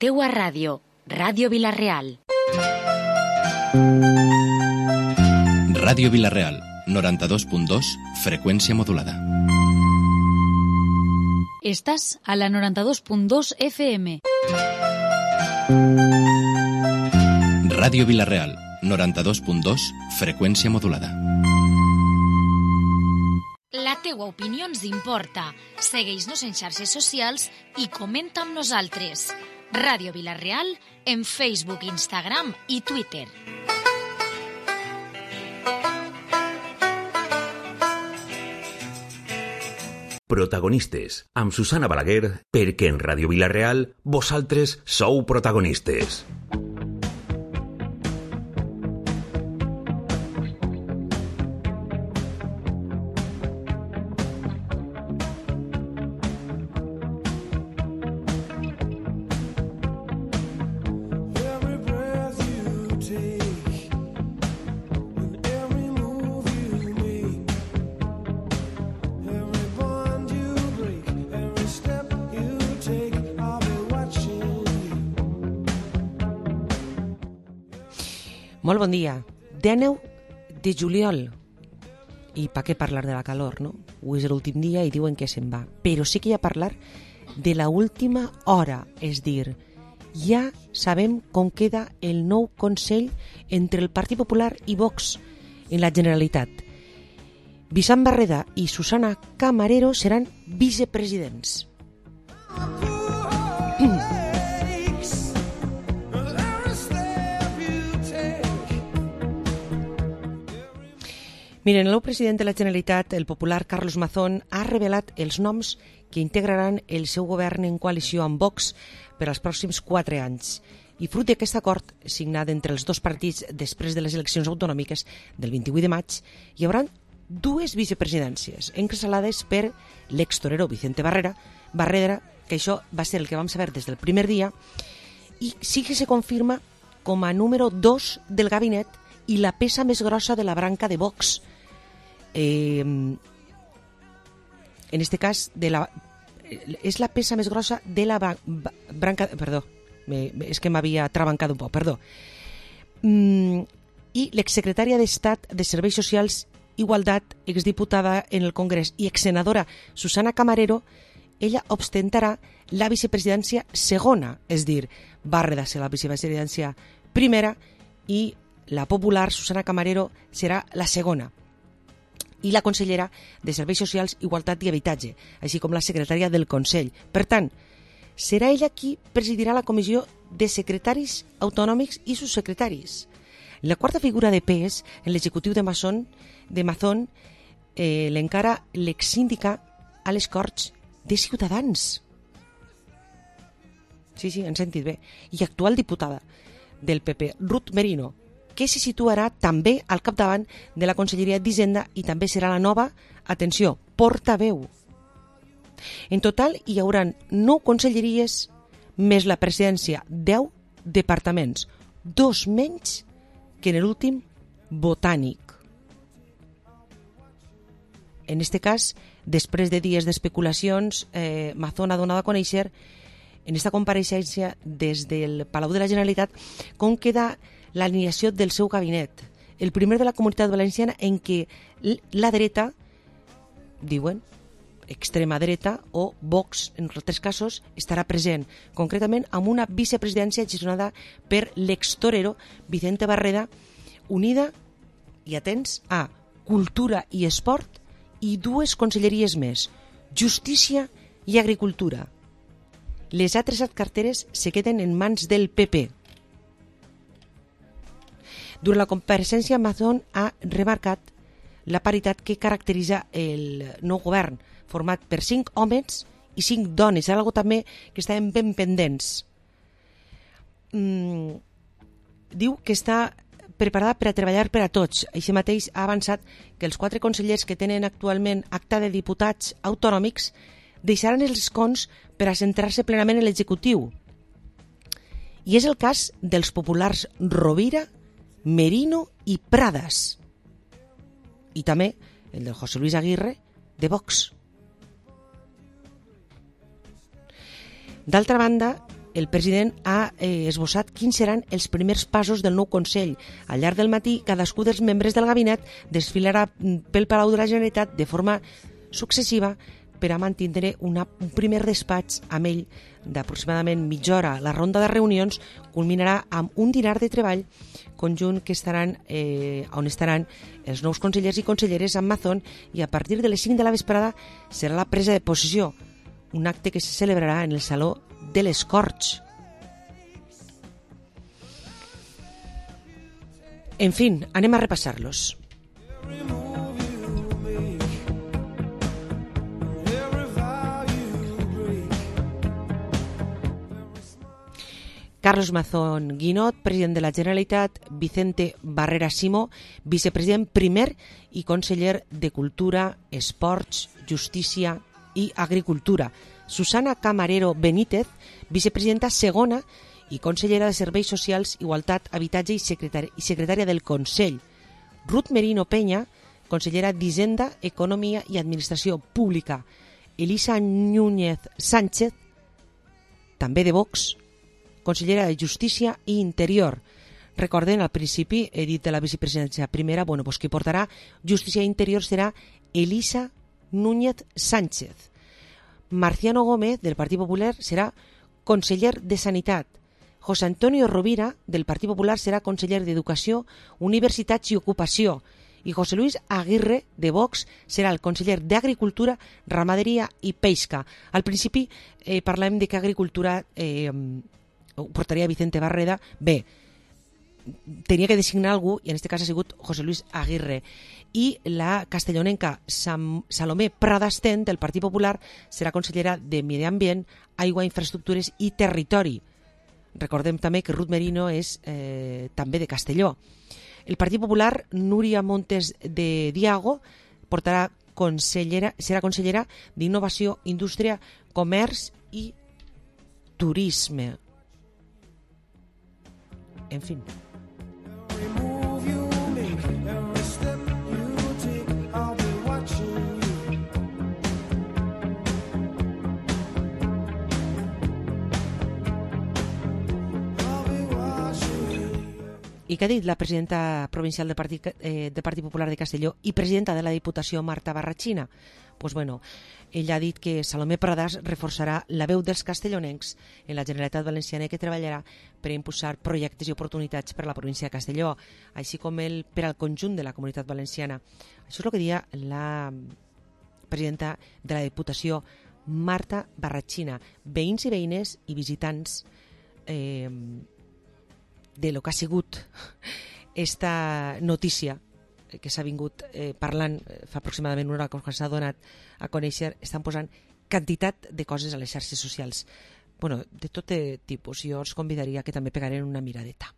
teua ràdio, Ràdio Vila-real. Ràdio Vila-real, 92.2, freqüència modulada. Estàs a la 92.2 FM. Ràdio Vila-real, 92.2, freqüència modulada. La teua opinió ens importa. Segueix-nos en xarxes socials i comenta amb nosaltres. Ràdio Vila-real en Facebook, Instagram i Twitter. Protagonistes, amb Susana Balaguer, perquè en Ràdio Vila-real vosaltres sou protagonistes. Molt bon dia. 19 de juliol. I per què parlar de la calor, no? Avui és l'últim dia i diuen que se'n va. Però sí que hi ha parlar de la última hora. És dir, ja sabem com queda el nou Consell entre el Partit Popular i Vox en la Generalitat. Vicent Barreda i Susana Camarero seran vicepresidents. Miren, el nou president de la Generalitat, el popular Carlos Mazón, ha revelat els noms que integraran el seu govern en coalició amb Vox per als pròxims 4 anys. I fruit d'aquest acord, signat entre els dos partits després de les eleccions autonòmiques del 28 de maig, hi haurà 2 vicepresidències, encapçalades per l'extorero Vicente Barrera, que això va ser el que vam saber des del primer dia, i sí que se confirma com a número 2 del gabinet i la peça més grossa de la branca de Vox. En este cas és la peça més grossa de la branca, perdó, és que m'havia trabancat un poc, perdó. I l'exsecretària d'Estat de Serveis Socials, Igualtat, exdiputada en el Congrés i exsenadora Susana Camarero, ella ostentarà la vicepresidència segona, és dir, Barreda serà la vicepresidència primera i la popular Susana Camarero serà la segona, i la consellera de Serveis Socials, Igualtat i Habitatge, així com la secretària del Consell. Per tant, serà ella qui presidirà la comissió de secretaris autonòmics i subsecretaris. La quarta figura de pes en l'executiu de Mazón l'encara l'exsíndica a les Corts de Ciutadans. Sí, han sentit bé. I actual diputada del PP, Ruth Merino, que se situarà també al capdavant de la Conselleria d'Hisenda i també serà la nova, atenció, portaveu. En total hi haurà 9 conselleries més la presidència, 10 departaments, 2 menys que en l'últim Botànic. En este cas, després de dies d'especulacions, Mazón ha donat a conèixer en esta compareixença des del Palau de la Generalitat com queda l'alineació del seu gabinet, el primer de la Comunitat Valenciana en què la dreta, diuen, extrema dreta o Vox, en altres casos, estarà present, concretament amb una vicepresidència gestionada per l'extorero Vicente Barreda, unida, i atents, a Cultura i Esport i 2 conselleries més, Justícia i Agricultura. Les altres carteres se queden en mans del PP. Durant la compareixença, Mazón ha remarcat la paritat que caracteritza el nou govern, format per 5 homes i 5 dones, algo també que estaven ben pendents. Diu que està preparada per a treballar per a tots. Així mateix ha avançat que els 4 consellers que tenen actualment acta de diputats autonòmics deixaran els escons per a centrar-se plenament en l'executiu. I és el cas dels populars Rovira, Merino i Pradas. I també el de José Luis Aguirre, de Vox. D'altra banda, el president ha esbossat quins seran els primers passos del nou Consell. Al llarg del matí, cadascú dels membres del gabinet desfilarà pel Palau de la Generalitat de forma successiva per a mantenir un primer despatx amb ell d'aproximadament mitja hora. La ronda de reunions culminarà amb un dinar de treball conjunt que on estaran els nous consellers i conselleres amb Mazón, i a partir de les 5 de la vesprada serà la presa de possessió, un acte que se celebrarà en el Saló de les Corts. En fin, anem a repassar-los. Carlos Mazón Guinot, president de la Generalitat; Vicente Barrera Simó, vicepresident primer i conseller de Cultura, Esports, Justícia i Agricultura; Susana Camarero Benítez, vicepresidenta segona i consellera de Serveis Socials, Igualtat, Habitatge i secretària del Consell; Ruth Merino Peña, consellera d'Hisenda, Economia i Administració Pública; Elisa Núñez Sánchez, també de Vox, consellera de Justícia i Interior. Recorden, al principi he dit de la vicepresidència primera, qui portarà Justícia i Interior serà Elisa Núñez Sánchez. Marciano Gómez, del Partit Popular, serà conseller de Sanitat. José Antonio Rovira, del Partit Popular, serà conseller d'Educació, Universitats i Ocupació. I José Luis Aguirre, de Vox, serà el conseller d'Agricultura, Ramaderia i Pesca. Al principi parlem de que Agricultura ho portaria Vicente Barreda. Bé, tenia que designar algú i en aquest cas ha sigut José Luis Aguirre. I la castellonenca Salomé Pradastén, del Partit Popular, serà consellera de Medi Ambient, Aigua, Infraestructures i Territori. Recordem també que Ruth Merino és també de Castelló. El Partit Popular, Núria Montes de Diago, serà consellera d'Innovació, Indústria, Comerç i Turisme. En fin. I què ha dit la presidenta provincial del Partit Popular de Castelló i presidenta de la Diputació, Marta Barratxina? Ella ha dit que Salomé Pradàs reforçarà la veu dels castellonencs en la Generalitat Valenciana i que treballarà per impulsar projectes i oportunitats per a la província de Castelló, així com per al conjunt de la Comunitat Valenciana. Això és el que deia la presidenta de la Diputació, Marta Barratxina. Veïns i veïnes i visitants de lo que ha sigut esta notícia que s'ha vingut parlant fa aproximadament una hora que s'ha donat a conèixer, estan posant quantitat de coses a les xarxes socials. De tot tipus. Jo els convidaria que també pegaren una miradeta.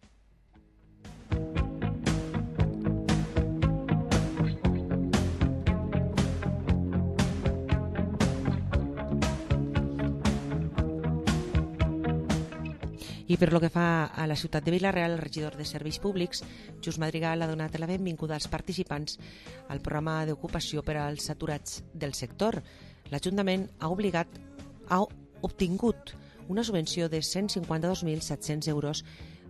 I per lo que fa a la ciutat de Vila-real, el regidor de Serveis Públics, Just Madrigal, ha donat la benvinguda als participants al programa d'ocupació per als aturats del sector. L'Ajuntament ha obtingut una subvenció de 152.700 euros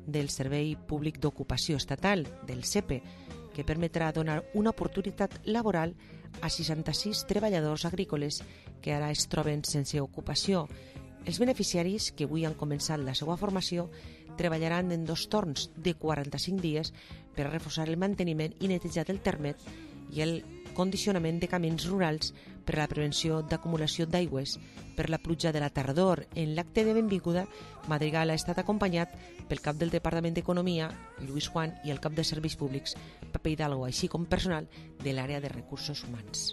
del Servei Públic d'Ocupació Estatal, del SEPE, que permetrà donar una oportunitat laboral a 66 treballadors agrícoles que ara es troben sense ocupació. Els beneficiaris, que avui han començat la seva formació, treballaran en 2 torns de 45 dies per a reforçar el manteniment i netejar del termet i el condicionament de camins rurals per a la prevenció d'acumulació d'aigües per la pluja de la tardor. En l'acte de benvinguda, Madrigal ha estat acompanyat pel cap del Departament d'Economia, Lluís Juan, i el cap de Serveis Públics, Pepe Hidalgo, així com personal de l'àrea de recursos humans.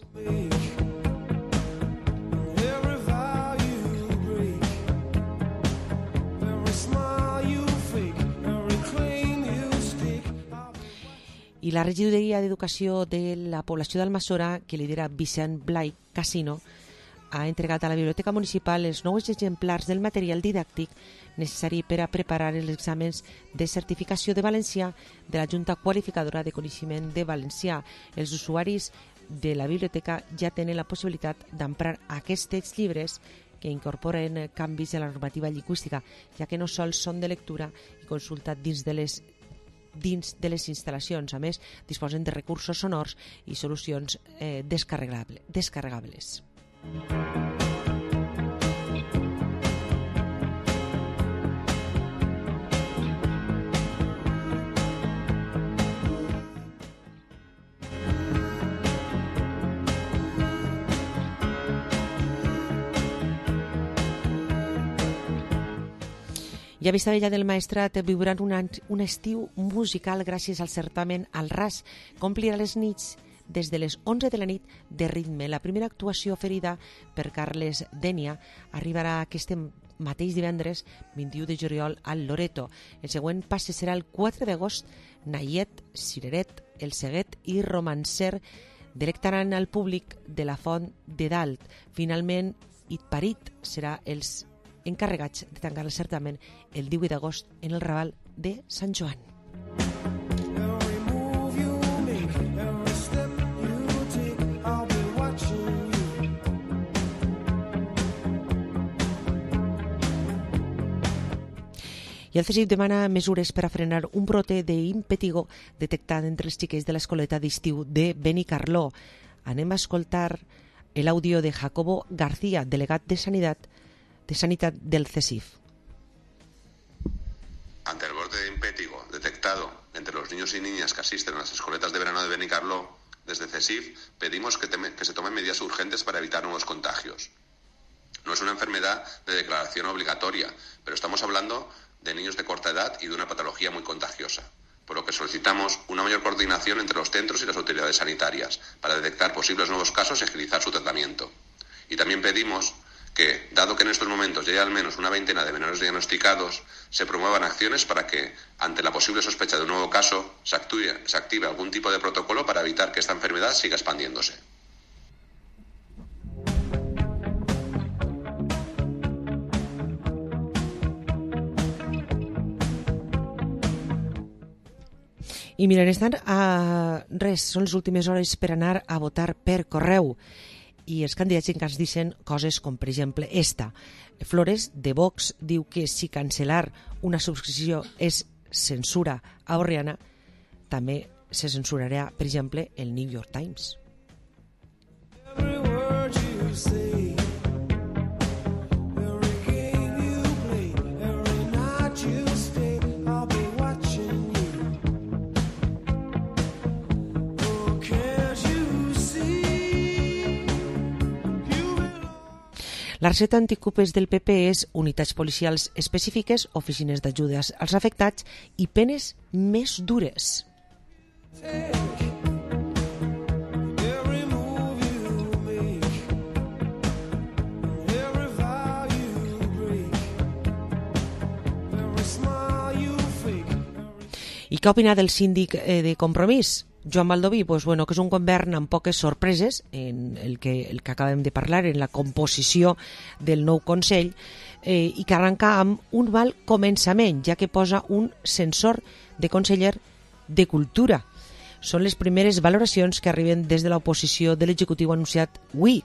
I la regidoria d'Educació de la població d'Almassora, que lidera Vicent Blai Casino, ha entregat a la Biblioteca Municipal els nous exemplars del material didàctic necessari per a preparar els exàmens de certificació de valencià de la Junta Qualificadora de Coneixement de Valencià. Els usuaris de la biblioteca ja tenen la possibilitat d'emprar aquests llibres que incorporen canvis en la normativa lingüística, ja que no sols són de lectura i consulta dins de les instal·lacions. A més, disposen de recursos sonors i solucions descarregables. I a Vistabella del Maestrat viuran un estiu musical gràcies al certamen Al Ras, que omplirà les nits des de les 11 de la nit de ritme. La primera actuació oferida per Carles Dènia arribarà aquest mateix divendres 21 de juliol al Loreto. El següent passe serà el 4 d'agost. Nayet, Cireret, El Seguet i Romancer delectaran al públic de la Font de Dalt. Finalment, Itparit serà els encarregats de tancar el certamen el 18 d'agost en el Raval de Sant Joan. I el CSIC demana mesures per a frenar un brote d'impetigo detectat entre els xiquets de l'escoleta d'estiu de Benicarló. Anem a escoltar l'àudio de Jacobo García, delegat de Sanidad del CSIF. Ante el brote de impétigo detectado entre los niños y niñas que asisten a las escoletas de verano de Benicarló, desde CSIF pedimos que se tomen medidas urgentes para evitar nuevos contagios. No es una enfermedad de declaración obligatoria, pero estamos hablando de niños de corta edad y de una patología muy contagiosa, por lo que solicitamos una mayor coordinación entre los centros y las autoridades sanitarias para detectar posibles nuevos casos y agilizar su tratamiento. Y también pedimos que, dado que en estos momentos ya hay al menos una veintena de menores diagnosticados, se promuevan acciones para que, ante la posible sospecha de un nuevo caso, se active algún tipo de protocolo para evitar que esta enfermedad siga expandiéndose. I miren, estan a res, són les últimes hores per anar a votar per correu. I els candidats encara ens diuen coses com, per exemple, esta. Flores, de Vox, diu que si cancel·lar una subscripció és censura a Borriana, també se censurarà, per exemple, el New York Times. La recepta anticupes del PP és unitats policials específiques, oficines d'ajudes als afectats i penes més dures. I què opina del síndic de Compromís? Joan Baldoví, que és un govern amb poques sorpreses en el que acabem de parlar, en la composició del nou Consell, i que arrenca amb un mal començament, ja que posa un censor de conseller de Cultura. Són les primeres valoracions que arriben des de l'oposició de l'executiu anunciat avui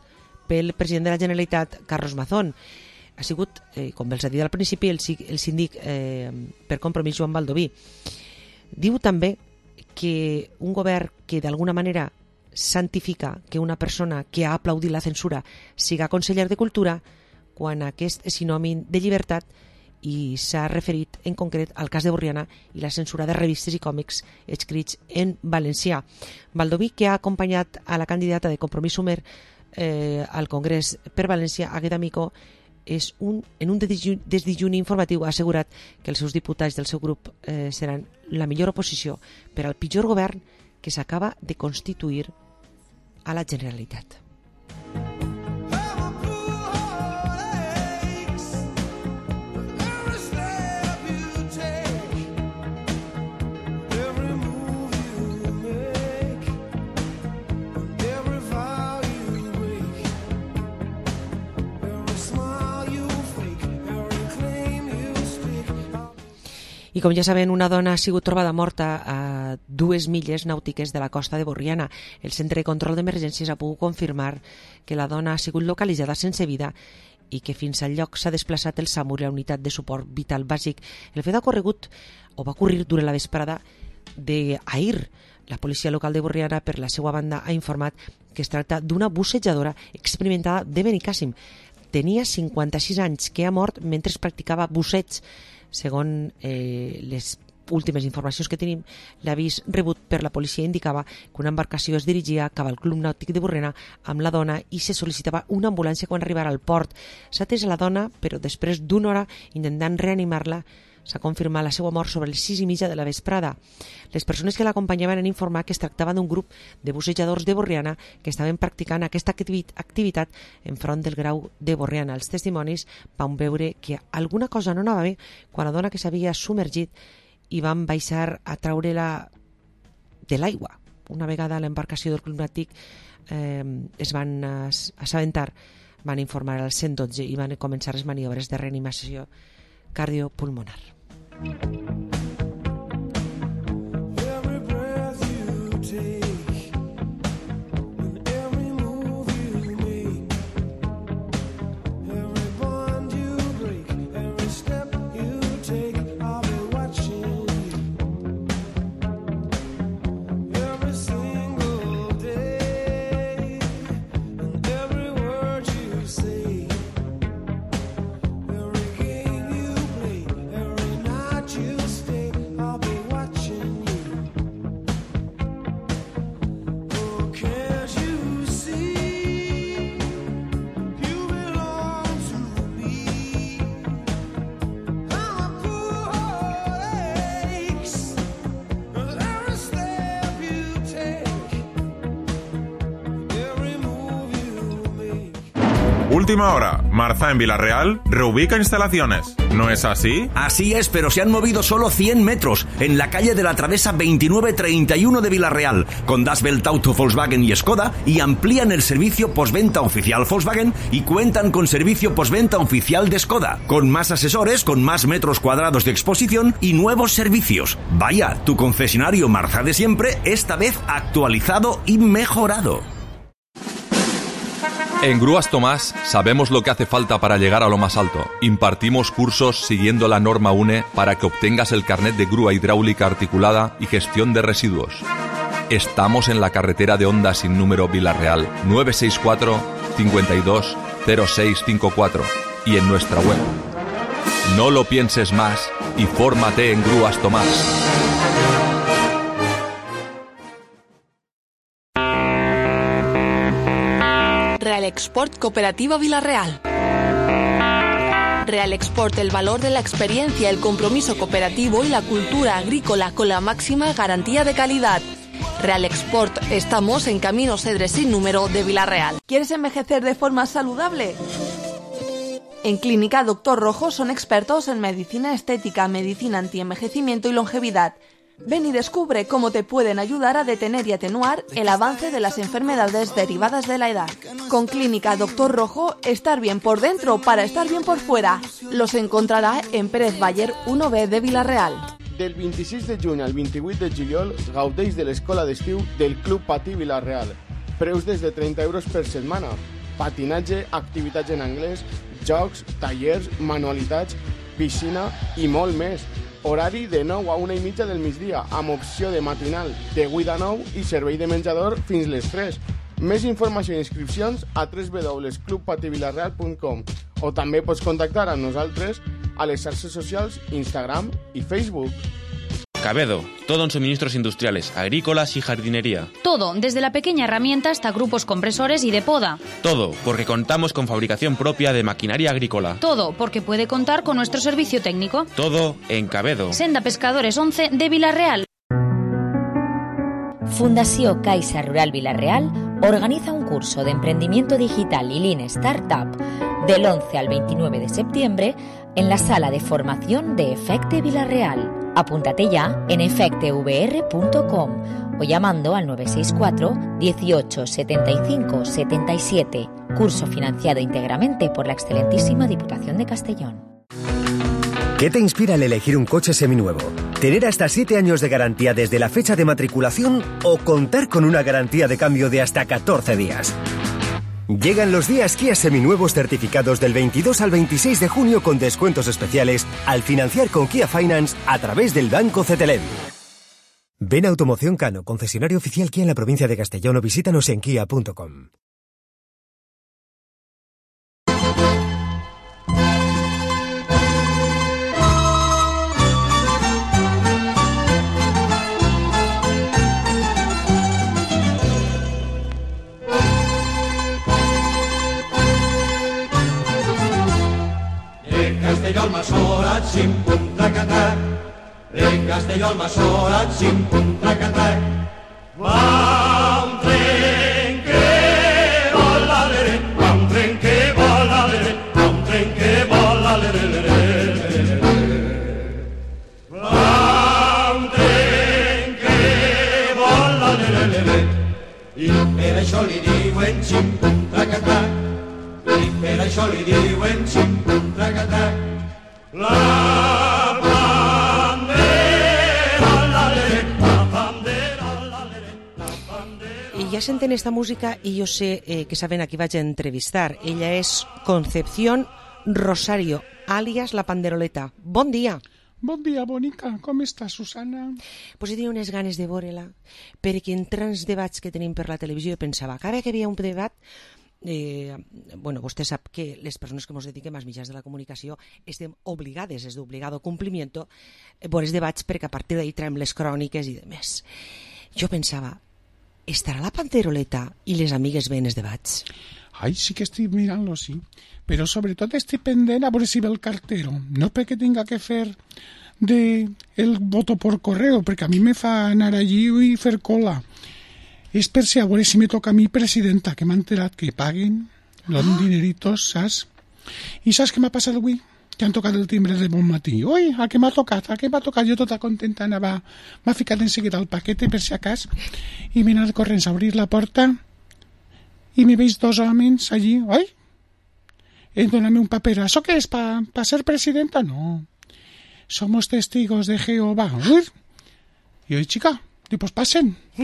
pel president de la Generalitat, Carlos Mazón. Ha sigut, com els ha dit al principi, el síndic per Compromís, Joan Baldoví. Diu també que un govern que d'alguna manera santifica que una persona que ha aplaudit la censura siga conseller de Cultura, quan aquest és sinònim de llibertat, i s'ha referit en concret al cas de Borriana i la censura de revistes i còmics escrits en valencià. Baldoví, que ha acompanyat a la candidata de Compromís Sumer al Congrés per València, Águeda Micó, en un desdejuni informatiu ha assegurat que els seus diputats del seu grup seran la millor oposició per al pitjor govern que s'acaba de constituir a la Generalitat. I com ja saben, una dona ha sigut trobada morta a 2 milles nàutiques de la costa de Borriana. El Centre de Control d'Emergències ha pogut confirmar que la dona ha sigut localitzada sense vida i que fins al lloc s'ha desplaçat el SAMUR i la unitat de suport vital bàsic. El fet va ocorrir durant la vesprada d'ahir. La policia local de Borriana, per la seva banda, ha informat que es tracta d'una bussejadora experimentada de Benicàssim. Tenia 56 anys, que ha mort mentre practicava busseig. Segons les últimes informacions que tenim, l'avís rebut per la policia indicava que una embarcació es dirigia cap al Club Nàutic de Borriana amb la dona i se sol·licitava una ambulància quan arribara al port. S'ha atès a la dona, però després d'una hora intentant reanimar-la, s'ha confirmat la seva mort sobre les 6:30 de la vesprada. Les persones que l'acompanyaven han informat que es tractava d'un grup de bussejadors de Borriana que estaven practicant aquesta activitat enfront del Grau de Borriana. Els testimonis van veure que alguna cosa no anava bé quan la dona que s'havia submergit i van baixar a treure-la de l'aigua. Una vegada a l'embarcació del Club Nàutic es van assabentar, van informar al 112 i van començar les maniobres de reanimació cardiopulmonar. Última hora, Marza en Villarreal reubica instalaciones. ¿No es así? Así es, pero se han movido solo 100 metros en la calle de la Travesa 2931 de Villarreal, con Das Welt Auto Volkswagen y Skoda, y amplían el servicio postventa oficial Volkswagen y cuentan con servicio postventa oficial de Skoda, con más asesores, con más metros cuadrados de exposición y nuevos servicios. Vaya, tu concesionario Marza de siempre, esta vez actualizado y mejorado. En Grúas Tomás sabemos lo que hace falta para llegar a lo más alto. Impartimos cursos siguiendo la norma UNE para que obtengas el carnet de grúa hidráulica articulada y gestión de residuos. Estamos en la carretera de Honda sin número Villarreal, 964 52 0654 y en nuestra web. No lo pienses más y fórmate en Grúas Tomás. Realexport Cooperativa Villarreal. Realexport, el valor de la experiencia, el compromiso cooperativo y la cultura agrícola con la máxima garantía de calidad. Realexport, estamos en Camino Cedres sin número de Villarreal. ¿Quieres envejecer de forma saludable? En Clínica Dr. Rojo son expertos en medicina estética, medicina antienvejecimiento y longevidad. Ven y descubre cómo te pueden ayudar a detener y atenuar el avance de las enfermedades derivadas de la edad. Con Clínica Dr. Rojo, estar bien por dentro para estar bien por fuera. Los encontrarà en Pérez Baller 1B de Villarreal. Del 26 de juny al 28 de juliol gaudeix de l'escola d'estiu del Club Patí Villarreal. Preus des de 30 euros per setmana. Patinatge, activitats en anglès, jocs, tallers, manualitats, piscina i molt més. Horari de 9 a 1:30 del migdia, amb opció de matinal de 8 a 9 i servei de menjador fins les 3. Més informació i inscripcions a www.clubpativillarreal.com o també pots contactar amb nosaltres a les xarxes socials Instagram i Facebook. Cabedo, todo en suministros industriales, agrícolas y jardinería. Todo, desde la pequeña herramienta hasta grupos compresores y de poda. Todo, porque contamos con fabricación propia de maquinaria agrícola. Todo, porque puede contar con nuestro servicio técnico. Todo en Cabedo. Senda Pescadores 11 de Villarreal. Fundació Caixa Rural Villarreal organiza un curso de emprendimiento digital y Lean Startup del 11 al 29 de septiembre en la sala de formación de Efecte Villarreal. Apúntate ya en efectevr.com o llamando al 964 18 75 77. Curso financiado íntegramente por la excelentísima Diputación de Castellón. ¿Qué te inspira al elegir un coche seminuevo? ¿Tener hasta 7 años de garantía desde la fecha de matriculación o contar con una garantía de cambio de hasta 14 días? Llegan los días Kia seminuevos certificados del 22 al 26 de junio con descuentos especiales al financiar con Kia Finance a través del Banco CTLM. Ven a Automoción Cano, concesionario oficial Kia en la provincia de Castellón, o visítanos en kia.com. Castelló al Masora, xim, pum, trac-a-trac. Castelló al Masora, xim, pum, trac-a-trac. Va un tren que vola, lere, va un tren que vola, lere, va un tren que vola, lere, lere. Va un tren que vola, lere, lere. I per això li diuen xim, pum, trac-a-trac. I per això li diuen xim, pum, trac-a-trac. La bandera, la lere, la bandera, la lere, la bandera. I ja senten esta música i jo sé que saben a qui vaig a entrevistar. Ella és Concepción Rosario, àlies La Panderoleta. Bon dia. Bon dia, bonica. Com estàs, Susana? Pues he tingut unes ganes de veure-la, perquè entre els debats que tenim per la televisió pensava que ara que hi havia un debat, bueno, vostè sap que les persones que ens dediquem als mitjans de la comunicació estem obligades, és d'obligado complimiento, veure els debats perquè a partir d'ahí traiem les cròniques i demés. Jo pensava, estarà la Panderoleta i les amigues veient els debats? Ai, sí que estic mirant-lo, sí. Però sobretot estic pendent a veure si ve el cartero. No perquè tinga que fer el voto por correo, perquè a mi me fa anar allí i fer cola. És per si a veure si me toca a mi presidenta, que m'ha enterat que paguen los dineritos, saps? I saps què m'ha passat avui? Que han tocat el timbre de bon matí. Ui, a què m'ha tocat? A què m'ha tocat? Jo tota contenta m'ha ficat en seguida el paquete, per si a cas, i m'he anat corrents a obrir la porta i me veig dos homes allí. Oi? Dóname un paper. ¿Eso qué es? ¿Para ser presidenta? No. Somos testigos de Jehová. Ui? I oi, xica, diu, pues passen, i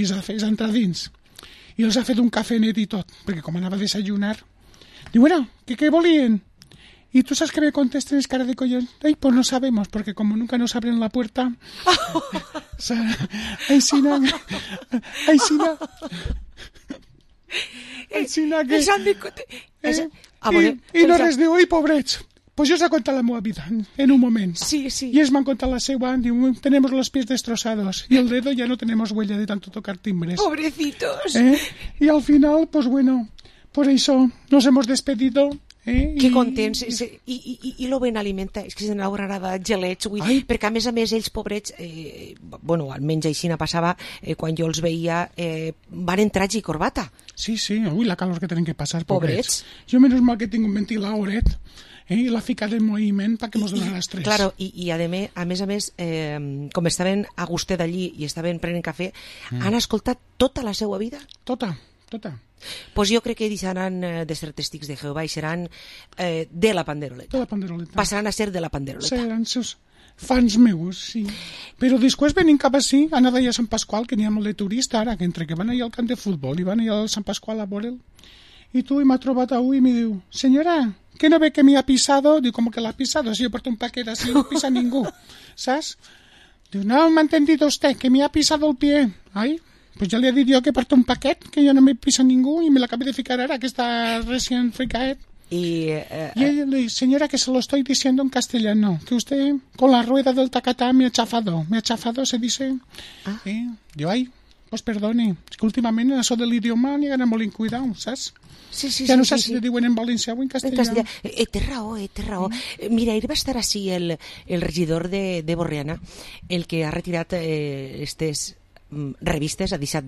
els ha entrat dins. I els ha fet un cafenet i tot, perquè com anava a desayunar, diu, bueno, ¿qué volien? Y tú sabes que me contesten, es cara de collón. Ay, pues no sabemos, porque como nunca nos abren la puerta. Ay, Sina. Que... I no res diu, oi, pobrets. Pues yo os he contado la meva vida en un moment. Sí, sí. Y ellos me han contado la seva. Digo, tenemos los pies destrozados. Y el dedo ya no tenemos huella de tanto tocar timbres. Pobrecitos. Y al final, pues bueno, por eso nos hemos despedido. Que contents. I lo ben alimenta. És que se n'haurà gelets, perquè a més ells, pobrets, bueno, almenys així passava, quan jo els veia, van en traje i corbata. Sí, ui, la calor que tenen que passar, pobrets. Jo menys mal que tinc un ventilador, i la ficat en moviment perquè mos donen l'estrès. Claro, i a més, com estaven a gustet d'allí i estaven prenent cafè, han escoltat tota la seva vida? Tota. Pues jo crec que deixaran de ser testics de Jehovà i seran de la Panderoleta. De la Panderoleta. Passaran a ser de la Panderoleta. Seran seus fans meus, sí. Però després venim cap així, anava allà a Sant Pasqual, que n'hi ha molt de turista ara, que entre que van allà al camp de futbol i van allà al Sant Pasqual a veure'l. I tu m'ha trobat avui i me diu, senyora, ¿qué no ve que me ha pisado? Digo, ¿cómo que la ha pisado? Si yo porto un paquete así, no pisa ningún. ¿Sabes? Digo, no, me ha entendido usted, que me ha pisado el pie. Ay, pues ya le he dicho yo que porto un paquete, que yo no me pisa ningún, y me lo acabé de ficar ahora, que está recién fricaet. Y ella le dice, señora, que se lo estoy diciendo en castellano, que usted con la rueda del tacatá me ha chafado, se dice. Digo, ay, pues perdone, es que últimamente eso del idioma ni ganan molt en cuidado, ¿sabes? Sí, ja no sé si le diuen en valencià o en castellà. Té raó. Mira, ahir va estar així el regidor de Borriana, el que ha retirat aquestes revistes, ha deixat,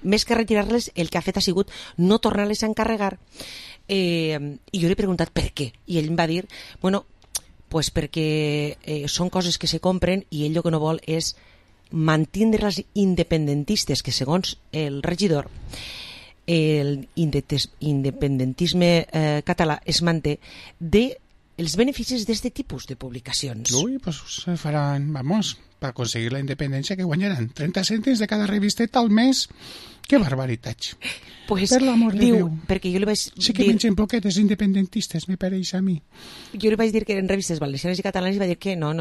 més que retirar-les, el que ha fet ha sigut no tornar-les a encarregar. I jo li he preguntat per què, i ell em va dir, bueno, pues perquè són coses que se compren i ell el que no vol és mantindre les independentistes, que segons el regidor el independentisme català es manté de els beneficis d'aquest tipus de publicacions. Ui, pues se faran, vamos, per aconseguir la independència que guanyaran 30 cèntims de cada revisteta al mes. Que barbaritat. Pues, per l'amor de Déu. Perquè jo li vaig sí que mengen poquetes independentistes, me pareix a mi. Jo li vaig dir que eren revistes valencianes i catalanes i va dir que no,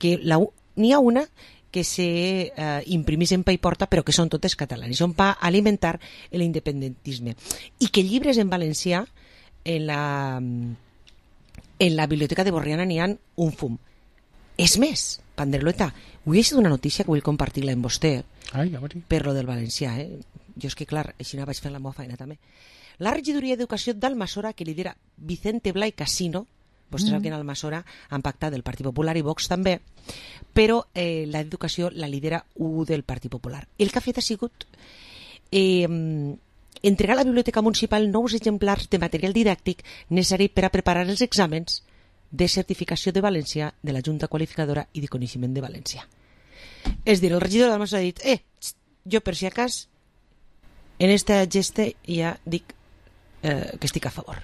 que n'hi ha una que se imprimís en pa i porta, però que són totes catalanes, són per alimentar l'independentisme. I que llibres en valencià en la biblioteca de Borriana n'hi ha un fum. És més, Pandreleta, avui he sigut una notícia que vull compartir-la amb vostè. Ai, ja veuré. Per lo del valencià, Jo és que, clar, així no vaig fent la meva feina també. La regidoria d'Educació d'Almassora, que lidera Vicente Blay Casino, vostè sap que en Almassora han pactat el Partit Popular i Vox també, però l'educació la lidera U del Partit Popular. El que ha fet ha sigut entregar a la Biblioteca Municipal nous exemplars de material didàctic necessari per a preparar els exàmens de certificació de valencià de la Junta Qualificadora i de Coneixement de València. És dir, el regidor d'Almassora ha dit jo per si acas en esta gesta ja dic que estic a favor.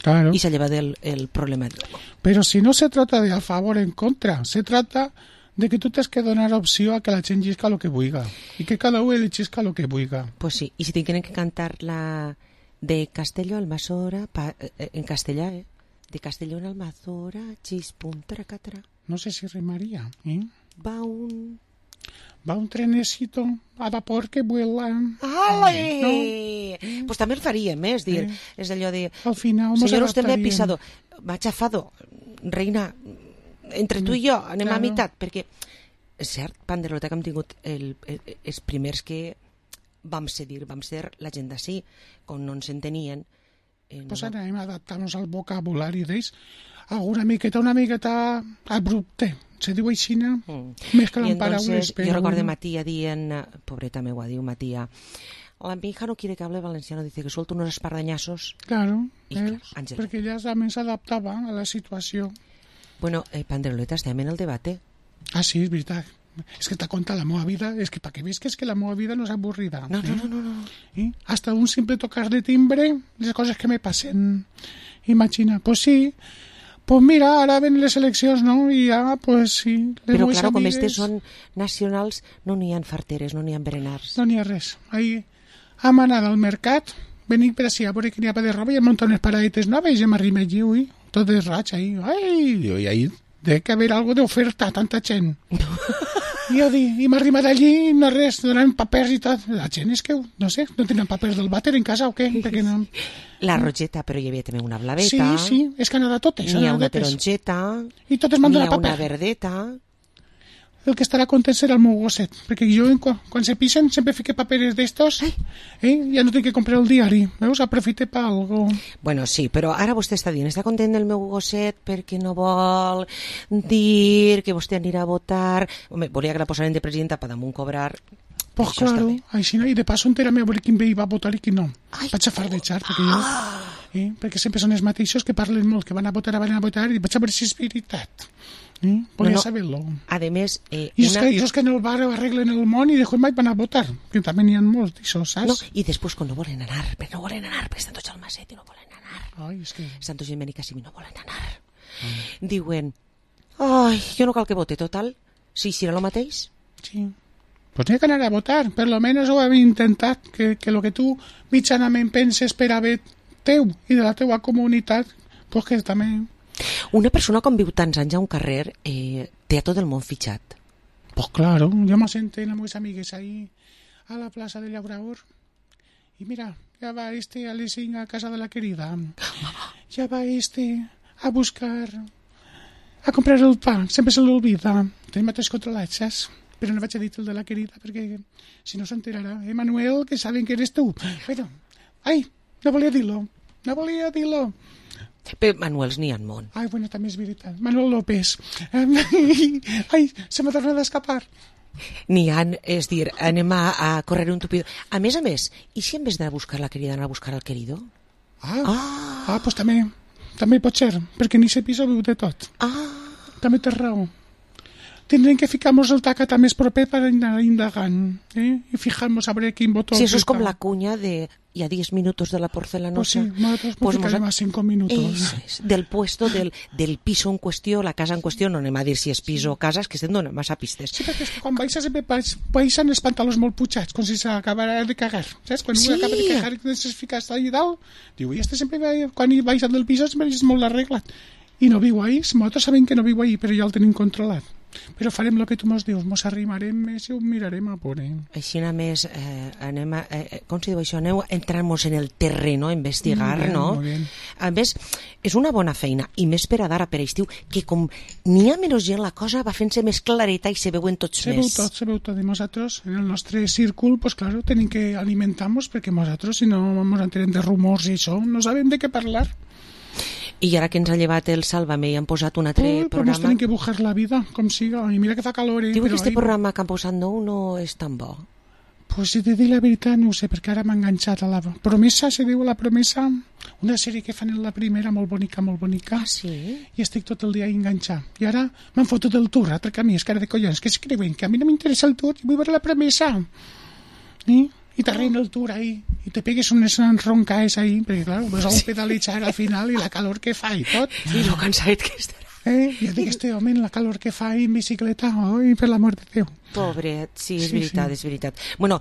Claro. Y se lleva del problema de luego. Pero si no se trata de a favor o en contra, se trata de que tú tienes que donar opción a que la gent llisca lo que vulga y que cada uno le chisca lo que vulga. Pues sí, y si tienen que cantar la de Castelló Almassora en castellà, de Castelló en Almassora, chispum, tracatra. No sé si rimaría, Va un trenecito a vapor que vuela. ¡Ale! No? Pues també el faríem, és dir, és allò de... Al final señor, usted me ha pisado, m'ha chafado, reina, entre tu i jo anem a meitat, perquè és cert, Pandreleta, que hem tingut els primers que vam ser la gent d'ací, quan no ens entenien. Pues ara hem adaptat-nos al vocabulari d'ells, una miqueta abrupte. Se diu així, més que en paraules. Yo recuerdo a Matia dient, pobreta meua, diu Matia, la mi hija no quiere que hable valenciano, dice que suelto unos espardañazos. Claro, perquè ella també s'adaptava a la situació. Bueno, Pandreleta, estem en el debate. Ah, sí, és veritat. És que t'ha contat la meva vida, és que per què veus que és que la meva vida no és avorrida. No. Hasta un simple tocar de timbre, les coses que me passen. Imagina, pues sí, pues mira, ara ven les eleccions, no? I ja, pues sí. Però claro, com estes són nacionals, no n'hi ha farteres, no n'hi ha berenars. No n'hi ha res. Ahí hem anat al mercat, venim per ací a veure que n'hi ha de roba i hem muntat unes paradetes noves i hem arribat allí, ui, tot de raig, ahí. Ai, i ahí debe que haver algo d'oferta, tanta gent. I jo dic, i m'ha arribat allí, no res, donaven papers i tot. La gent és que, no sé, no tenen papers del vàter en casa o què? No... La rogeta, però hi havia també una blaveta. Sí, és que han anat totes. N'hi ha una taronjeta, i totes m'han donat n'hi paper. ha una verdeta. El que estarà content serà el meu gosset, perquè jo quan se pisen sempre fique paperes d'estos, ja no tinc que comprar el diari, veus? Aprofite per algo. Bueno, sí, però ara vostè està dient, està content del meu gosset perquè no vol dir que vostè anirà a votar. Home, volia que la posaren de presidenta per damunt cobrar. Pues claro, així no, i de passo enterame a veure quin veí va votar i quin no. Vaig a fardejar, perquè jo... perquè sempre són els mateixos que parlen molt, que van a votar, i vaig a veure si és veritat. Volia saber-lo. A més... I és que en el bar arreglen el món i després mai van a votar, que també n'hi ha molts d'això, saps? No, i després quan no volen anar, perquè estan tots al Maset i no volen anar. Ai, és que... Estan tots en Benicàssim i no volen anar. Diuen, jo no cal que vote, total, si serà el mateix. Sí. Pues n'hi ha que anar a votar, per lo menos ho hem intentat, que el que tu mitjanament penses per haver teu i de la teua comunitat, pues que també... Una persona quan viu tants anys a un carrer té a tot el món fitxat. Pues claro, yo me senté amb meus amigues ahí a la plaça de Llaurador y mira, ya va a les 5 a casa de la querida, ya va a buscar, a comprar el pa, sempre se l'olvida, tenim tres controlats, saps? Però no vaig a dir el de la querida perquè si no s'enterarà, Manuel, que saben que eres tu. Pero, no volia dir-lo. Però Manuels n'hi ha en món. Ai, bueno, també és veritat. Manuel López. Ai, se m'ha tornat a escapar. N'hi ha, és dir, anem a correr un tupido. A més, i si en vez d'anar a buscar la querida, anar a buscar el querido? Pues també pot ser, perquè ni se pisa viu de tot. També té raó. tindrem que ficar-nos el tacat més proper per anar indagant, i fijar-nos a veure quin botó... Sí, eso es com la cuña de... y a 10 minutos de la porcelanosa. Pues sí, nosotros pues ficarem a 5 minutos. És, del puesto del piso en qüestió, la casa en qüestió, no anem a dir si és pis o casa, és que estem donant massa pistes. Sí, perquè és que quan baixa sempre baixen els pantalons molt putxats, com si s'acabara de cagar, saps? Quan un acaba de cagar i es fica allà dalt, diu, i este sempre, quan hi baixa del pis, sempre és molt arreglat. I no viu ahí, nosaltres sabem que no viu ahí, però ja el tenim controlat. Però farem el que tu mos dius, mos arrimarem més i ho mirarem a por. Així a més, anem a, com si diu això, aneu a entrar-nos en el terreno, a investigar, bien, no? A més, és una bona feina, i més per a d'ara, per a estiu, que com n'hi ha menys gent, la cosa va fent-se més clareta i se veuen tots més. Se veu tot, i nosaltres, en el nostre círcul, pues claro, tenim que alimentar-nos, perquè nosaltres, si no ens enterem de rumors i això, no sabem de què parlar. I ara que ens ha llevat el Sálvame i han posat un altre programa... Però ens tenim que bujar la vida, com siga. I mira que fa calor, Diu que este programa que han posat nou no és tan bo. Pues si te dic la veritat, no ho sé, perquè ara m'ha enganxat a la promesa, se diu La Promesa, una sèrie que fan en la primera, molt bonica. Ah, sí? I estic tot el dia enganxat. I ara m'han fotut el tour, altre camí, és cara de collons, que es creuen que a mi no m'interessa el tour i vull veure La Promesa. I t'arreina el tour ahí, i te pegues unes roncaes ahí, perquè clar, vas a un pedalejar al final i la calor que fa i tot. I lo cansat que estarà. Ja dic, este home, la calor que fa en bicicleta, oi, per l'amor de Déu. Pobret, sí, és veritat, és veritat. Bueno,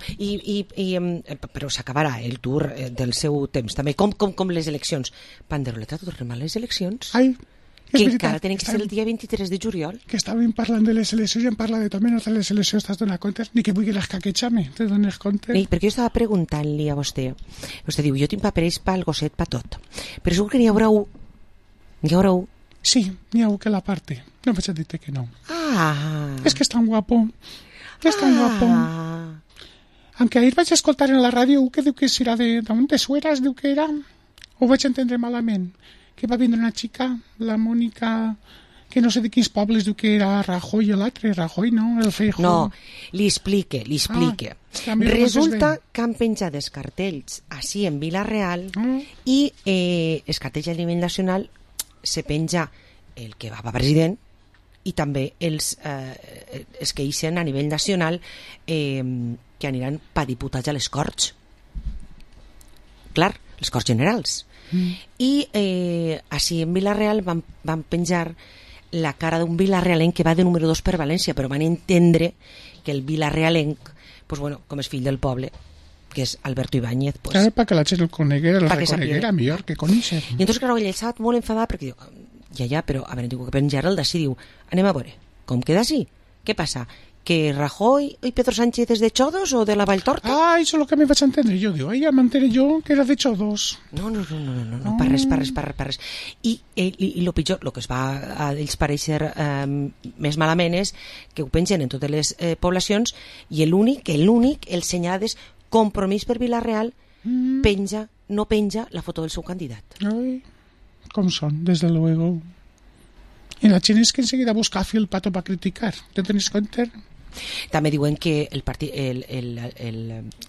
però s'acabarà el tour del seu temps, també, com les eleccions. Panderoleta, tornem a les eleccions? Ai, que encara tenen que ser el dia 23 de juliol. Que estàvem parlant de les eleccions i em parla de també no de les eleccions, t'has donat compte? Ni que vulgui l'escaquetxar-me, te dones compte? Sí, perquè jo estava preguntant-li a vostè. Vostè diu, jo tinc paperells pel gosset, pa tot. Però segur que n'hi haurà un. N'hi haurà un. Sí, n'hi ha un que la parte. No vaig a dir-te que no. Ah. És que és tan guapo. És tan guapo. Aunque ahir vaig escoltar en la ràdio que diu que serà de Sueras, diu que era. Ho vaig entendre malament. Que va vindre una xica, la Mònica, que no sé de quins pobles, diu que era Rajoy, l'altre, Rajoy, no? El Feijóo. No, li explique. Resulta que han penjat els cartells així en Vila-real i els cartells a nivell nacional se penja el que va president i també els que ixen a nivell nacional que aniran per diputats a les Corts. Clar, les Corts Generals. I així en Vila-real van penjar la cara d'un vilarrealenc que va de número 2 per València, però van entendre que el vilarrealenc, pues bueno, com és fill del poble, que és Alberto Ibáñez, pues, claro, para que la gent el coneguera, la reconeguera millor que conèixer. I entonces claro, ell estava molt enfadat perquè diu, ja, però a veure, diu que penjar el d'ací, diu, anem a veure, com queda així? Què passa? Que Rajoy y Pedro Sánchez es de Chodos o de la Valltorta? Ah, eso es lo que me vas a entender. Yo digo, ya me enteré yo que era de Chodos. No, per res. I lo pitjor, el que es va a ells pareixer més malament és que ho pengen en totes les poblacions i l'únic, el senyal és Compromís per Vila-real, no penja la foto del seu candidat. Ai, com són, desde luego. Y la gent és que enseguida busca fil pato para criticar. ¿Te tenéis cuenta? També diuen que el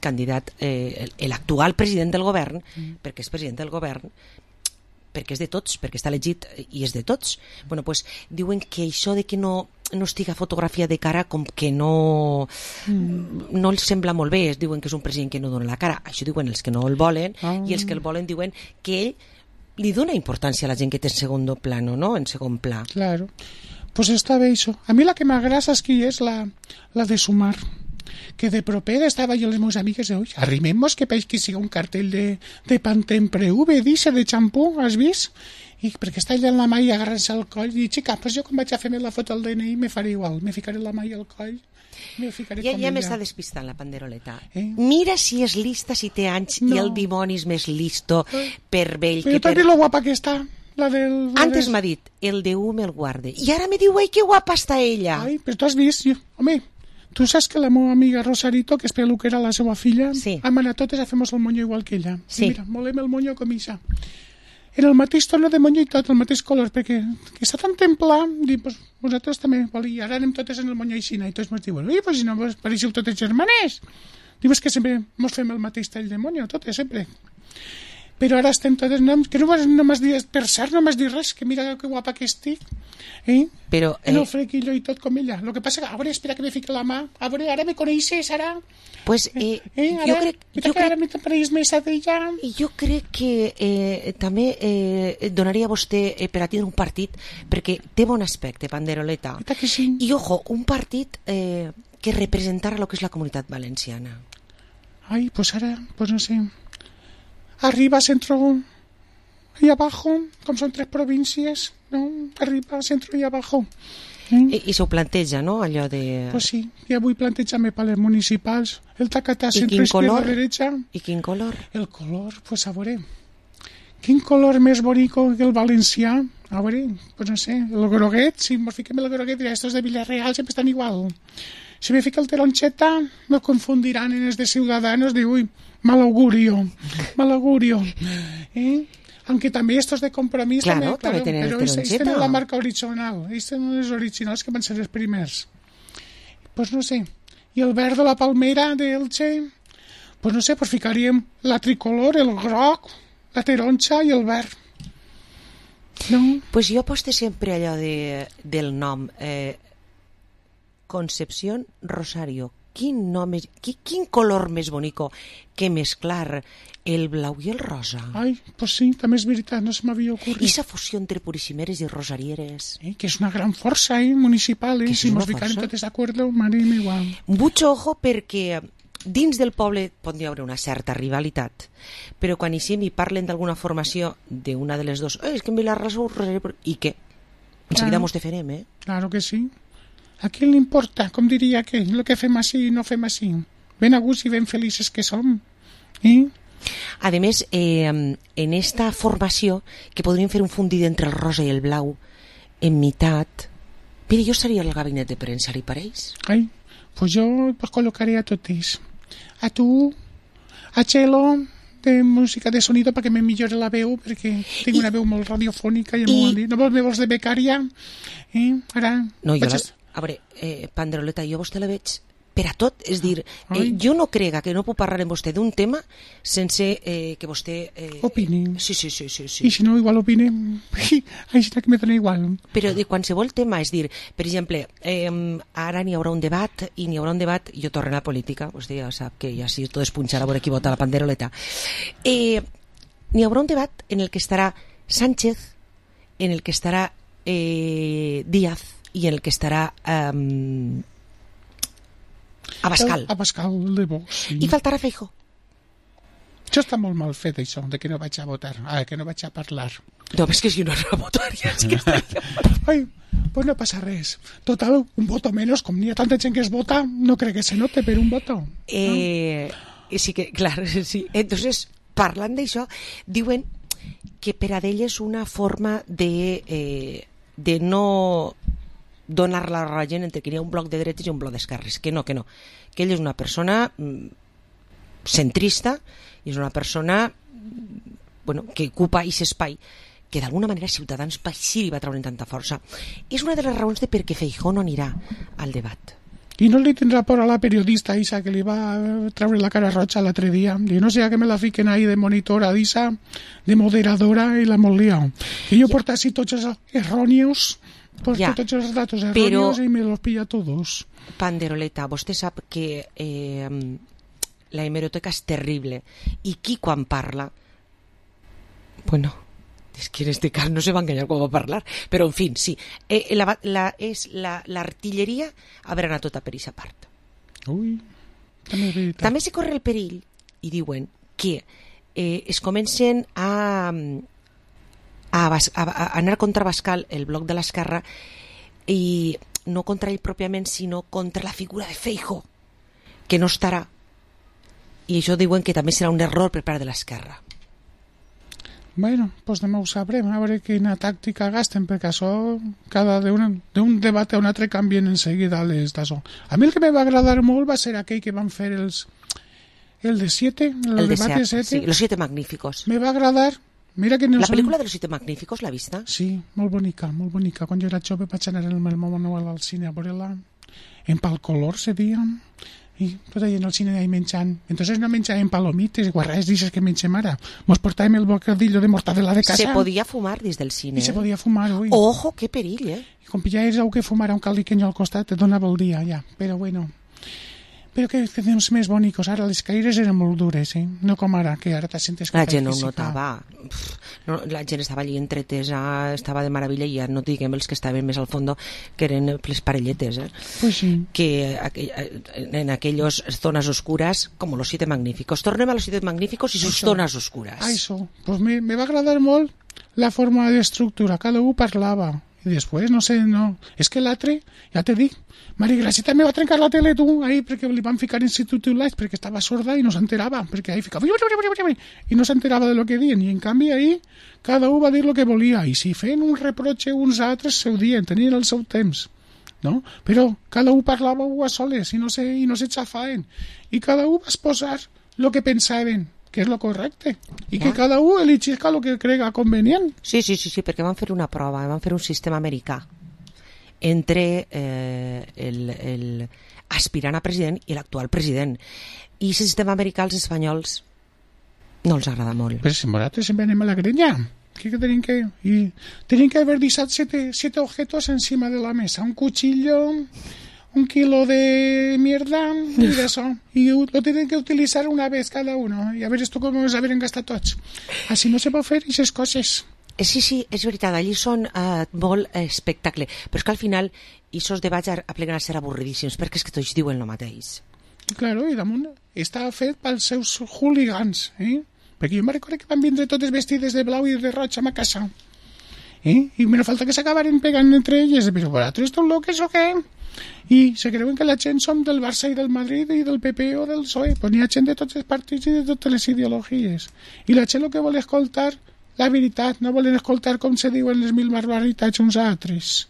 candidat, l'actual president del govern, perquè és president del govern, perquè és de tots, perquè està elegit i és de tots, bueno, pues, diuen que això de que no estiga fotografia de cara com que no els sembla molt bé, diuen que és un president que no dona la cara, això diuen els que no el volen, i els que el volen diuen que ell li dona importància a la gent que té en segon plano, ¿no? En segon pla. Claro. Pues està bé això. A mi la que m'agrada aquí és la de Sumar, que de propera estava jo les meves amigues de, arrimemos que país que siga un cartell de Pantempre V, dice, de xampú, has vist? I perquè està allà en la mà i agarrant-se al coll, i xica, pues jo quan vaig a fer-me la foto al DNI me faré igual, me ficaré la mà al coll. Ja m'està despistant la panderoleta. Mira si és lista, si té anys, i el dimoni és més listo per vell que per... Però també lo guapa que està. Antes m'ha dit, el de me el guarde. I ara me diu, ai, que guapa està ella. Ai, però tu has vist, home, tu saps que la meva amiga Rosarito, que és peluquera, la seva filla, hem anat totes a fer-nos el monyo igual que ella. Sí. Mira, molem el monyo com ixa. En el mateix tono de monyo i tot, el mateix color, perquè que està tan templar, dic, pues, vosaltres també, i ara anem totes en el monyo aixina, i tots ens diuen, ui, pues si no, pareixeu totes germanes. Dius que sempre ens fem el mateix tall de monyo, totes, sempre. però ara estem totes... que no m'has dit, per cert, no m'has dit res, que mira que guapa que estic. Però, en el frequillo i tot com ella. Lo que passa que, a veure, espera que me fique la mà. A veure, ara me coneixes, ara... Pues, jo crec que també donaria a vostè per a tindre un partit, perquè té bon aspecte, Panderoleta. Que sí. I, ojo, un partit que representara el que és la comunitat valenciana. Ai, pues ara, pues no sé... Arriba, centro y abajo, com són 3 províncies, no? Arriba, centro y abajo. I s'ho planteja, no?, allò de... Pues sí, ja vull plantejar-me per les municipals, el tacatà, centro, izquierda, derecha... I quin color? El color, pues a veure... Quin color més bonico que el valencià? A veure, pues no sé, el groguet, si me fiquem el groguet, dirà, estos de Villarreal sempre estan igual. Si me fica el taroncheta, me confundirán en els de Ciudadanos, diu, uy, mal augurio. Aunque també estos de Compromís claro, també tenen però ells tenen la marca original, ells tenen els originals que van ser els primers. Pues no sé, i el verd de la palmera d'Elche, pues no sé, pues ficaríem la tricolor, el groc, la taronxa i el verd. No? Pues jo aposte sempre allò del nom Concepción Rosario. Quin color més bonico que mesclar el blau i el rosa. Ai, pues sí, també és veritat, no se m'havia ocorrit. I esa fusió entre purissimeres i rosarieres. Que és una gran força municipal, si mos ficarem totes d'acord, m'anem igual. Mucho ojo perquè dins del poble pot hi haver una certa rivalitat, però quan hi parlen d'alguna formació d'una de les dos, és que en Vilarrasó, i què? Enseguida mos defenem, Claro que sí. A qui li importa, com diria aquell, el que fem així i no fem així. Ben a gust i ben felices que som. A més, en esta formació, que podríem fer un fundit entre el rosa i el blau, en meitat, mira, jo seria el gabinet de premsa, li pareix? Ai, pues jo col·locaré a totes. A tu, a Chelo, de música de sonido perquè me millore la veu, perquè tinc una veu molt radiofònica i no vols de becària. Ara... No, jo a veure, Panderoleta, jo vostè la veig per a tot, és dir, jo no crega que no puc parlar amb vostè d'un tema sense que vostè... Opini. Sí. I si no, igual opine, així que me dona igual. Però de qualsevol tema, és dir, per exemple, ara n'hi haurà un debat, i n'hi haurà un debat, jo torno a la política, vostè ja sap que ja si tot es punxarà a veure qui vota la Panderoleta. N'hi haurà un debat en el que estarà Sánchez, en el que estarà Díaz, i en el que estarà Abascal. Abascal de Vox, sí. I faltarà Feijóo. Això està molt mal fet, això, de que no vaig a votar, que no vaig a parlar. No, és que si no a votar ja és que estaria... Ai, pues no passa res. Total, un voto menos, com n'hi ha tanta gent que es vota, no crec que se note per un voto. Sí que, clar, sí. Entonces, parlant d'això, diuen que per a d'ell és una forma de no donar-la a la gent entre que hi ha un bloc de dretes i un bloc d'esquerres, que no, que ell és una persona centrista i és una persona que ocupa aquest espai que d'alguna manera Ciutadans sí li va treure tanta força. És una de les raons de per què Feijóo no anirà al debat. I no li tindrà por a la periodista Isa que li va treure la cara roja l'altre dia, i no sé que me la fiquen ahí de monitora d'Isa, de moderadora, i la molt liao. Que jo porta así tots els errònios, tots els datos errònios i me los pilla todos. Panderoleta, vostè sap que la hemeroteca és terrible, i qui quan parla, bueno, és que en este cas no se va enganyar quan va parlar, però en fi, sí, l'artilleria haurà anat tota per aquesta part. Ui, també se corre el perill, i diuen que es comencen a anar contra Abascal, el bloc de l'esquerra, i no contra ell pròpiament, sinó contra la figura de Feijóo, que no estarà, i això diuen que també serà un error per part de l'esquerra. Bueno, pues demà ho sabrem, a veure quina tàctica gasten, perquè això, cada d'un debat a un altre canvien en seguida les d'això. A mi el que me va agradar molt va ser aquell que van fer el de 7, el debat de 7. Sí, los 7 magníficos. Me va agradar. Mira que no la pel·lícula de los 7 magníficos, l'ha vista? Sí, molt bonica, molt bonica. Quan jo era jove vaig anar en el meu Manuel al cine a veure-la. En Pal Color se dia, I tot allà en el cine ahí menjant. Entonces no menjàvem palomites, guarrades d'aixes que mengem ara. Mos portàvem el bocadillo de mortadela de casa. Se podia fumar des del cine. I se podia fumar, ui. Ojo, que perill, I com pillaves algú que fumara un caldiqueño al costat, te donava el dia, ja. Però bueno... Però que temps més bonicos. Ara les caires eren molt dures, no com ara, que ara te sentes... La gent no ho notava. No, la gent estava allí entretesa, estava de meravella, i ja no diguem els que estaven més al fons, que eren les parelletes, Pues sí. Que en aquellas zonas oscuras, como los 7 magníficos. Tornem a los 7 magníficos i sus zones oscuras. Això. Pues me va agradar molt la forma d'estructura. Cada un parlava. I després, no sé, no... És que l'altre, ja te dic, Maria Gràcia també va trencar la tele, tu, ahí, perquè li van ficar en subtitulats, perquè estava sorda i no s'enterava, perquè ahí ficava... I no s'enterava de lo que diuen, i en canvi ahí cada un va dir lo que volia, i si feien un reproche uns altres, se ho dien, tenien el seu temps, no? Però cada un parlava a soles i no se xafaven, i cada un va exposar lo que pensaven, que és lo correcte, i que cada un eligisca lo que crega convenient. Sí, perquè van fer una prova, van fer un sistema americà entre el aspirant a president i l'actual president. I el sistema americà als espanyols no els agrada molt. Però si nosaltres sempre anem a la grenya. ¿Qué tenían que...? Y tenían que haber disat 7 objetos encima de la mesa. Un cuchillo, un kilo de mierda y de eso. Y lo tienen que utilizar una vez cada uno. Y a ver esto cómo es haber gastat tots. Així no se pot fer aquestes coses. Sí, és veritat, allí són molt espectacle, però és que al final aquests debats apleguen a ser avorridíssims, perquè és que tots diuen el mateix. Claro, i damunt està fet pels seus hooligans, perquè jo me recordo que van vindre totes vestides de blau i de roig a ma casa, i me falta que s'acabaren pegant entre elles, però vosaltres esteu loques o què? I se creuen que la gent som del Barça i del Madrid i del PP o del PSOE, pues n'hi ha gent de tots els partits i de totes les ideologies, i la gent el que vol escoltar la veritat, no volen escoltar com se diuen les 1000 barbaritats uns a altres.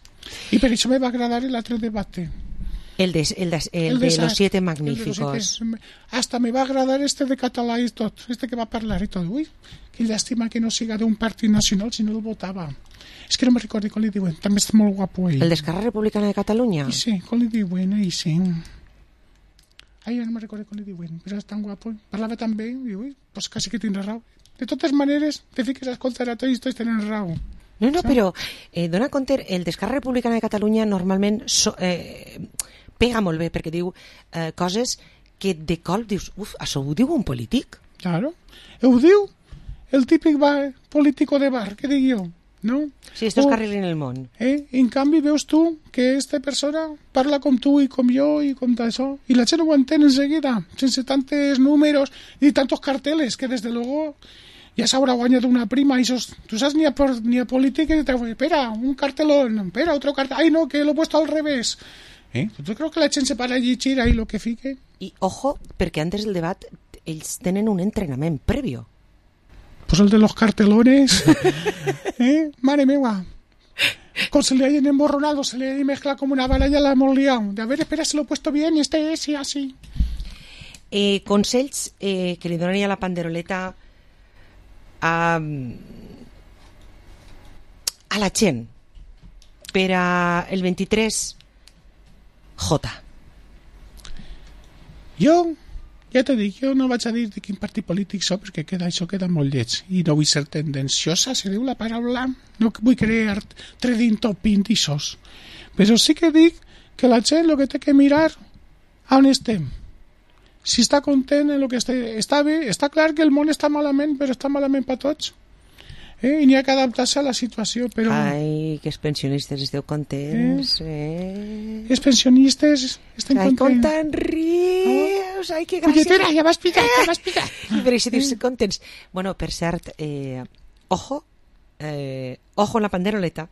I per això me va agradar l'altre debat. El de los 7 magníficos. Hasta me va agradar este de català i tot, este que va parlar i tot. Ui, que llàstima que no siga d'un partit nacional si no el votava. És que no me recordo com li diuen, també és molt guapo ell. El d'Esquerra Republicana de Catalunya? Sí, com li diuen, ell sí. Ai, no me recordo com li diuen, però és tan guapo. Parlava tan bé, i ui, pues quasi que tindrà raó. De totes maneres, te fiques a escoltar a tots i tots tenen raó. No, però dona compte, el d'Esquerra Republicana de Catalunya normalment pega molt bé, perquè diu coses que de cop dius, això ho diu un polític? Claro, ho diu el típic político de bar, que dic jo, no? Sí, estos carrilen el món. En canvi veus tu que esta persona parla com tu i com jo i com d'això, i la gent ho entén enseguida, sense tantos números i tantos carteles, que des de luego ja s'haurà guanyat una prima, y tú sabes ni a política, y te digo, espera, un cartelón, espera, otro cartel, ay no, que lo he puesto al revés. Yo creo que la gent se para allí, chira y lo que fique. I ojo, perquè antes del debat ells tenen un entrenament previo. Pues el de los cartelones, madre mía, como se le hayan emborronado, se le mezcla como una bala, ya la hemos liado. De a ver, espera, se lo he puesto bien, este es y así. Consells que li donaria la panderoleta a la gent per a el 23 J. Jo, ja t'ho dic, jo no vaig a dir de quin partit polític soc, perquè això queda molt lleig i no vull ser tendenciosa, se diu la paraula, no vull crear trading topping d'aixòs, però sí que dic que la gent el que té que mirar on estem, si està content en el que està bé. Està clar que el món està malament, però està malament per tots. I n'hi ha que adaptar-se a la situació. Però... Ai, que els pensionistes esteu contents. Els pensionistes estem contents. Ai, com tan rius. Ai, que gràcia. Punyetera, ja m'has picat. I per això dius contents. Bueno, per cert, ojo en la panderoleta,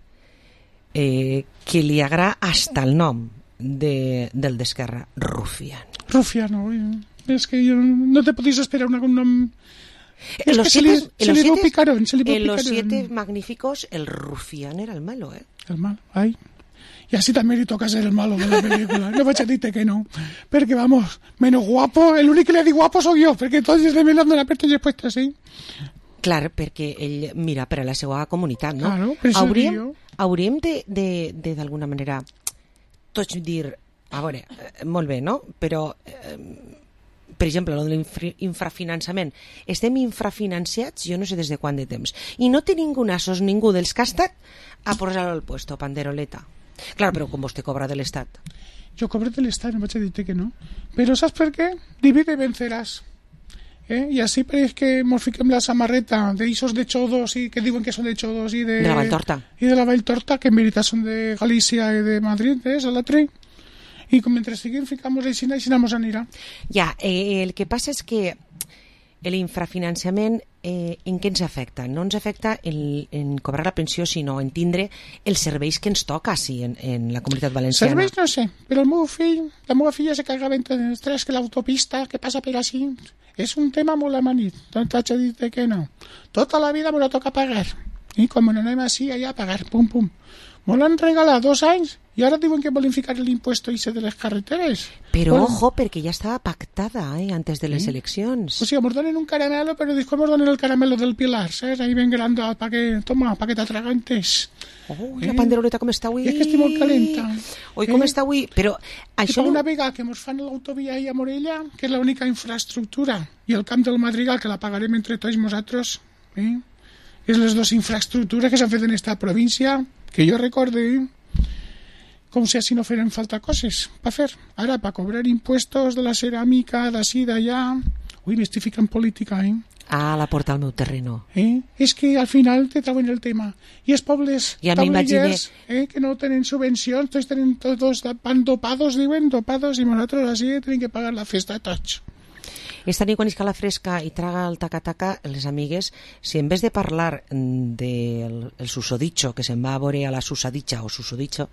que li agrada hasta el nom del d'Esquerra, Rufián. Rufiano, es que yo no te podéis esperar un nombre. En los 7 picarón. En los 7 magníficos, el Rufián era el malo, El malo, ay. Y así también le toca ser el malo de la película. No vaig a dir-te que no. Porque vamos, menos guapo, el único que le dic guapo soy yo, porque todos de me l'han aperto i puesto así. Clar, perquè ell mira per a la seva comunitat, no? Claro, hauríem de d'alguna manera tots dir a veure, molt bé, no? Però, per exemple, el de l'infrafinançament. Estem infrafinanciats, jo no sé des de quant de temps. I no té ningú nassos, ningú dels que ha estat a posar-lo al puesto, panderoleta. Claro, però com vostè cobra de l'Estat? Jo cobro de l'Estat, no vaig a dir-te que no. Però saps per què? Divide i venceràs. I així pareix que mos fiquem la samarreta d'eixos de Xodos i que diuen que són de Xodos i de la Valltorta. I de la Valltorta, que en veritat són de Galícia i de Madrid, és a l'altre. I com mentre estiguem ficamos així mos anirà. Ja, el que passa és que l'infrafinançament en què ens afecta? No ens afecta en cobrar la pensió, sinó en tindre els serveis que ens toca sí, en la Comunitat Valenciana. Serveis no sé, però la meva filla se cagava en els tres que l'autopista que passa per així és un tema molt amanit, no t'haig de dir que no. Tota la vida me lo toca pagar i com no anem així allà a pagar, pum pum. Me l'han regalat 2 anys i ara diuen que volen ficar l'impuesto ese de les carreteres. Però ojo, perquè ja estava pactada antes de les eleccions. O sigui, mos donen un caramelo, però després mos donen el caramelo del Pilar, saps? Ahí ben grandat, pa que t'atragantes. La panderoleta com està avui? És que estic molt calenta. Oi, com està avui? Però això... I una vegada que mos fan l'autovia a Morella, que és l'única infraestructura, i el camp del Madrigal, que la pagarem entre tots nosaltres, és les dues infraestructures que s'han fet en esta província, que jo recorde, com si així no feren falta coses per fer. Ara, per cobrar impuestos de la ceràmica, d'ací, d'allà... Ui, m'estic ficant política, Ah, la porta al meu terreno. És que al final te trauen el tema. I els pobles taulellers que no tenen subvencions, tots van dopados, diuen, dopados, i nosaltres així tenim que pagar la festa tots. Esta nit quan isca la fresca i traga el taca-taca, les amigues, si en vez de parlar del susodicho, que se'n va a veure a la susaditxa o susodicho,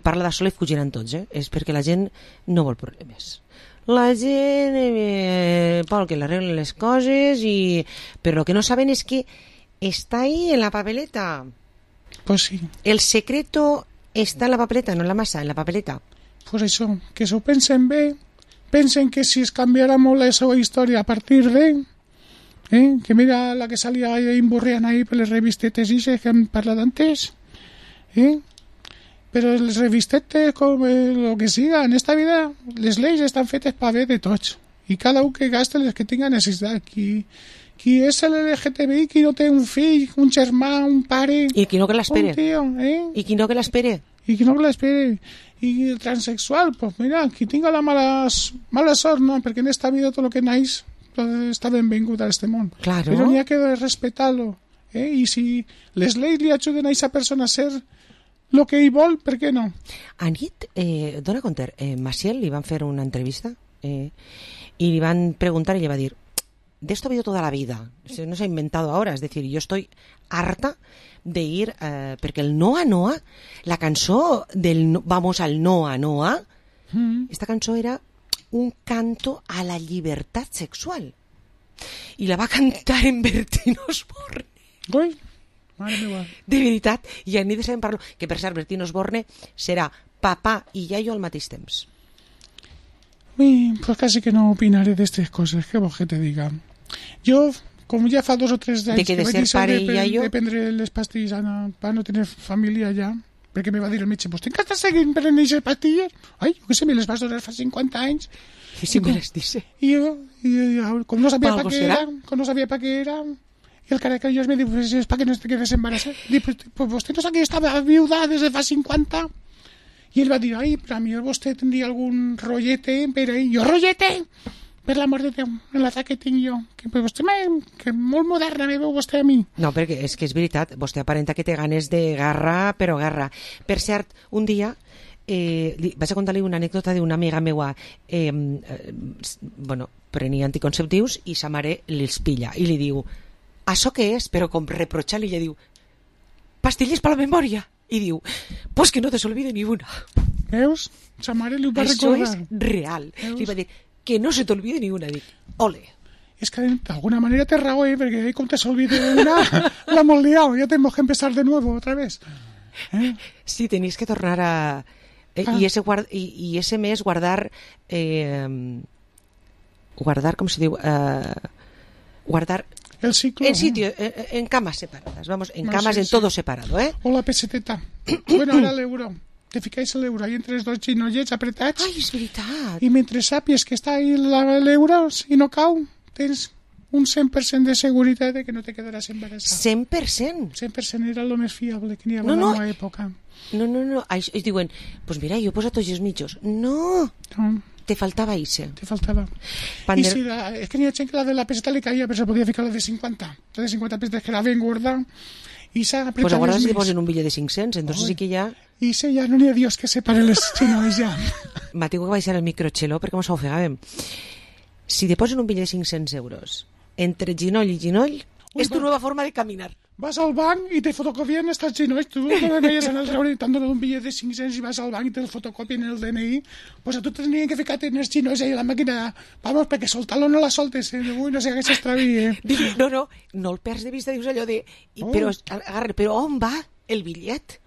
parla de sol i fugiran tots, és perquè la gent no vol problemes. La gent vol que l'arreglen les coses, però el que no saben és que està ahí en la papeleta. Pues sí. El secreto està en la papeleta, no en la massa, en la papeleta. Pues això, que s'ho pensen bé, pensen que si es canviarà molt la seva història a partir de... que mira la que salia imburriant ahí per les revistetes que hem parlat antes. Però les revistetes, com el que siga, en esta vida, les lleis estan fetes per bé de tots. I cada un que gasta les que tinga necessitat. Qui és l'LGTBI, qui no té un fill, un germà, un pare... I qui no que l'espere. I qui no que l'espere. I el transexual, pues mira, qui tinga la mala sort, no, perquè en esta vida tot el que naix està benvingut a este món. Claro. Però n'hi ha que respetar-lo. I si les lleis li ajuden a aquesta persona a ser lo que ell vol, per què no? Anit, dona compte, Maciel li van fer una entrevista y le van preguntar y le va a decir, de esto ha habido toda la vida, no se ha inventado ahora, es decir, yo estoy harta de ir, porque el Noa Noa, la cançó del Vamos al Noa Noa, esta cançó era un canto a la llibertat sexual i la va cantar en Bertín Osborne. Ui, mare meva. De veritat, i a nit sabem parlar que per cert Bertín Osborne serà papà i iaio al mateix temps. Ui, pues casi que no opinaré d'estes coses, què vols que te diga? Jo, com ja fa 2 o 3 anys que vaig deixar de prendre les pastilles per no tenir família ja, perquè me va dir el metge, pues t'encara estàs seguint prenent aquestes pastilles? Ai, jo què sé, me les vas donar fa 50 anys. I si me les dice. I jo, com no sabia pa què era, y el caracallos me dijo, pues es para que no te quedes embarazada. Digo, pues usted no sabe que yo estaba viuda desde fa 50. Y él va a decir, ay, pero a mí usted tendría algún rollete, pero yo rollete, per l'amor de Déu, en l'atac que tinc jo, que vostè que molt moderna me veu vostè a mi. No, perquè és que és veritat, vostè aparenta que té ganes de garra, però garra. Per cert, un dia vaig a contar-li una anècdota d'una amiga meua, prenia anticonceptius i sa mare els pilla i li diu, això què és? Però com reprochar-li, ella diu, pastilles per la memòria. I diu, pues que no te s'olvide ni una. Veus? Sa mare li ho va recordar. Això és real. Veus? Li va dir, que no se t'olvide ni una. Dic, ole. És que d'alguna manera té raó, perquè com te s'olvide una, la hemos liado, ya tenemos que empezar de nuevo otra vez. Sí, tenéis que tornar a... Y ese mes guardar... guardar, com se diu? Guardar... El ciclo. En sitio, en camas separadas, vamos, en camas en todo separado, O la peseteta. Bueno, ahora el euro. te fiqués l'euro ahí entre els dos ginollets apretats. Ai, és veritat. I mentre sàpies que està ahí l'euro i no cau, tens un 100% de seguretat de que no te quedaràs embarassat. 100%? 100% era el més fiable que n'hi havia en la època. No. Ells diuen, pues mira, jo he posat tots els mitjos. No. Te faltava ixe. Te faltava. I si és que n'hi ha gent que la de la peseta li caia, però se podia ficar la de 50. La de 50 pesetes que era ben gorda. I s'ha apretat pues agora si posen un bitllet de 500, entonces sí que ja... I sí, ja no n'hi ha Dios que separe les xinois ja. M'ha tingut que baixar el microxelo perquè mos ofegàvem. Si te posen un bitllet de 500 euros entre ginoll i ginoll, és tu nova forma de caminar. Vas al banc i te fotocopien estos ginolls. Tu no veies en el treure tant d'un bitllet de 500 i vas al banc i te el fotocopien el DNI. Pues a tu tenien que ficar en els ginolls ahí a la màquina. Vamos, perquè soltar-lo no la soltes. Ui, no sé què s'extravi. No el perds de vista, dius allò de... Però on va el bitllet?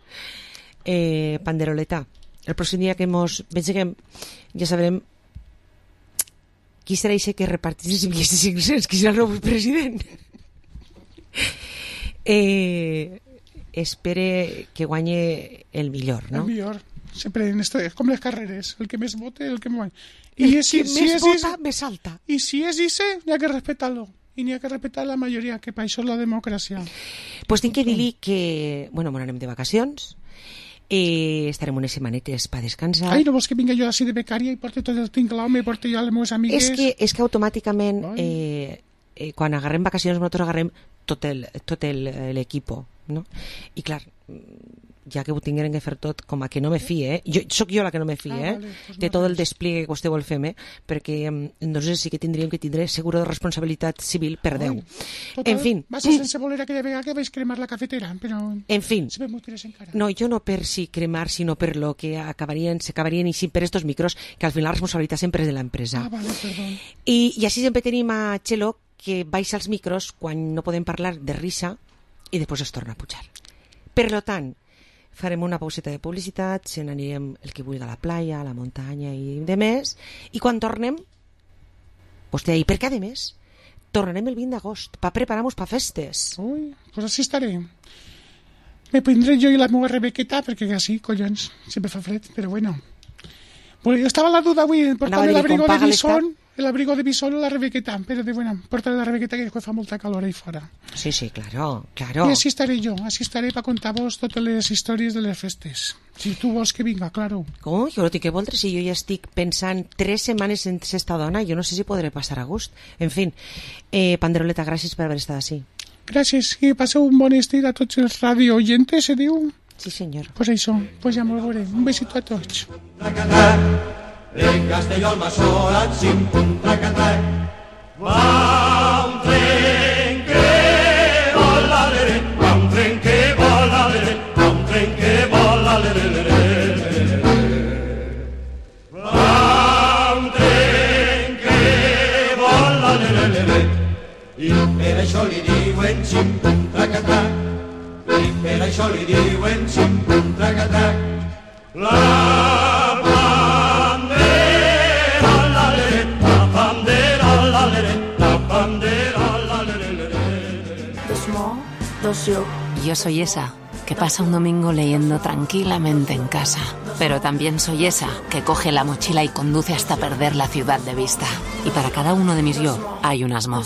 Panderoleta, el pròxim dia que mos vengeguem ja sabrem qui serà això que repartís els bitllets de 500, qui serà el nou president. Espere que guanye el millor, no? El millor, sempre és com les carreres, el que més vote, el que més guanya. El que més vota, més salta. I si és ese, n'hi ha que respetar-lo. I n'hi ha que respetar la majoria, que per això és la democràcia. Pues tinc que dir-li que, bueno, anem de vacacions, estarem unes setmanetes per descansar. Ai, no vols que vinga jo així de becària i porti tot el tinglao, me porti jo a les meves amigues? És que automàticament, quan agarrem vacacions, nosaltres agarrem tot l'equip, no? I clar, ja que ho tingueren que fer tot, com a que no me fie, soc jo la que no me fie, de tot el despliegue que vostè vol fer-me, perquè nosaltres sí que tindríem que tindre seguro de responsabilitat civil per Déu. En fi. Vas a sense voler aquella vegada que vaig cremar la cafetera, però... En fi. No, jo no per si cremar, sinó per lo que s'acabarien i per estos micros, que al final la responsabilitat sempre és de l'empresa. Ah, vale, perdó. I així sempre tenim a Txelo, que baixa els micros quan no podem parlar de risa i després es torna a pujar. Per lo tant, farem una pauseta de publicitat, se n'anirem el que vulgui a la playa, a la muntanya i de més, i quan tornem, vostè ahí, perquè a més, tornarem el 20 d'agost, per preparar-nos per festes. Ui, pues així estaré. Me prendré jo i la meva Rebequeta, perquè així, collons, sempre fa fred, però bueno. Bueno, jo estava a la duda avui, portant l'abrigo de Bison, l'abrigo de Bison o la Rebequeta, però bueno, portaré la Rebequeta que fa molta calor ahí fora. Sí, claro. I així estaré jo, així estaré per contar-vos totes les històries de les festes. Si tu vols que vinga, claro. Com? Jo no tinc que voldre, si jo ja estic pensant 3 setmanes en esta dona, jo no sé si podré passar a gust. En fin, Panderoleta, gràcies per haver estat així. Gràcies, i passeu un bon estiu a tots els radio oyentes, se diu? Sí, senyor. Pues això, pues ja m'ho veuré. Un besito a tots. En Castelló al Masora, xim-pum, trac-a-trac, va un tren que vola, l'ere, va un tren que vola, l'ere, va un tren que vola, l'ere, va un tren que vola, l'ere, i per això li diuen xim-pum, trac-a-trac, i per això li diuen xim-pum, trac-a-trac, la Yo soy esa que pasa un domingo leyendo tranquilamente en casa, pero también soy esa que coge la mochila y conduce hasta perder la ciudad de vista. Y para cada uno de mis yo hay un Asmo.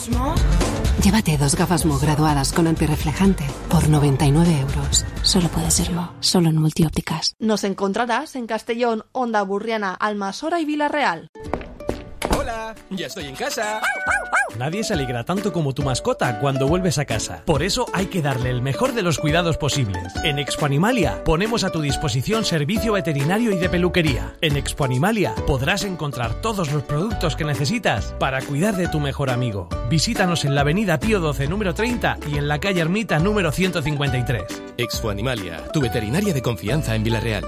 Llévate 2 gafas Mo graduadas con antirreflejante por 99 euros. Solo puede ser Mo, solo en Multiópticas. Nos encontrarás en Castellón, Onda Burriana, Almasora y Villarreal. Hola, ya estoy en casa. Nadie se alegra tanto como tu mascota cuando vuelves a casa. Por eso hay que darle el mejor de los cuidados posibles. En Expo Animalia ponemos a tu disposición servicio veterinario y de peluquería. En Expo Animalia podrás encontrar todos los productos que necesitas para cuidar de tu mejor amigo. Visítanos en la avenida Pío XII número 30 y en la calle Ermita número 153. Expo Animalia, tu veterinaria de confianza en Villarreal.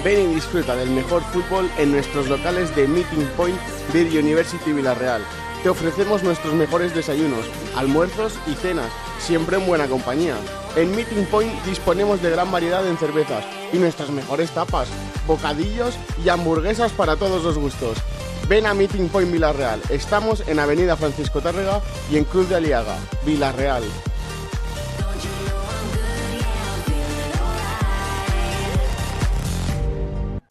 Ven y disfruta del mejor fútbol en nuestros locales de Meeting Point Beer University Villarreal. Te ofrecemos nuestros mejores desayunos, almuerzos y cenas, siempre en buena compañía. En Meeting Point disponemos de gran variedad en cervezas y nuestras mejores tapas, bocadillos y hamburguesas para todos los gustos. Ven a Meeting Point Villarreal. Estamos en Avenida Francisco Tárrega y en Cruz de Aliaga, Villarreal.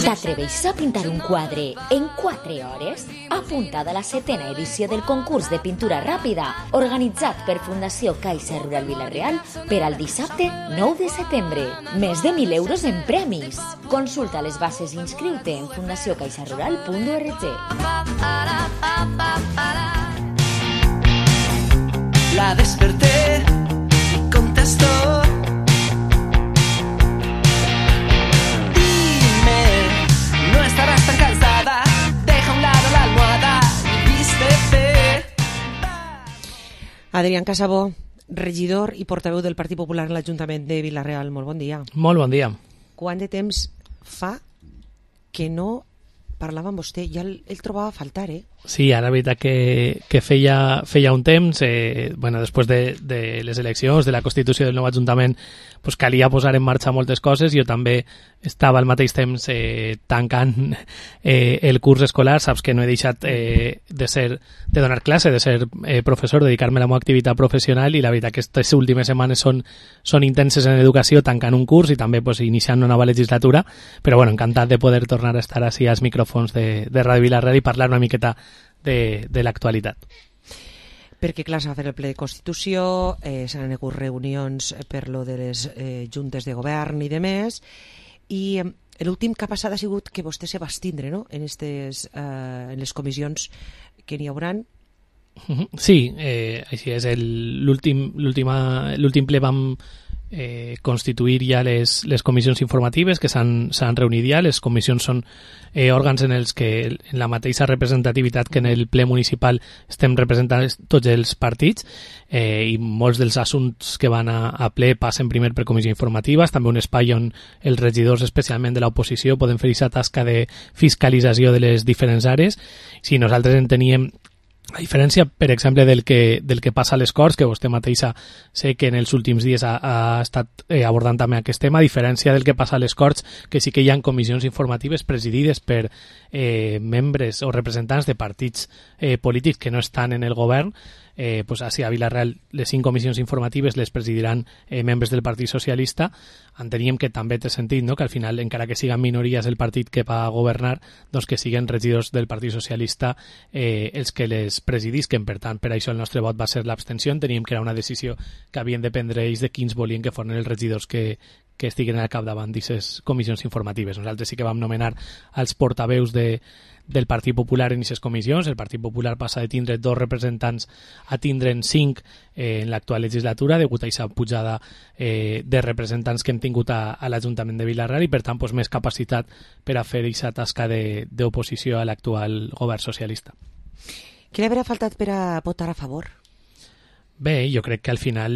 T'atreveixes a pintar un quadre en 4 hores? Apuntada a la 7ª edició del concurs de pintura ràpida, organitzat per Fundació Caixa Rural Vila-real per al dissabte 9 de setembre. Més de 1.000 euros en premis. Consulta les bases i inscriu-te en fundaciocaixarural.org. La desperté y contestó. No estarás tan cansada, deja a un lado la almohada y vístete. Adrián Casabó, regidor i portaveu del Partit Popular en l'Ajuntament de Vila-real. Molt bon dia. Molt bon dia. Quant de temps fa que no parlava amb vostè? Ja el trobava a faltar, eh? Sí, ara la veritat que feia un temps, després de les eleccions, de la constitució del nou Ajuntament, pues calia posar en marxa moltes coses. Jo també estava al mateix temps tancant el curs escolar. Saps que no he deixat de donar classe, de ser professor, dedicar-me a la meva activitat professional, i la veritat que aquestes últimes setmanes són intenses en educació, tancant un curs i també pues, iniciant una nova legislatura, però bueno, encantat de poder tornar a estar així als micròfons de Ràdio Vila-real i parlar una miqueta de l'actualitat. Perquè, clar, s'ha de fer el ple de Constitució, s'han hagut reunions per lo de les juntes de govern i de més, i l'últim que ha passat ha sigut que vostè se va abstindre, no?, en les comissions que n'hi hauran. Sí, així és. L'últim ple vam constituir ja les comissions informatives que s'han reunit ja. Les comissions són òrgans en els que en la mateixa representativitat que en el ple municipal estem representant tots els partits, i molts dels assumptes que van a ple passen primer per comissió informativa. És també un espai on els regidors, especialment de l'oposició, poden fer aquesta tasca de fiscalització de les diferents àrees. Si nosaltres enteníem, a diferència, per exemple, del que passa a les Corts, que vostè mateixa sé que en els últims dies ha estat abordant també aquest tema, a diferència del que passa a les Corts, que sí que hi ha comissions informatives presidides per membres o representants de partits polítics que no estan en el govern, pues així a Vila-real les 5 comissions informatives les presidiran membres del Partit Socialista. Enteníem que també té sentit, no?, que al final, encara que siguin minories el partit que va a governar, doncs que siguin regidors del Partit Socialista els que les presidisquen. Per tant, per això el nostre vot va ser l'abstenció. Enteníem que era una decisió que havien de prendre ells de quins volien que foren els regidors que estiguen al capdavant d'aquestes comissions informatives. Nosaltres sí que vam nomenar els portaveus del Partit Popular en aquestes comissions. El Partit Popular passa de tindre 2 representants a tindre'n 5 en l'actual legislatura, degut a aquesta pujada de representants que hem tingut a l'Ajuntament de Vila-real, i per tant pues, més capacitat per a fer aquesta tasca d'oposició a l'actual govern socialista. Què li hauria faltat per a votar a favor? Bé, jo crec que al final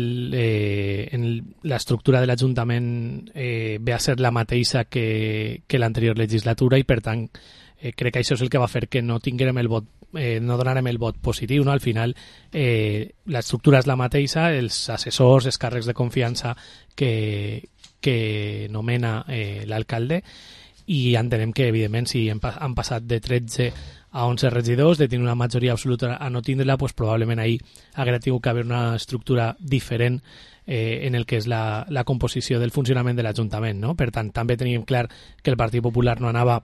l'estructura de l'Ajuntament ve a ser la mateixa que l'anterior legislatura, i per tant crec que això és el que va fer que no tinguérem el vot, no donarem el vot positiu, no? Al final l'estructura és la mateixa, els assessors, els càrrecs de confiança que nomena l'alcalde, i entenem que evidentment si han passat de 13 a 11 regidors, de tenir una majoria absoluta a no tindre-la, pues probablement ahir hauria tingut que haver una estructura diferent en el que és la composició del funcionament de l'Ajuntament, no? Per tant, també teníem clar que el Partit Popular no anava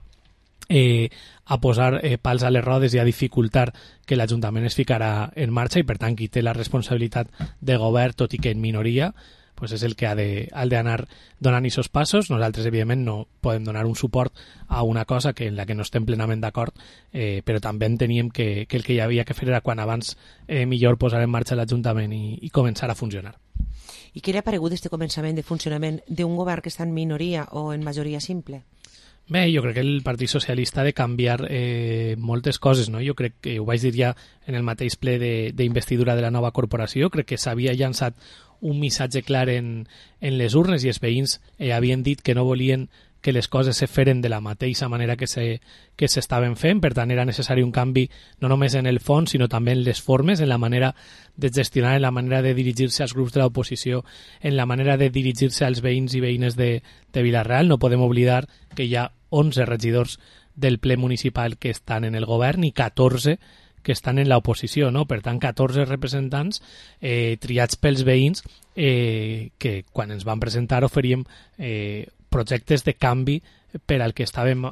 a posar pals a les rodes i a dificultar que l'Ajuntament es ficarà en marxa, i per tant qui té la responsabilitat de govern, tot i que en minoria, pues és el que ha d'anar donant aquests passos. Nosaltres, evidentment, no podem donar un suport a una cosa en la que no estem plenament d'acord, però també enteníem que el que hi havia que fer era quan abans millor posar en marxa l'Ajuntament i començar a funcionar. I què li ha paregut aquest començament de funcionament d'un govern que està en minoria o en majoria simple? Bé, jo crec que el Partit Socialista ha de canviar moltes coses, no? Jo crec que ho vaig dir ja en el mateix ple d'investidura de la nova corporació. Crec que s'havia llançat un missatge clar en les urnes, i els veïns havien dit que no volien que les coses se feren de la mateixa manera que s'estaven fent. Per tant, era necessari un canvi no només en el fons, sinó també en les formes, en la manera de gestionar, en la manera de dirigir-se als grups de l'oposició, en la manera de dirigir-se als veïns i veïnes de Vila-real. No podem oblidar que hi ha 11 regidors del ple municipal que estan en el govern i 14 que estan en l'oposició, no? Per tant, 14 representants triats pels veïns que quan ens van presentar oferíem projectes de canvi per al que estàvem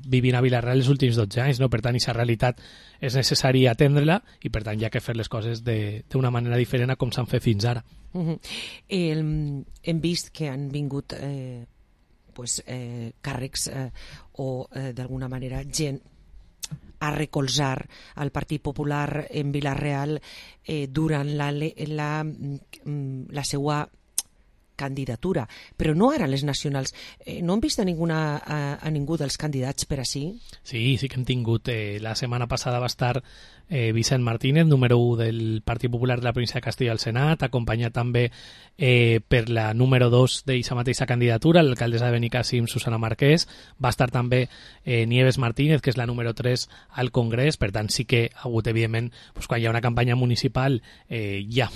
vivint a Vila-real els últims 12 anys, no? Per tant, aquesta realitat és necessari atendre-la i per tant hi ha que fer les coses d'una manera diferent a com s'han fet fins ara. Hem vist que han vingut càrrecs o d'alguna manera gent a recolzar al Partit Popular en Vila-real durant la seva candidatura, però no ara les nacionals. No han vist a ningú dels candidats per ací? Sí que hem tingut. La setmana passada va estar Vicent Martínez, número 1 del Partit Popular de la província de Castilla al Senat, acompanyat també per la número 2 d'aquesta mateixa candidatura, l'alcaldessa de Benicàssim, Susana Marquès. Va estar també Nieves Martínez, que és la número 3 al Congrés. Per tant, sí que ha hagut, evidentment, quan hi ha una campanya municipal hi ha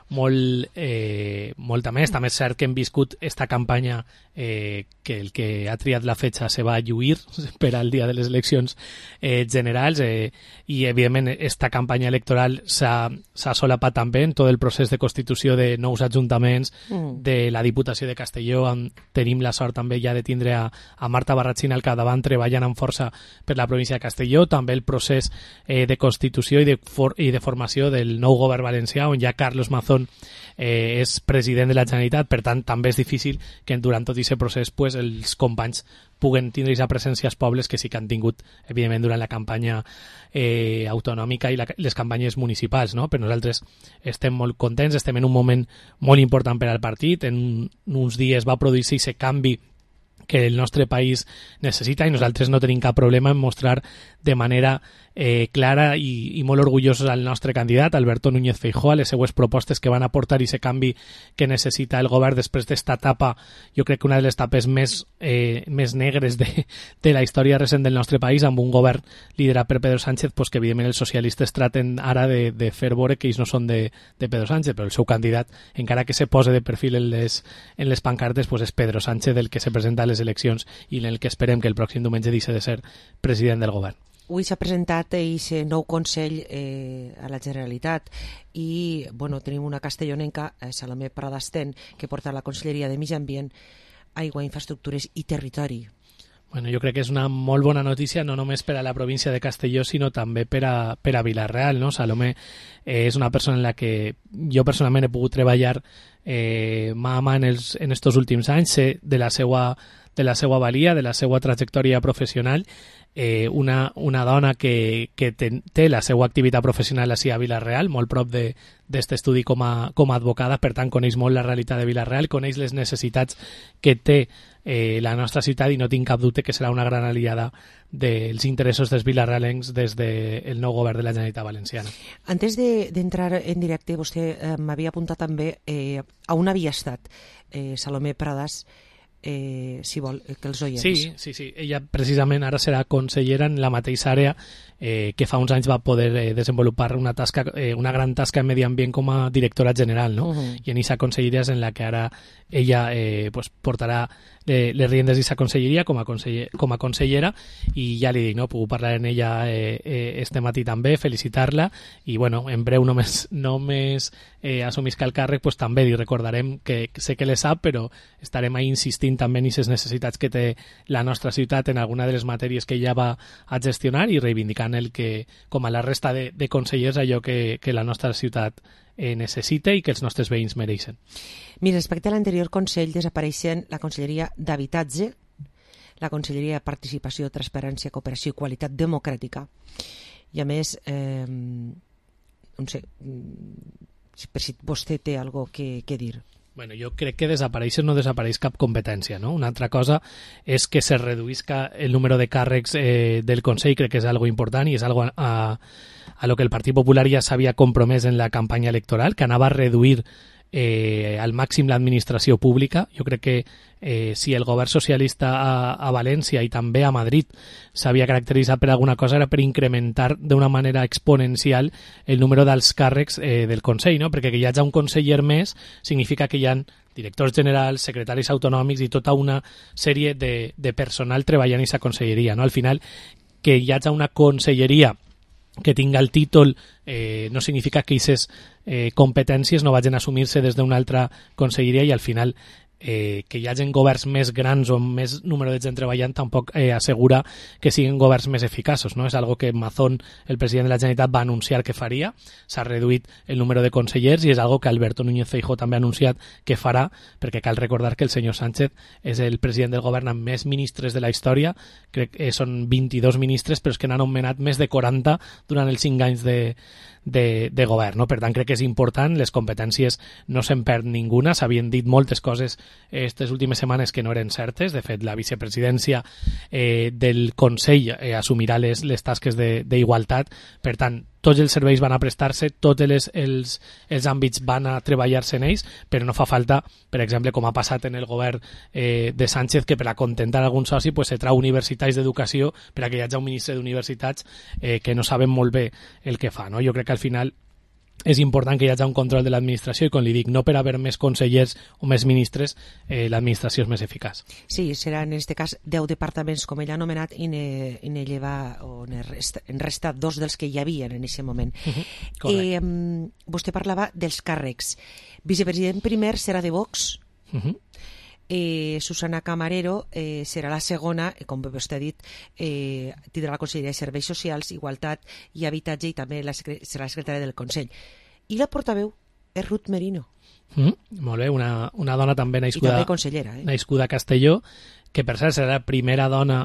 molta més. També és cert que hem viscut esta campanya que el que ha triat la fetge se va lluir per al dia de les eleccions generals i, evidentment, esta campanya electoral s'ha solapat també en tot el procés de constitució de nous ajuntaments de la Diputació de Castelló. Tenim la sort també ja de tindre a Marta Barratxina al capdavant treballant amb força per la província de Castelló. També el procés de constitució i de formació del nou govern valencià, on ja Carlos Mazón és president de la Generalitat. Per tant, també és difícil que durant tot aquest procés els companys puguen tindre aquesta presència als pobles que sí que han tingut, evidentment, durant la campanya autonòmica i les campanyes municipals, no? Però nosaltres estem molt contents, estem en un moment molt important per al partit. En uns dies va produir-se aquest canvi que el nostre país necessita i nosaltres no tenim cap problema en mostrar de manera clara i molt orgullosos al nostre candidat, Alberto Núñez Feijóo, a les seues propostes que van aportar aquest canvi que necessita el govern després d'esta etapa, jo crec que una de les etapes més negres de la història recent del nostre país, amb un govern liderat per Pedro Sánchez, que evidentment els socialistes traten ara de fer veure que ells no són de Pedro Sánchez, però el seu candidat, encara que se pose de perfil en les pancartes, és Pedro Sánchez el que se presenta a les eleccions i en el que esperem que el pròxim diumenge deixi de ser president del govern. Avui s'ha presentat aquest nou Consell a la Generalitat i tenim una castellonenca, Salomé Pradastén, que porta la Conselleria de Medi Ambient, Aigua, Infraestructures i Territori. Jo crec que és una molt bona notícia, no només per a la província de Castelló, sinó també per a Vila-real, no? Salomé és una persona en la que jo personalment he pogut treballar mà a mà en estos últims anys, sé de la seva valia, de la seva trajectòria professional, una dona que té la seva activitat professional ací a Vila-real, molt prop d'aquest estudi com a advocada, per tant coneix molt la realitat de Vila-real, coneix les necessitats que té la nostra ciutat i no tinc cap dubte que serà una gran aliada dels interessos dels vilarrealencs des del nou govern de la Generalitat Valenciana. Antes d'entrar en directe, vostè m'havia apuntat també a on havia estat Salomé Pradas, si vol, que els oients. Sí. Ella precisament ara serà consellera en la mateixa àrea que fa uns anys va poder desenvolupar una gran tasca en medi ambient com a directora general, no? I en aquesta conselleria és en la que ara ella portarà les riendes d'aquesta conselleria com a consellera i ja li dic, no? Puc parlar en ella este matí també, felicitar-la i en breu només assumisca el càrrec, també li recordarem que sé que le sap, però estarem ahí insistint també en aquestes necessitats que té la nostra ciutat en alguna de les matèries que ella va a gestionar i reivindicant el que, com a la resta de consellers, allò que la nostra ciutat necessita i que els nostres veïns mereixen. Mira, respecte a l'anterior Consell desapareixen la Conselleria d'Habitatge, la Conselleria de Participació, Transparència, Cooperació i Qualitat Democràtica i a més no sé per si vostè té alguna cosa que dir. Jo crec que no desapareix cap competència, no? Una altra cosa és que se reduïsca el número de càrrecs del Consell, crec que és algo important i és algo a lo que el Partit Popular ja s'havia compromès en la campanya electoral, que anava a reduir al màxim l'administració pública. Jo crec que si el govern socialista a València i també a Madrid s'havia caracteritzat per alguna cosa era per incrementar d'una manera exponencial el número dels càrrecs del Consell, no? Perquè que hi hagi un conseller més significa que hi ha directors generals, secretaris autonòmics i tota una sèrie de personal treballant en aquesta conselleria, no? Al final, que hi hagi una conselleria que tinga el títol no significa que aquestes competències no vagin a assumir-se des d'una altra conselleria i al final que hi hagin governs més grans o més número de gent treballant tampoc assegura que siguin governs més eficaços, no? És algo que Mazón, el president de la Generalitat, va anunciar que faria. S'ha reduït el número de consellers i és algo que Alberto Núñez Feijóo també ha anunciat que farà, perquè cal recordar que el senyor Sánchez és el president del govern amb més ministres de la història, crec que són 22 ministres, però és que n'han anomenat més de 40 durant els 5 anys de govern, no? Per tant, crec que és important, les competències no se'n perd ninguna, s'havien dit moltes coses aquestes últimes setmanes que no eren certes. De fet, la vicepresidència del Consell assumirà les tasques d'igualtat. Per tant, tots els serveis van a prestar-se, tots els àmbits van a treballar-se en ells, però no fa falta, per exemple, com ha passat en el govern de Sánchez, que per a contentar algun soci se trau universitaris d'educació per a que hi hagi un ministre d'universitats que no saben molt bé el que fa, no? Jo crec que al final és important que hi hagi un control de l'administració i, com li dic, no per haver més consellers o més ministres, l'administració és més eficaç. Sí, seran en aquest cas 10 departaments, com ell ha anomenat, i ne lleva o en resta 2 dels que hi havia en aquest moment. Vostè parlava dels càrrecs. Vicepresident primer serà de Vox. Susana Camarero serà la segona, com vostè ha dit, tindrà la Conselleria de Serveis Socials, Igualtat i Habitatge, i també serà la secretària del Consell. I la portaveu és Ruth Merino. Molt bé, una dona també nascuda, i també consellera, nascuda a Castelló, que per cert serà la primera dona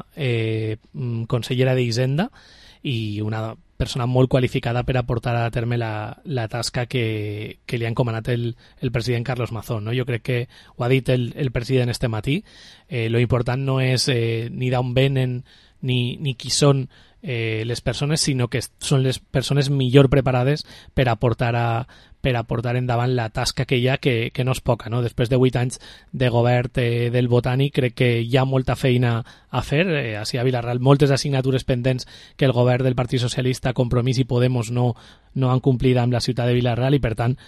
consellera d'Hisenda i una persona molt qualificada per a portar a terme la tasca que li ha encomanat el president Carlos Mazón, no? Jo crec que ho ha dit el president este matí. Lo important no és ni d'on venen ni qui són les persones, sinó que són les persones millor preparades per a portar endavant la tasca que hi ha, que no és poca, no? Després de 8 anys de govern del Botànic, crec que hi ha molta feina a fer. Així a Vilareal, moltes assignatures pendents que el govern del Partit Socialista, Compromís i Podemos no han complert amb la ciutat de Vilareal, i per tant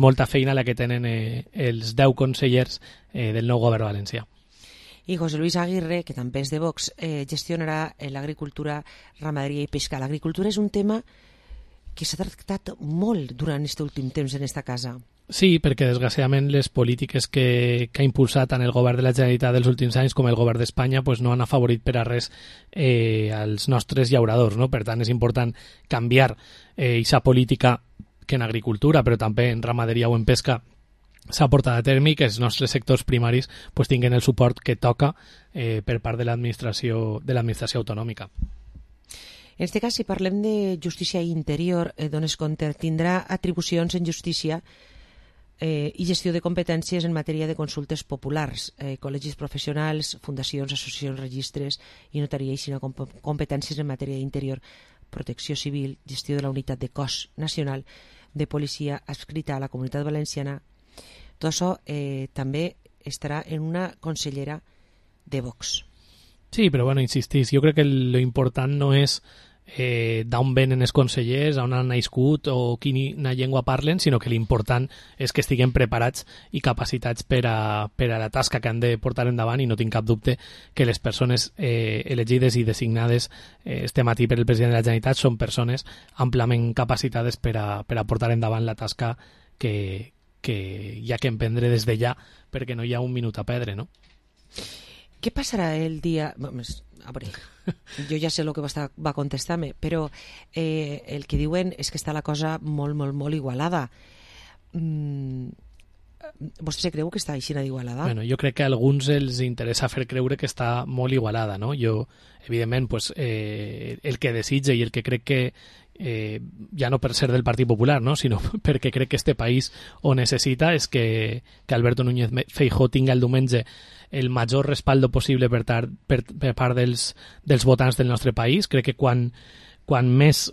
molta feina la que tenen els 10 consellers del nou govern valencià. I José Luis Aguirre, que també és de Vox, gestionarà l'agricultura, ramaderia i pesca. L'agricultura és un tema que s'ha tractat molt durant aquest últim temps en esta casa. Sí, perquè desgraciadament les polítiques que ha impulsat tant el govern de la Generalitat dels últims anys com el govern d'Espanya no han afavorit per a res als nostres llauradors, no? Per tant, és important canviar aquesta política que en agricultura, però també en ramaderia o en pesca, s'ha portat a terme, i que els nostres sectors primaris tinguin el suport que toca per part de l'administració autonòmica. En aquest cas, si parlem de justícia i interior, dones compte, tindrà atribucions en justícia i gestió de competències en matèria de consultes populars, col·legis professionals, fundacions, associacions, registres i notaria, i sinó competències en matèria d'interior, protecció civil, gestió de la unitat de cos nacional de policia adscrita a la Comunitat Valenciana. Tot això també estarà en una consellera de Vox. Sí, però insistís, jo crec que l'important no és d'on venen els consellers, on han nascut o quina llengua parlen, sinó que l'important és que estiguem preparats i capacitats per a la tasca que han de portar endavant, i no tinc cap dubte que les persones elegides i designades este matí per el president de la Generalitat són persones amplament capacitades per a portar endavant la tasca que hi ha que emprendre des de ja, perquè no hi ha un minut a perdre, no? Què passarà el dia... A veure, jo ja sé el que va contestar-me, però el que diuen és que està la cosa molt, molt, molt igualada. Vostè se creu que està així d'igualada? Bueno, jo crec que a alguns els interessa fer creure que està molt igualada, no? Jo, evidentment, el que desitja i el que crec que ja no per ser del Partit Popular, no? Sinó perquè crec que este país ho necessita, és que Alberto Núñez Feijóo tinga el diumenge el major respaldo possible per part dels votants del nostre país. Crec que quan més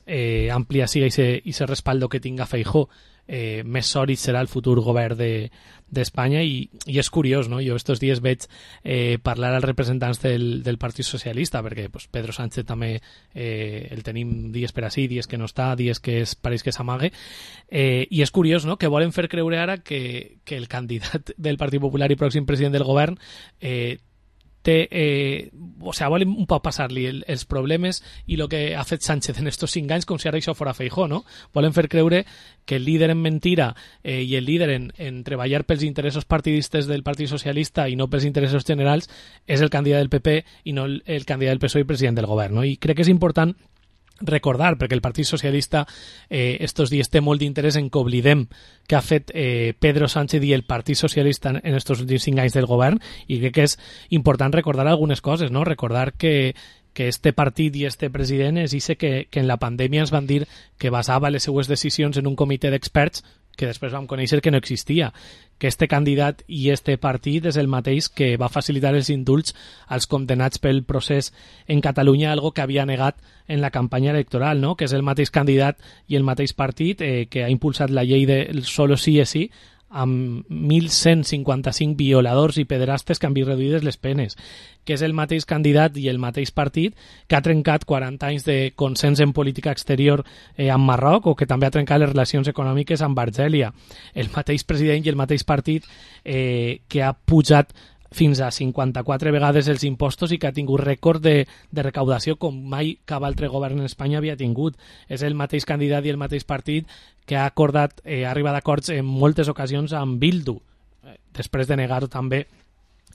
àmplia siga aquest respaldo que tinga Feijóo, més sòlid serà el futur govern d'Espanya, i és curiós, no? Jo estos dies veig parlar als representants del Partit Socialista, perquè Pedro Sánchez també el tenim dies per ací, dies que no està, dies que pareix que s'amague, i és curiós, no?, que volen fer creure ara que el candidat del Partit Popular i pròxim president del govern volen un poc passar-li els problemes i el que ha fet Sánchez en estos 5 anys com si ara això fora Feijóo, no? Volen fer creure que el líder en mentira i el líder en treballar pels interessos partidistes del Partit Socialista i no pels interessos generals és el candidat del PP i no el candidat del PSOE i president del govern, no? I crec que és important recordar, perquè el Partit Socialista estos dies té molt d'interès en que oblidem que ha fet Pedro Sánchez i el Partit Socialista en estos últims 5 anys del govern, i crec que és important recordar algunes coses, no? Recordar que este partit i este president és ixe que en la pandèmia ens van dir que basava les seues decisions en un comitè d'experts que després vam conèixer que no existia, que este candidat i este partit és el mateix que va facilitar els indults als condenats pel procés en Catalunya, algo que havia negat en la campanya electoral, no? Que és el mateix candidat i el mateix partit que ha impulsat la llei del solo sí és sí, amb 1.155 violadors i pederastes que han vist reduïdes les penes, que és el mateix candidat i el mateix partit que ha trencat 40 anys de consens en política exterior amb Marroc, o que també ha trencat les relacions econòmiques amb Argèlia, el mateix president i el mateix partit que ha pujat fins a 54 vegades els impostos i que ha tingut rècord de recaudació com mai cap altre govern en Espanya havia tingut. És el mateix candidat i el mateix partit que ha acordat, ha arribat a acords en moltes ocasions amb Bildu, després de negar-ho també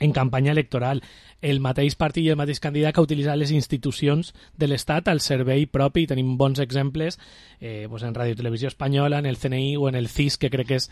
en campanya electoral. El mateix partit i el mateix candidat que ha utilitzat les institucions de l'Estat al servei propi, i tenim bons exemples en Ràdio Televisió Espanyola, en el CNI o en el CIS, que crec que és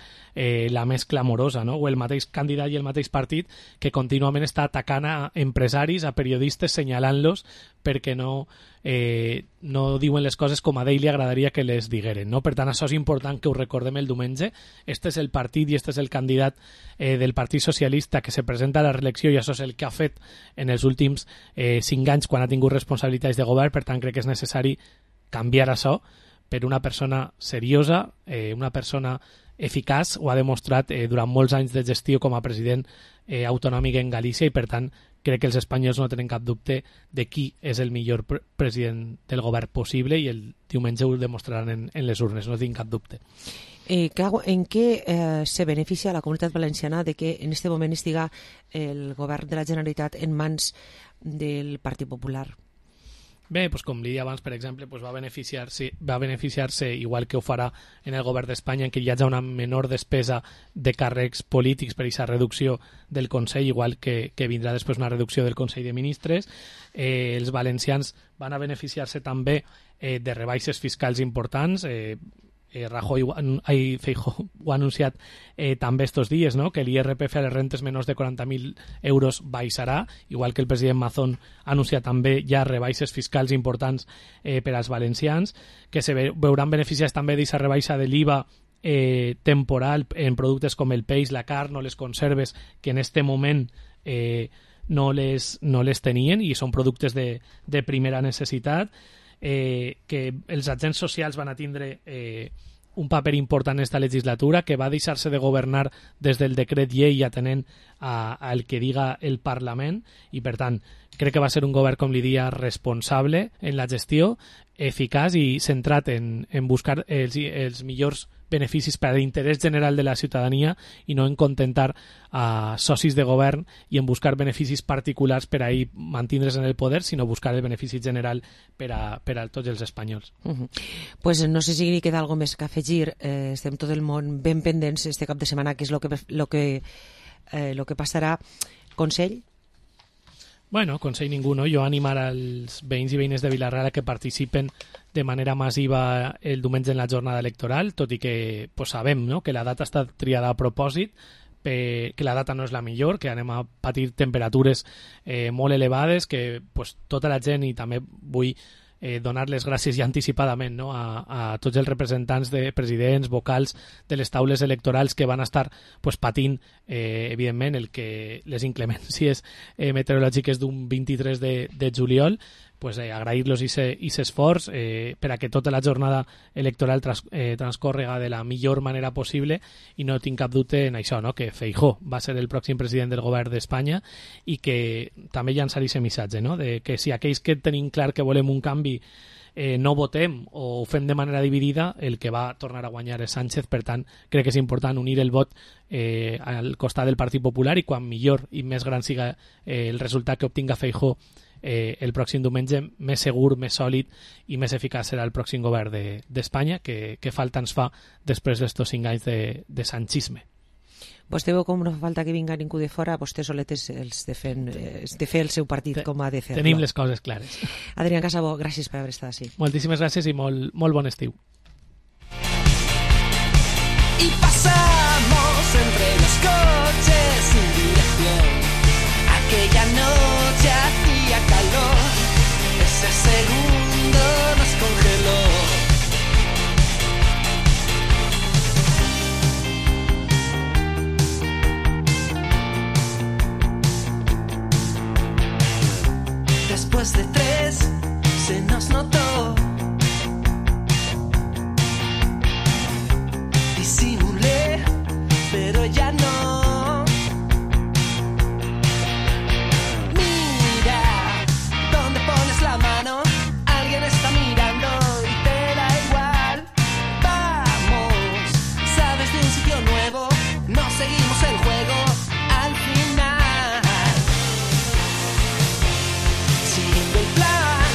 la més clamorosa, no? O el mateix candidat i el mateix partit que contínuament està atacant a empresaris, a periodistes, senyalant-los perquè no diuen les coses com a ell li agradaria que les digueren, no? Per tant, això és important que ho recordem el diumenge. Este és el partit i este és el candidat del Partit Socialista que se presenta a la reelecció, i això és el que ha fet en els últims 5 anys quan ha tingut responsabilitats de govern. Per tant, crec que és necessari canviar això per una persona seriosa, una persona eficaç. Ho ha demostrat durant molts anys de gestió com a president autonòmic en Galícia, i per tant crec que els espanyols no tenen cap dubte de qui és el millor president del govern possible, i el diumenge ho demostraran en les urnes, no tinc cap dubte. En què se beneficia la Comunitat Valenciana de que en aquest moment estiga el govern de la Generalitat en mans del Partit Popular? Bé, doncs com li deia abans, per exemple, va beneficiar-se, igual que ho farà en el govern d'Espanya, en què hi hagi una menor despesa de càrrecs polítics per aquesta reducció del Consell, igual que vindrà després una reducció del Consell de Ministres. Els valencians van a beneficiar-se també de rebaixes fiscals importants. Feijóo ho ha anunciat també estos dies, no? Que l'IRPF a les rentes menors de 40.000 euros baixarà, igual que el president Mazón ha anunciat també ja rebaixes fiscals importants per als valencians, que se veuran beneficiats també d'aquesta rebaixa de l'IVA temporal en productes com el peix, la carn o les conserves, que en este moment no les tenien i són productes de primera necessitat. Que els agents socials van a tindre un paper important en esta legislatura, que va deixar-se de governar des del decret llei atenent al que diga el Parlament, i per tant crec que va ser un govern, com li dia, responsable en la gestió, eficaç i centrat en buscar els millors beneficis per a l'interès general de la ciutadania i no en contentar a socis de govern i en buscar beneficis particulars per a ell mantindre's en el poder, sinó buscar el benefici general per a tots els espanyols. Pues no sé si queda alguna més que afegir. Estem tot el món ben pendents este cap de setmana, que és lo que passarà. Consell? Bueno, consell ningú, no? Jo animar als veïns i veïnes de Vila-real a que participen de manera massiva el diumenge en la jornada electoral, tot i que sabem, no?, que la data està triada a propòsit, que la data no és la millor, que anem a patir temperatures molt elevades, que tota la gent, i també vull donar les gràcies ja anticipadament, no?, a tots els representants de presidents, vocals de les taules electorals que van estar patint, evidentment, les inclemències meteorològiques d'un 23 de juliol, agrair-los aquest esforç per a que tota la jornada electoral transcórrega de la millor manera possible, i no tinc cap dubte en això, no?, que Feijóo va ser el pròxim president del govern d'Espanya, i que també llançar aquest missatge, no?, de que si aquells que tenim clar que volem un canvi no votem o ho fem de manera dividida, el que va tornar a guanyar és Sánchez. Per tant, crec que és important unir el vot al costat del Partit Popular, i quan millor i més gran siga el resultat que obtinga Feijóo el pròxim diumenge, més segur, més sòlid i més eficaç serà el pròxim govern d'Espanya, que falta ens fa després d'estos 5 anys de sanchisme. Vostè veu com no fa falta que vinga ningú de fora, vostè soletes els de fer el seu partit com ha de fer-lo. Tenim les coses clares. Adrián Casabó, gràcies per haver estat així. Moltíssimes gràcies i molt bon estiu. Y pasamos entre los coches sin dirección. Aquella noche hacía calor, ese segundo nos congeló. Después de 3 se nos notó. Disimulé, pero ya no. Mira, ¿dónde pones la mano? Alguien está mirando y te da igual. Vamos, ¿sabes de un sitio nuevo? No seguimos el juego al final. Siguiendo el plan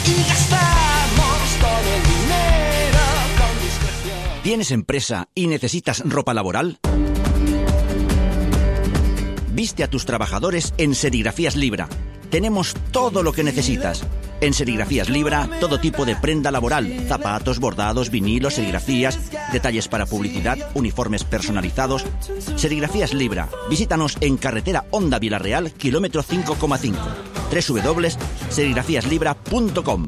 y gastamos todo el dinero con discreción. ¿Tienes empresa y necesitas ropa laboral? Viste a tus trabajadores en Serigrafías Libra. Tenemos todo lo que necesitas. En Serigrafías Libra, todo tipo de prenda laboral, zapatos, bordados, vinilos, serigrafías, detalles para publicidad, uniformes personalizados. Serigrafías Libra. Visítanos en carretera Honda Vilarreal, kilómetro 5,5. www.serigrafiaslibra.com.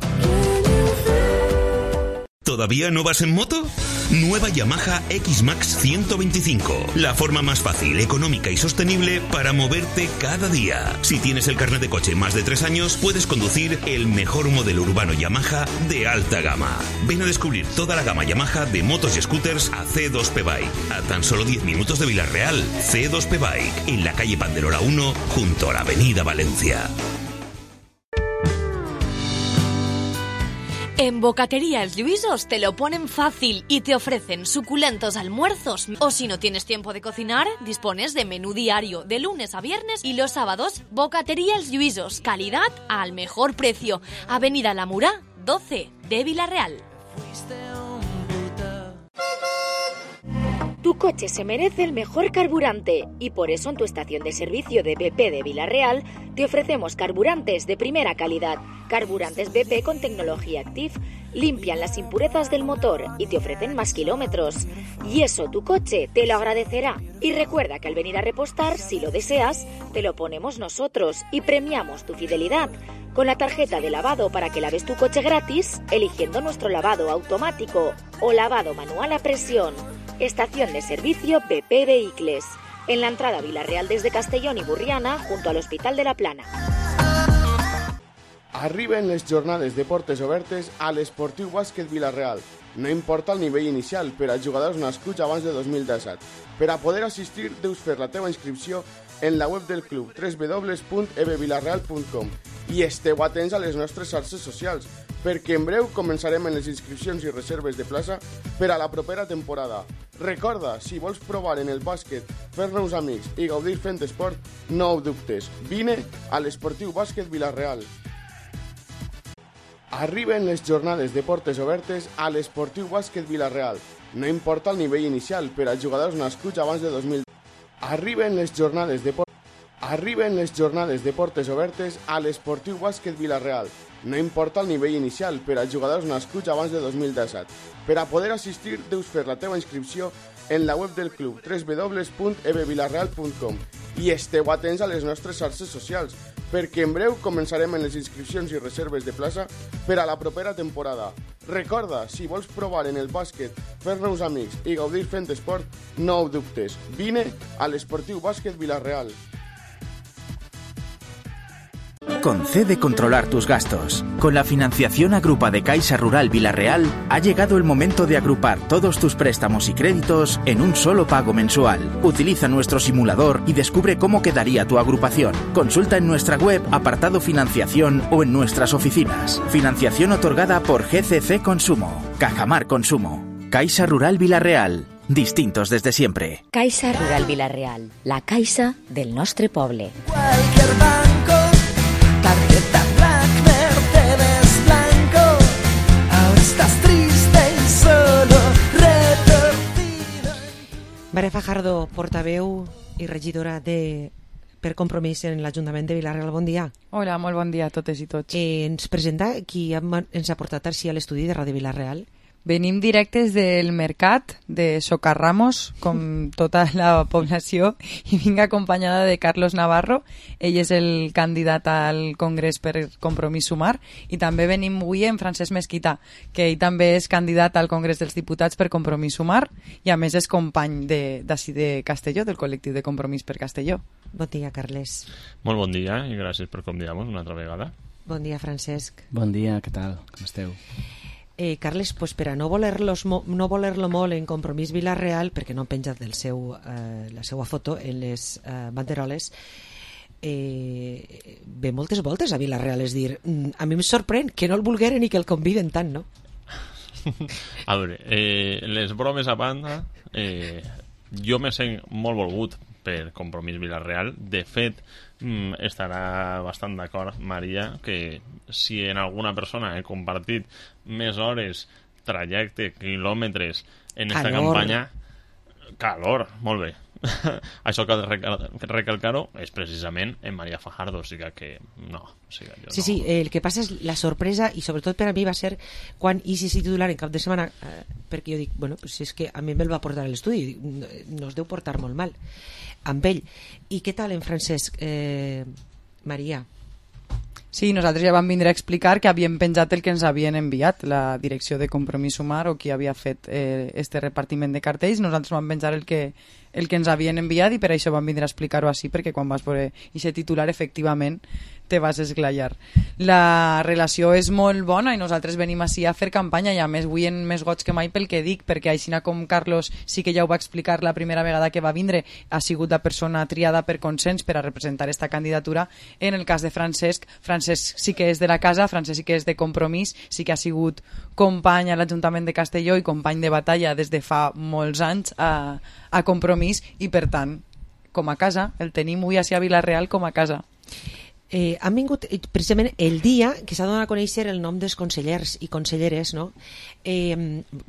¿Todavía no vas en moto? Nueva Yamaha X-Max 125. La forma más fácil, económica y sostenible para moverte cada día. Si tienes el carnet de coche más de 3 años, puedes conducir el mejor modelo urbano Yamaha de alta gama. Ven a descubrir toda la gama Yamaha de motos y scooters a C2P Bike. A tan solo 10 minutos de Vilarreal. C2P Bike, en la calle Pandelora 1, junto a la avenida Valencia. En Bocatería Els Lluïsos te lo ponen fácil y te ofrecen suculentos almuerzos. O si no tienes tiempo de cocinar, dispones de menú diario de lunes a viernes y los sábados. Bocatería Els Lluïsos, calidad al mejor precio. Avenida La Murá, 12 de Vilarreal. Tu coche se merece el mejor carburante y por eso en tu estación de servicio de BP de Vilarreal te ofrecemos carburantes de primera calidad. Carburantes BP con tecnología Active limpian las impurezas del motor y te ofrecen más kilómetros. Y eso tu coche te lo agradecerá. Y recuerda que al venir a repostar, si lo deseas, te lo ponemos nosotros y premiamos tu fidelidad con la tarjeta de lavado para que laves tu coche gratis eligiendo nuestro lavado automático o lavado manual a presión. Estación de servicio BP Vehicles, en la entrada Vilarreal desde Castellón y Burriana, junto al Hospital de la Plana. Arriben les jornades de portes obertes a l'Esportiu Bàsquet Vilarreal. No importa el nivell inicial per a jugadors nascuts abans de 2017. Per a poder assistir, deus fer la teva inscripció en la web del club www.ebvilarreal.com i esteu atents a les nostres xarxes socials, perquè en breu començarem en les inscripcions i reserves de plaça per a la propera temporada. Recorda, si vols provar en el bàsquet, fer-nos amics i gaudir fent esport, no ho dubtes. Vine a l'Esportiu Bàsquet Vilarreal. Arriben les jornades de portes obertes a l'Esportiu Bàsquet Vilarreal. No importa el nivell inicial per a jugadors nascuts abans de 2000. Arriben les jornades de portes obertes a l'Esportiu Bàsquet Vilarreal. No importa el nivell inicial per a jugadors nascuts abans de 2017. Per a poder assistir, deus fer la teva inscripció en la web del club www.ebvilarreal.com i esteu atents a les nostres xarxes socials, perquè en breu començarem en les inscripcions i reserves de plaça per a la propera temporada. Recorda, si vols provar en el bàsquet, fer-nos amics i gaudir fent esport, no ho dubtes. Vine a l'Esportiu Bàsquet Vilarreal. Concede controlar tus gastos. Con la financiación Agrupa de Caixa Rural Vilarreal, ha llegado el momento de agrupar todos tus préstamos y créditos en un solo pago mensual. Utiliza nuestro simulador y descubre cómo quedaría tu agrupación. Consulta en nuestra web, apartado financiación o en nuestras oficinas. Financiación otorgada por GCC Consumo. Cajamar Consumo. Caixa Rural Vilarreal. Distintos desde siempre. Caixa Rural Vilarreal, la caixa del nostre poble. Cualquier banco, tarjeta Black, Mercedes blanco. Ahora estás triste y solo retorcido. Maria Fajardo, portaveu i regidora per Compromís en l'Ajuntament de Vilarreal. Bon dia. Hola, molt bon dia a totes i tots. Ens presenta qui ens ha portat així a l'estudi de Ràdio Vilarreal. Venim directes del mercat de Socarramos, com tota la població, i vinc acompanyada de Carlos Navarro. Ell és el candidat al Congrés per Compromís Sumar, i també venim avui amb Francesc Mesquita, que ell també és candidat al Congrés dels Diputats per Compromís Sumar, i a més és company d'ací de Castelló, del col·lectiu de Compromís per Castelló. Bon dia, Carles. Molt bon dia i gràcies per convidar-nos una altra vegada. Bon dia, Francesc. Bon dia, què tal? Com esteu? Carles, pues per a no voler-lo molt en Compromís Vilarreal, perquè no han penjat la seva foto en les banderoles, ve moltes voltes a Vilarreal, és dir, a mi em sorprèn que no el volgueren i que el conviden tant, no? A veure, les bromes a banda, jo me sent molt volgut per Compromís Vilarreal. De fet, estarà bastant d'acord Maria que si en alguna persona he compartit més hores, trajecte, quilòmetres en esta campanya, calor, molt bé. Això que recalcar-ho és precisament en Maria Fajardo, o sigui que no. Sí, el que passa és la sorpresa, i sobretot per a mi va ser quan Isi titular en cap de setmana, perquè jo dic, bueno, pues és que a mi me'l va portar a l'estudi, no es deu portar molt mal amb ell. I què tal en Francesc, Maria? Sí, nosaltres ja vam vindre a explicar que havíem penjat el que ens havien enviat la direcció de Compromís Sumar, o qui havia fet este repartiment de cartells. Nosaltres vam penjar el que ens havien enviat, i per això vam vindre a explicar-ho així, perquè quan vas veure aquest titular efectivament te vas esglaiar. La relació és molt bona i nosaltres venim així a fer campanya, i a més avui en més goig que mai pel que dic, perquè així com Carlos sí que ja ho va explicar la primera vegada que va vindre, ha sigut la persona triada per consens per a representar esta candidatura. En el cas de Francesc sí que és de la casa, Francesc sí que és de Compromís, sí que ha sigut company a l'Ajuntament de Castelló i company de batalla des de fa molts anys a Compromís, i per tant, com a casa, el tenim avui a Vilarreal com a casa. Han vingut precisament el dia que s'ha donat a conèixer el nom dels consellers i conselleres, no?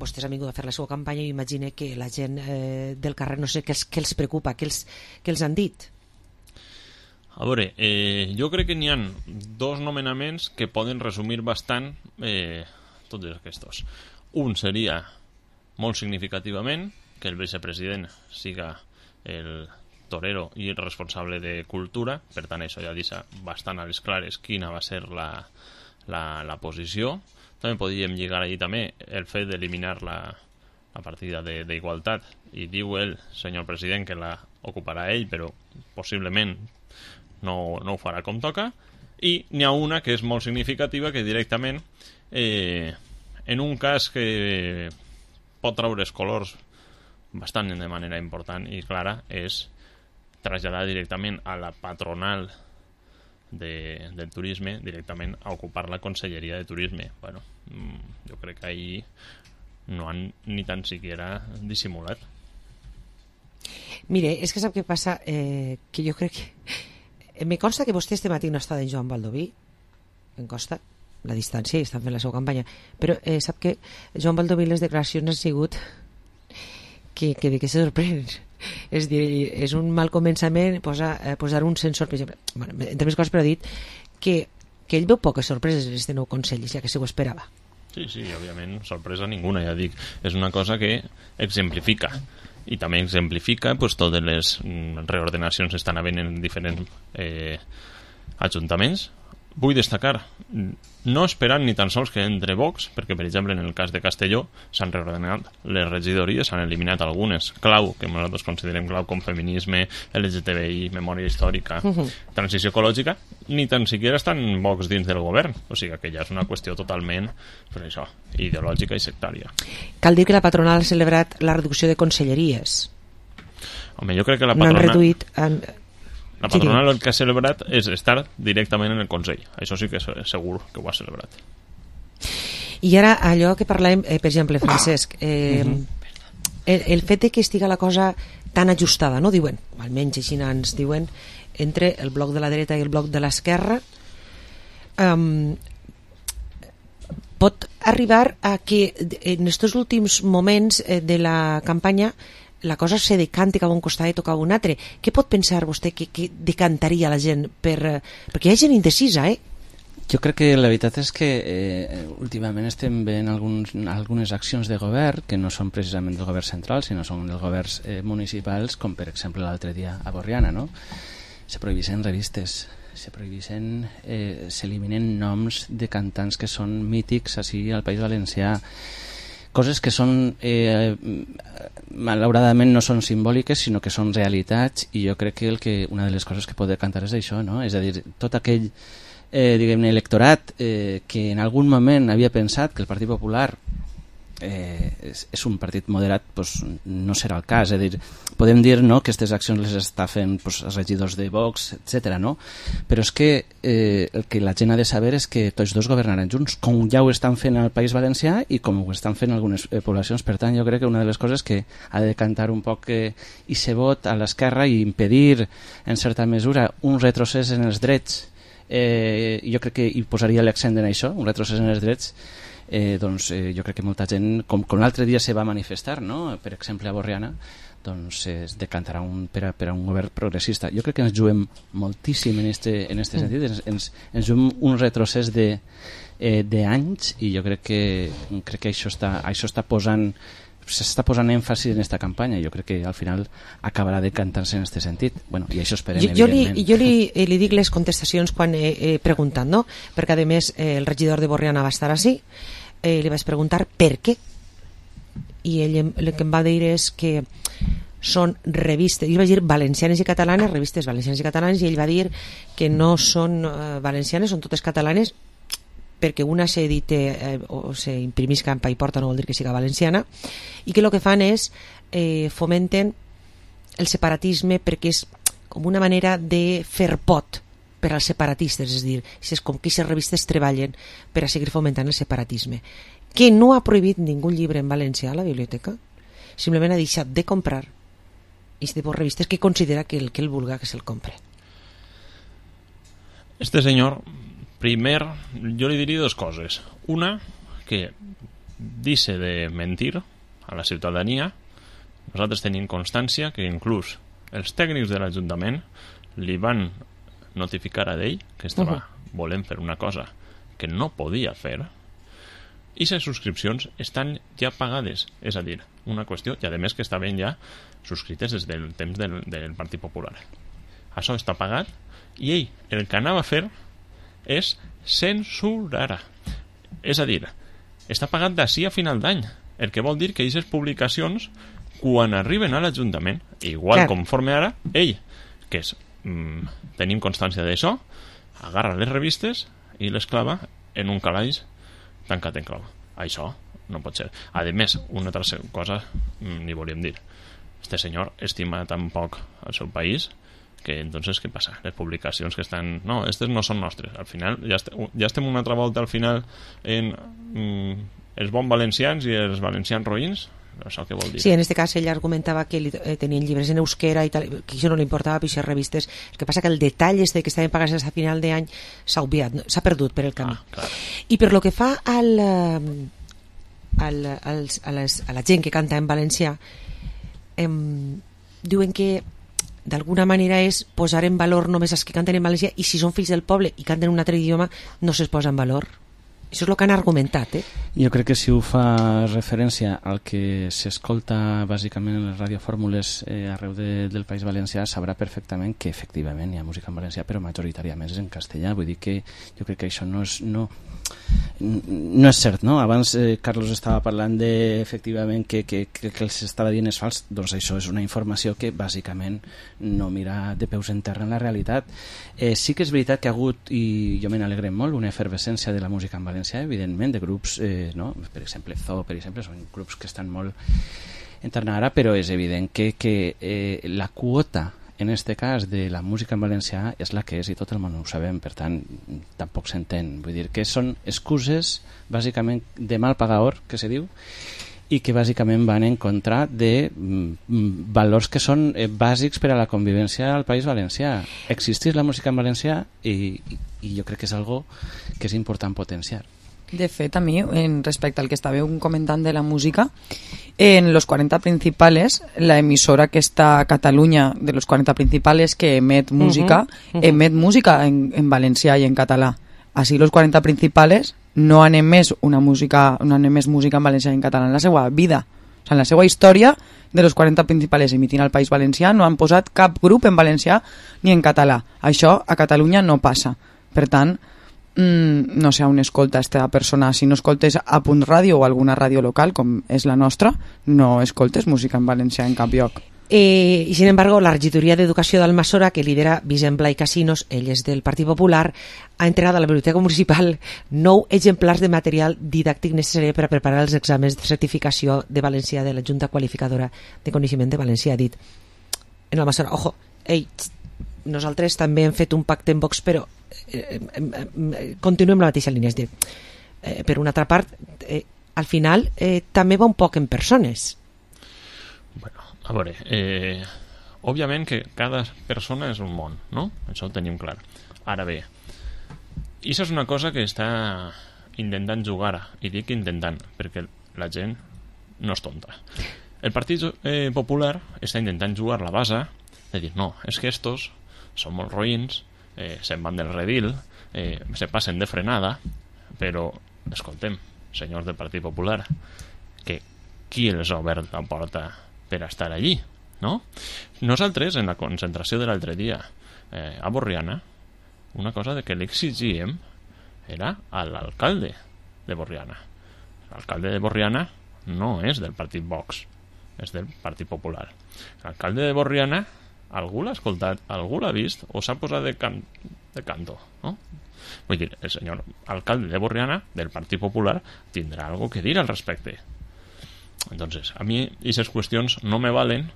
Vostès han vingut a fer la seva campanya i imagino que la gent del carrer no sé què els preocupa, què els han dit. A veure, jo crec que n'hi ha dos nomenaments que poden resumir bastant tots aquests. Un seria, molt significativament, que el vicepresident siga el torero i el responsable de cultura. Per tant, això ja deixa bastant a les clares quina va ser la posició. També podríem lligar allí també el fet d'eliminar la partida d'igualtat, i diu el senyor president que la ocuparà ell, però possiblement no ho farà com toca. I n'hi ha una que és molt significativa, que directament en un cas que pot treure els colors bastant de manera important i clara, és traslladar directament a la patronal del turisme, directament a ocupar la Conselleria de Turisme. Bueno, jo crec que ahí no han ni tan siquiera dissimulat. Mire, és que sap què passa? Que jo crec que... Me consta que vostè este matí no està en Joan Baldoví, em consta la distància, i estan fent la seva campanya, però sap que Joan Baldoví les declaracions han sigut que de què se sorprèn. És dir, és un mal començament posar un sensor, per exemple, bueno, entre més coses, però ha dit que ell veu poques sorpreses en este nou Consell, ja que se ho esperava. Sí, òbviament, sorpresa ninguna, ja dic. És una cosa que exemplifica, i també exemplifica pues, totes les reordenacions que estan havent en diferents ajuntaments, vull destacar, no esperant ni tan sols que entre Vox, perquè per exemple en el cas de Castelló s'han reordenat les regidories, s'han eliminat algunes clau, que nosaltres considerem clau, com feminisme, LGTBI, memòria històrica, transició ecològica, ni tan siquiera estan Vox dins del govern, o sigui que ja és una qüestió totalment, pues això, ideològica i sectària. Cal dir que la patronal ha celebrat la reducció de conselleries. Home, jo crec que la No han patronal... reduït... La patronal el que ha celebrat és estar directament en el Consell. Això sí que és segur que ho ha celebrat. I ara allò que parlàvem, per exemple, Francesc, el fet de que estiga la cosa tan ajustada, no diuen, o almenys així ens diuen, entre el bloc de la dreta i el bloc de l'esquerra, pot arribar a que en aquests últims moments de la campanya la cosa se decanti cap a un costat i toca a un altre. Què pot pensar vostè que decantaria la gent? Perquè hi ha gent indecisa, Jo crec que la veritat és que últimament estem veient algunes accions de govern que no són precisament del govern central, sinó són dels governs municipals, com per exemple l'altre dia a Borriana, no? Se prohibeixen revistes, s'eliminen noms de cantants que són mítics així al País Valencià, coses que són malauradament no són simbòliques sinó que són realitats, i jo crec que una de les coses que pot decantar és això, no? És a dir, tot aquell diguem-ne electorat que en algun moment havia pensat que el Partit Popular és un partit moderat, doncs no serà el cas. És a dir, podem dir, no, que aquestes accions les està fent doncs, els regidors de Vox, etc. No? Però és que el que la gent ha de saber és que tots dos governaran junts, com ja ho estan fent al País Valencià i com ho estan fent algunes poblacions. Per tant, jo crec que una de les coses que ha de decantar un poc i ser vot a l'esquerra i impedir, en certa mesura, un retrocés en els drets, jo crec que hi posaria l'accent en això, un retrocés en els drets. Doncs jo crec que molta gent, com l'altre dia se va manifestar, no? Per exemple a Borriana, doncs es decantarà per a un govern progressista. Jo crec que ens juguem moltíssim en este sentit, ens juguem un retrocés d'anys, i jo crec que això està posant, s'està posant èmfasi en aquesta campanya. Jo crec que al final acabarà decantant-se en aquest sentit. Bueno, i això esperem, evidentment. Jo li dic les contestacions quan he preguntat, no? Perquè a més el regidor de Borriana va estar així, li vaig preguntar per què, i ell el que em va dir és que són revistes, jo vaig dir valencianes i catalanes, revistes valencianes i catalanes, i ell va dir que no són valencianes, són totes catalanes, perquè una s'edite o s'imprimís campa i porta, no vol dir que siga valenciana, i que el que fan és fomenten el separatisme, perquè és com una manera de fer pot per als separatistes, és a dir, és com que aquestes revistes treballen per a seguir fomentant el separatisme, que no ha prohibit ningú llibre en valencià a la biblioteca, simplement ha deixat de comprar aquest tipus de revistes que considera que el que ell vulga que se'l compre. Este senyor, primer, jo li diria dues coses. Una, que dice de mentir a la ciutadania. Nosaltres tenim constància que inclús els tècnics de l'Ajuntament li van notificar a ell que estava volent fer una cosa que no podia fer, i les subscripcions estan ja pagades, és a dir, una qüestió, i a més que estaven ja subscrites des del temps del Partit Popular. Això està pagat, i ell el que anava a fer és censurar. És a dir, està pagat d'ací a final d'any, el que vol dir que aquestes publicacions, quan arriben a l'Ajuntament, igual conforme ara, ell, que és tenim constància d'això, agarra les revistes i les clava en un calaix tancat en clau. Això no pot ser. A més, una altra cosa ni volíem dir. Este senyor estima tan poc el seu país que entonces què passa? Les publicacions que estan... No, aquestes no són nostres. Al final ja estem una altra volta al final en els bons valencians i els valencians roïns. Això què vol dir? Sí, en aquest cas ell argumentava que tenien llibres en euskera i tal, que això no li importava pixar revistes. El que passa que el detall que estaven pagats a final d'any s'ha obviat, s'ha perdut per el camí. I per lo que fa a la gent que canta en valencià, diuen que d'alguna manera és posar en valor només els que canten en valencià, i si són fills del poble i canten en un altre idioma no se'ls posa en valor. Això és el que han argumentat, Jo crec que si ho fa referència al que s'escolta bàsicament en les radiofórmules arreu del País Valencià, sabrà perfectament que efectivament hi ha música en valencià, però majoritàriament és en castellà. Vull dir que jo crec que això no és cert, no? Abans Carlos estava parlant efectivament que el que s'estava dient és fals. Doncs això és una informació que bàsicament no mira de peus en terra en la realitat. Sí que és veritat que ha hagut, i jo me n'alegrem molt, una efervescència de la música en valencià, evidentment, de grups, no? Per exemple, Zoo, per exemple, són grups que estan molt en terra ara, però és evident que la quota en este cas de la música en valencià és la que és i tot el món ho sabem, per tant tampoc s'entén, vull dir que són excuses bàsicament de mal pagador que se diu i que bàsicament van en contra de valors que són bàsics per a la convivència al País Valencià. Existeix la música en valencià i jo crec que és algo que és important potenciar. De fet, a mi, respecte al que estàveu comentant de la música, en los 40 principales, la emisora que està a Catalunya, de los 40 principales que emet música, emet música en valencià i en català. Així, los 40 principales no han emès música en valencià i en català en la seva vida. O sigui, en la seva història, de los 40 principales emitint al País Valencià, no han posat cap grup en valencià ni en català. Això a Catalunya no passa. Per tant, no sé on escolta aquesta persona. Si no escoltes a Punt Ràdio o alguna ràdio local com és la nostra, no escoltes música en valencià en cap lloc. Y sin embargo, la regidoria d'Educació d'Almassora, que lidera Vicent Blai Casinos, ell és del Partit Popular, ha entregat a la Biblioteca Municipal 9 exemplars de material didàctic necessari per a preparar els exàmens de certificació de valencià de la Junta Qualificadora de Coneixement de Valencià. Ha dit en Almassora, ojo, nosaltres també hem fet un pacte en Vox, però continuem la mateixa línia. És dir, per una altra part, al final també va un poc en persones. Bueno, a veure, òbviament que cada persona és un món, no? Això ho tenim clar. Ara bé, això és una cosa que està intentant jugar, i dic intentant, perquè la gent no és tonta. El Partit Popular està intentant jugar la base de dir, no, és que estos són molt roïns, se'n van del redil, se passen de frenada, però, escoltem, senyors del Partit Popular, que qui els ha obert la porta per estar allí, no? Nosaltres, en la concentració de l'altre dia a Borriana, una cosa de que l'exigíem era a l'alcalde de Borriana. L'alcalde de Borriana no és del Partit Vox, és del Partit Popular. L'alcalde de Borriana, algú l'ha escoltat, algú l'ha vist o s'ha posat de canto, no? Vull dir, el senyor alcalde de Borriana del Partit Popular tindrà algo que dir al respecte. Entonces, a mi aquestes qüestions no me valen,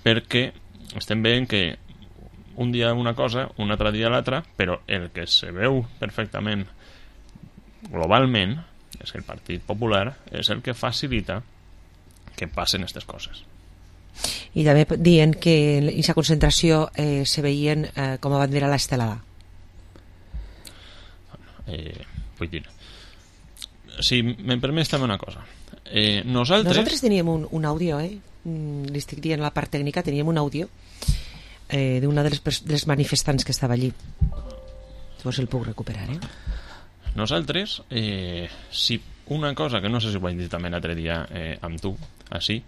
perquè estem veient que un dia una cosa, un altre dia l'altra, però el que se veu perfectament globalment és que el Partit Popular és el que facilita que passen aquestes coses. I també dient que en aquesta concentració se veien com a bandera l'estelada. Vull dir, si me'n permets també una cosa, nosaltres teníem un àudio, li estic dient a la part tècnica, teníem un àudio d'una dels manifestants que estava allí. Llavors el puc recuperar, Nosaltres, si una cosa que no sé si ho vaig dir també l'altre dia amb tu, així,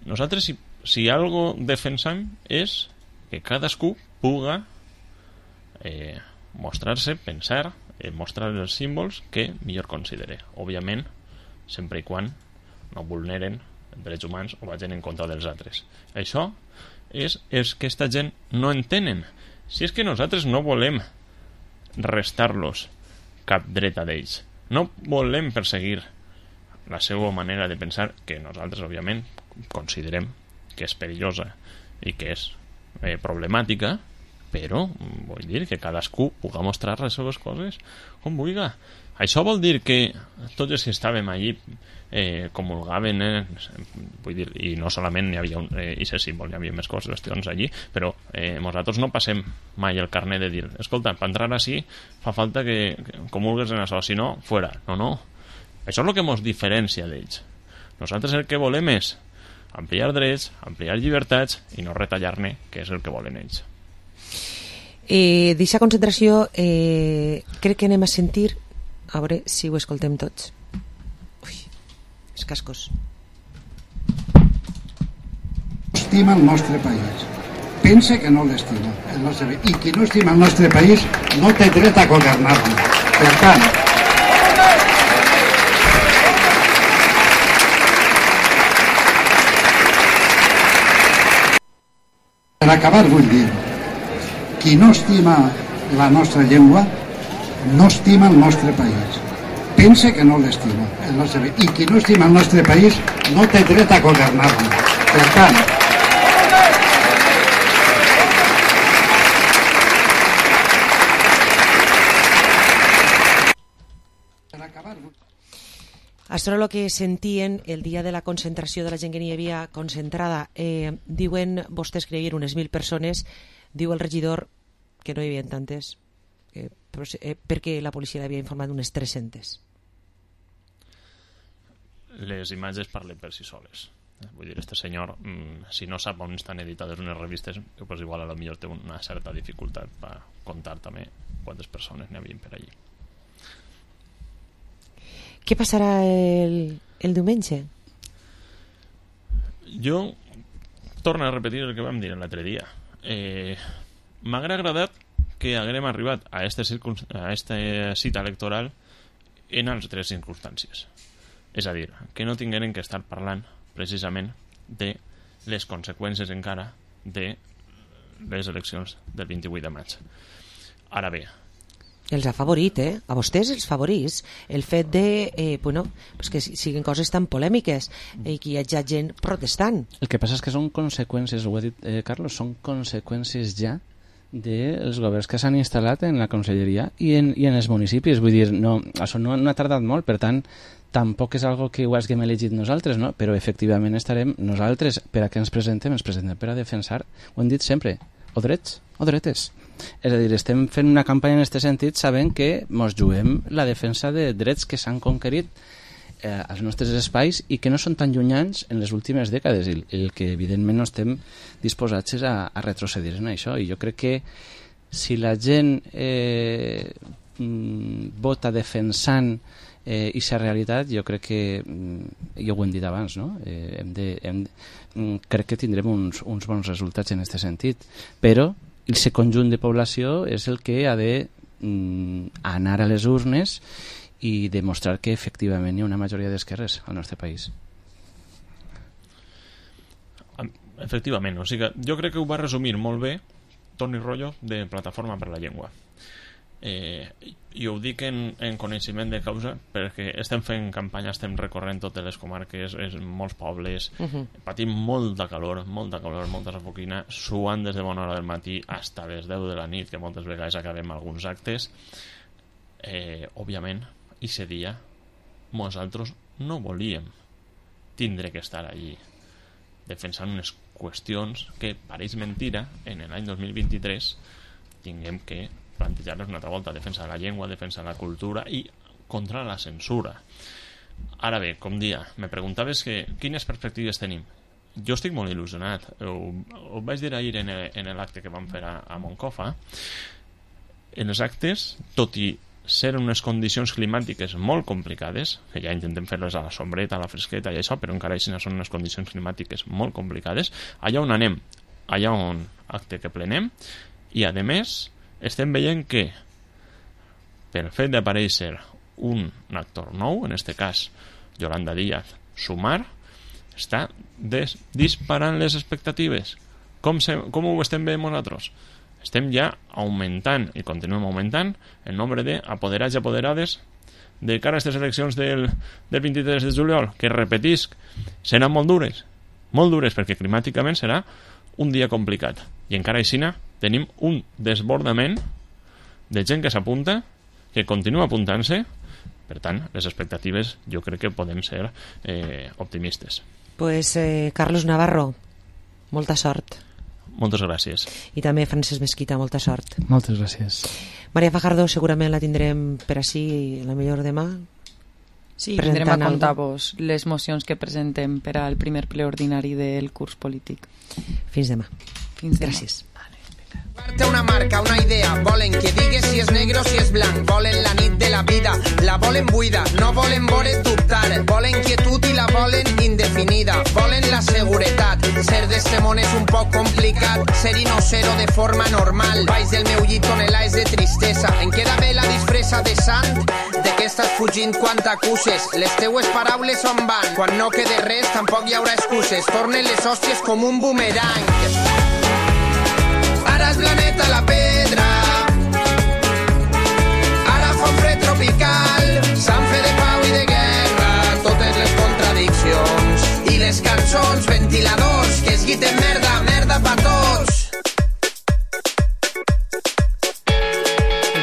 nosaltres si algo defensam és que cadascú puga mostrar-se, pensar, mostrar els símbols que millor considere. Òbviament, sempre i quan no vulneren drets humans o vagin en contra dels altres. Això és que aquesta gent no entenen. Si és que nosaltres no volem restar-los cap dret a d'ells, no volem perseguir la seva manera de pensar, que nosaltres òbviament considerem que és perillosa i que és problemàtica, però vull dir que cadascú pugui mostrar les seves coses com vulgui. Això vol dir que tots els que estàvem allí comulgaven, vull dir, i no solament hi havia aquest símbol, hi havia més qüestions allí, però nosaltres no passem mai el carnet de dir, escolta, per entrar així fa falta que comulgues en això, si no, fora. No. Això és el que ens diferencia d'ells. Nosaltres el que volem és ampliar drets, ampliar llibertats i no retallar-ne, que és el que volen ells. D'aquesta concentració crec que anem a sentir A veure si ho escoltem tots. Ui, els cascos. Estima el nostre país. Pense que no l'estima. I qui no estima el nostre país no té dret a governar-lo. Per tant, per acabar vull dir, qui no estima la nostra llengua no estima el nostre país. Pense que no l'estima. I qui no estima el nostre país no té dret a governar-lo. Per tant, Això era el que sentien el dia de la concentració de la gent que n'hi havia concentrada. Diuen vostès que hi havia unes 1.000 persones, diu el regidor que no hi havia tantes, perquè la policia l'havia informat d'unes 300. Les imatges parlen per si soles. Vull dir, este senyor, si no sap on estan editades unes revistes, pues igual a lo millor té una certa dificultat per contar també quantes persones n'hi havia per allí. Què passarà el diumenge? Jo torno a repetir el que vam dir l'altre dia. M'haguera agradat que haguem arribat a esta cita electoral en altres circumstàncies. És a dir, que no tingueren que estar parlant precisament de les conseqüències encara de les eleccions del 28 de maig. Ara bé, els ha favorit, a vostès els favorís el fet de pues que siguin coses tan polèmiques i que hi hagi gent protestant. El que passa és que són conseqüències, ho ha dit Carlos, són conseqüències ja dels governs que s'han instal·lat en la conselleria i en els municipis. Vull dir, això no ha tardat molt, per tant tampoc és algo que ho haguem elegit nosaltres, no? Però efectivament estarem nosaltres, per a què ens presentem per a defensar, ho hem dit sempre, o drets o dretes. És a dir, estem fent una campanya en aquest sentit sabent que ens juguem la defensa de drets que s'han conquerit als nostres espais i que no són tan llunyans en les últimes dècades, el que evidentment no estem disposats a retrocedir en això. I jo crec que si la gent vota defensant aquesta realitat, jo crec que, ja ho hem dit abans, no? Crec que tindrem uns bons resultats en aquest sentit, però el conjunt de població és el que ha d'anar a les urnes i demostrar que efectivament hi ha una majoria d'esquerres al nostre país. Efectivament, o sigui, jo crec que ho va resumir molt bé Toni Rollo de Plataforma per la Llengua. I ho dic en coneixement de causa perquè estem fent campanya, estem recorrent totes les comarques, molts pobles, patim molta calor, molta safoquina, suant des de bona hora del matí fins a les 10 de la nit, que moltes vegades acabem alguns actes. Òbviament, aquest dia nosaltres no volíem tindre que estar allí defensant unes qüestions que pareix mentira en l'any 2023 tinguem que plantejar-les una altra volta, defensa de la llengua, defensa de la cultura i contra la censura. Ara bé, com dia, me preguntaves quines perspectives tenim. Jo estic molt il·lusionat. Ho vaig dir ahir en l'acte que vam fer a Moncofa. En els actes, tot i ser unes condicions climàtiques molt complicades, que ja intentem fer-les a la sombreta, a la fresqueta i això, però encara així són unes condicions climàtiques molt complicades, allà on anem, allà on acte que plenem, i a més estem veient que pel fet d'aparèixer un actor nou, en aquest cas Yolanda Díaz Sumar, està disparant les expectatives. Com ho estem veient nosaltres? Estem ja augmentant i continuem augmentant el nombre d'apoderats i apoderades de cara a aquestes eleccions del 23 de juliol, que repetisc, seran molt dures perquè climàticament serà un dia complicat i encara així tenim un desbordament de gent que s'apunta, que continua apuntant-se. Per tant, les expectatives jo crec que podem ser optimistes. Pues Carlos Navarro, molta sort. Moltes gràcies. I també Francesc Mesquita, molta sort. Moltes gràcies. Maria Fajardo, segurament la tindrem per així la millor demà. Sí, vindrem a contar-vos les mocions que presentem per al primer ple ordinari del curs polític. Fins demà. Gràcies. Una marca, una idea, volen que digues si és negre o si és blanc, volen la nit de la vida, La volen buida, no volen vore dubtar, volen quietud i la volen indefinida, volen la seguretat. Ser d'este món és un poc complicat, ser-hi no ser-ho de forma normal. Baix del meu llit tonelades de tristesa, em queda bé la disfressa de sant. De què estàs fugint quan t'acuses? Les teues paraules on van? Quan no quede res tampoc hi haurà excuses, tornen les hòsties com un boomerang. Ara és planeta la pedra, ara fa un fred tropical, sant fe de pau i de guerra, totes les contradiccions i les cançons, ventiladors que es guiten merda, merda pa tots.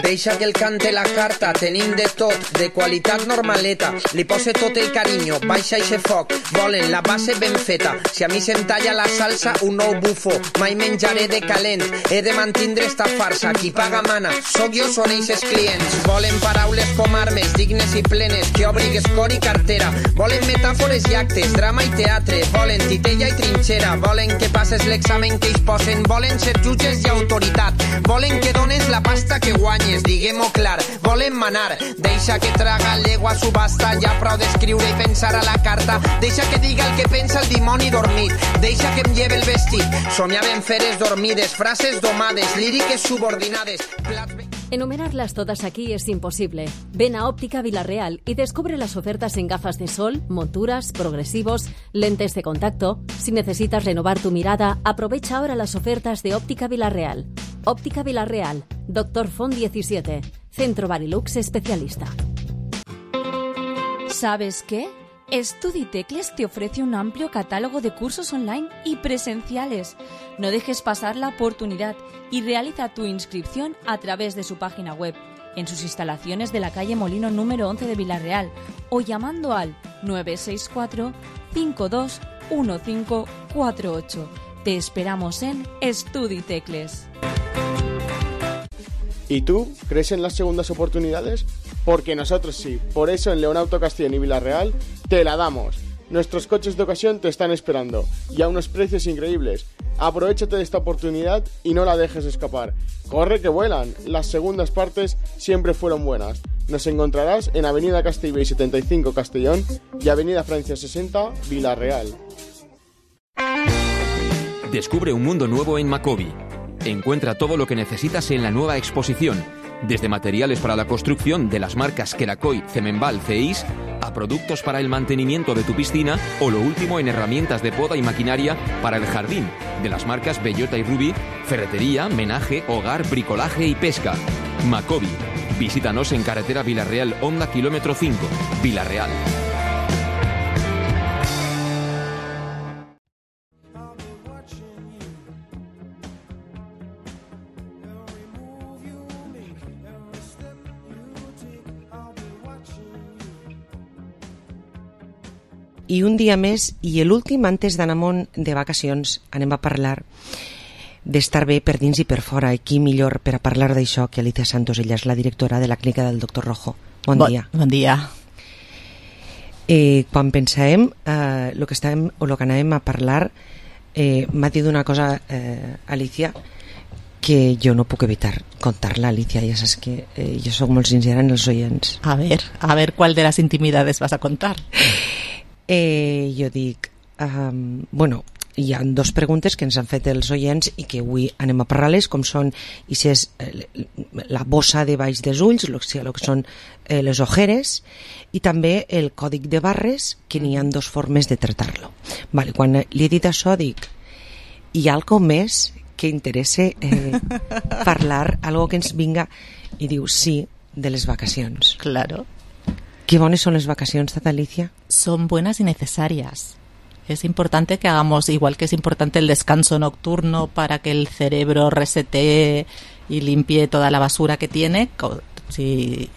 Deixa que el cante la carta, tenim de tot, de qualitat normaleta, li pose tot el carinyo, baixa eixe foc, volen la base ben feta, si a mi se'm talla la salsa, un nou bufo, mai menjaré de calent, he de mantindre esta farsa, qui paga mana, soc jo, són eixes clients, volen paraules com armes, dignes i plenes, que obrigues cor i cartera, volen metàfores i actes, drama i teatre, volen titella i trinxera, volen que passes l'examen que ells posen, volen ser jutges i autoritat, volen que dones la pasta que guanyes, diguem-ho clar, volen manar, deixa que traga l'egua subhasta, ja prou d'escriure i pensar a la carta, deixa que diga el que pensa el dimoni dormit, deixa que em lleve el vestit, somiaven feres dormides, frases domades, líriques subordinades, Enumerarlas todas aquí es imposible. Ven a Óptica Vilarreal y descubre las ofertas en gafas de sol, monturas, progresivos, lentes de contacto. Si necesitas renovar tu mirada, aprovecha ahora las ofertas de Óptica Vilarreal. Óptica Vilarreal, Dr. Font 17, Centro Barilux Especialista. ¿Sabes qué? StudyTecles te ofrece un amplio catálogo de cursos online y presenciales. No dejes pasar la oportunidad y realiza tu inscripción a través de su página web, en sus instalaciones de la calle Molino número 11 de Vilarreal o llamando al 964 521548. Te esperamos en StudyTecles. ¿Y tú? ¿Crees en las segundas oportunidades? Porque nosotros sí. Por eso en Leonauto Castellón y Vilarreal te la damos. Nuestros coches de ocasión te están esperando y a unos precios increíbles. Aprovéchate de esta oportunidad y no la dejes escapar. Corre que vuelan. Las segundas partes siempre fueron buenas. Nos encontrarás en Avenida Castellbell 75 Castellón y Avenida Francia 60 Vilarreal. Descubre un mundo nuevo en Macobi. Encuentra todo lo que necesitas en la nueva exposición, desde materiales para la construcción de las marcas Kerakoy, Cemenbal, CEIS, a productos para el mantenimiento de tu piscina o lo último en herramientas de poda y maquinaria para el jardín, de las marcas Bellota y Ruby, ferretería, menaje, hogar, bricolaje y pesca. Macobi. Visítanos en carretera Vilarreal Honda kilómetro 5, Vilarreal. I un dia més, i l'últim antes d'anar amunt de vacacions, anem a parlar d'estar bé per dins i per fora. I qui millor per a parlar d'això que Alicia Santos, ella és la directora de la clínica del Dr. Rojo. Bon dia. Bon dia. Quan pensàvem el que anàvem a parlar, m'ha dit una cosa, Alicia, que jo no puc evitar contar-la, Alicia. Ja saps que jo soc molt sincera en els oients. A ver, ¿cuál de las intimidades vas a contar? Jo dic, bueno, hi ha dos preguntes que ens han fet els oients i que avui anem a parlar-les, com són la bossa de baix dels ulls, el que són les ojeres, i també el còdic de barres, que n'hi ha dos formes de tractar-lo. Vale, quan li he dit això dic, hi ha alguna més que interessa parlar, algo que ens vinga, i diu sí, de les vacacions. Claro. ¿Qué bones son las vacaciones, tata Alicia? Son buenas y necesarias. Es importante que hagamos, igual que es importante el descanso nocturno para que el cerebro resetee y limpie toda la basura que tiene. Si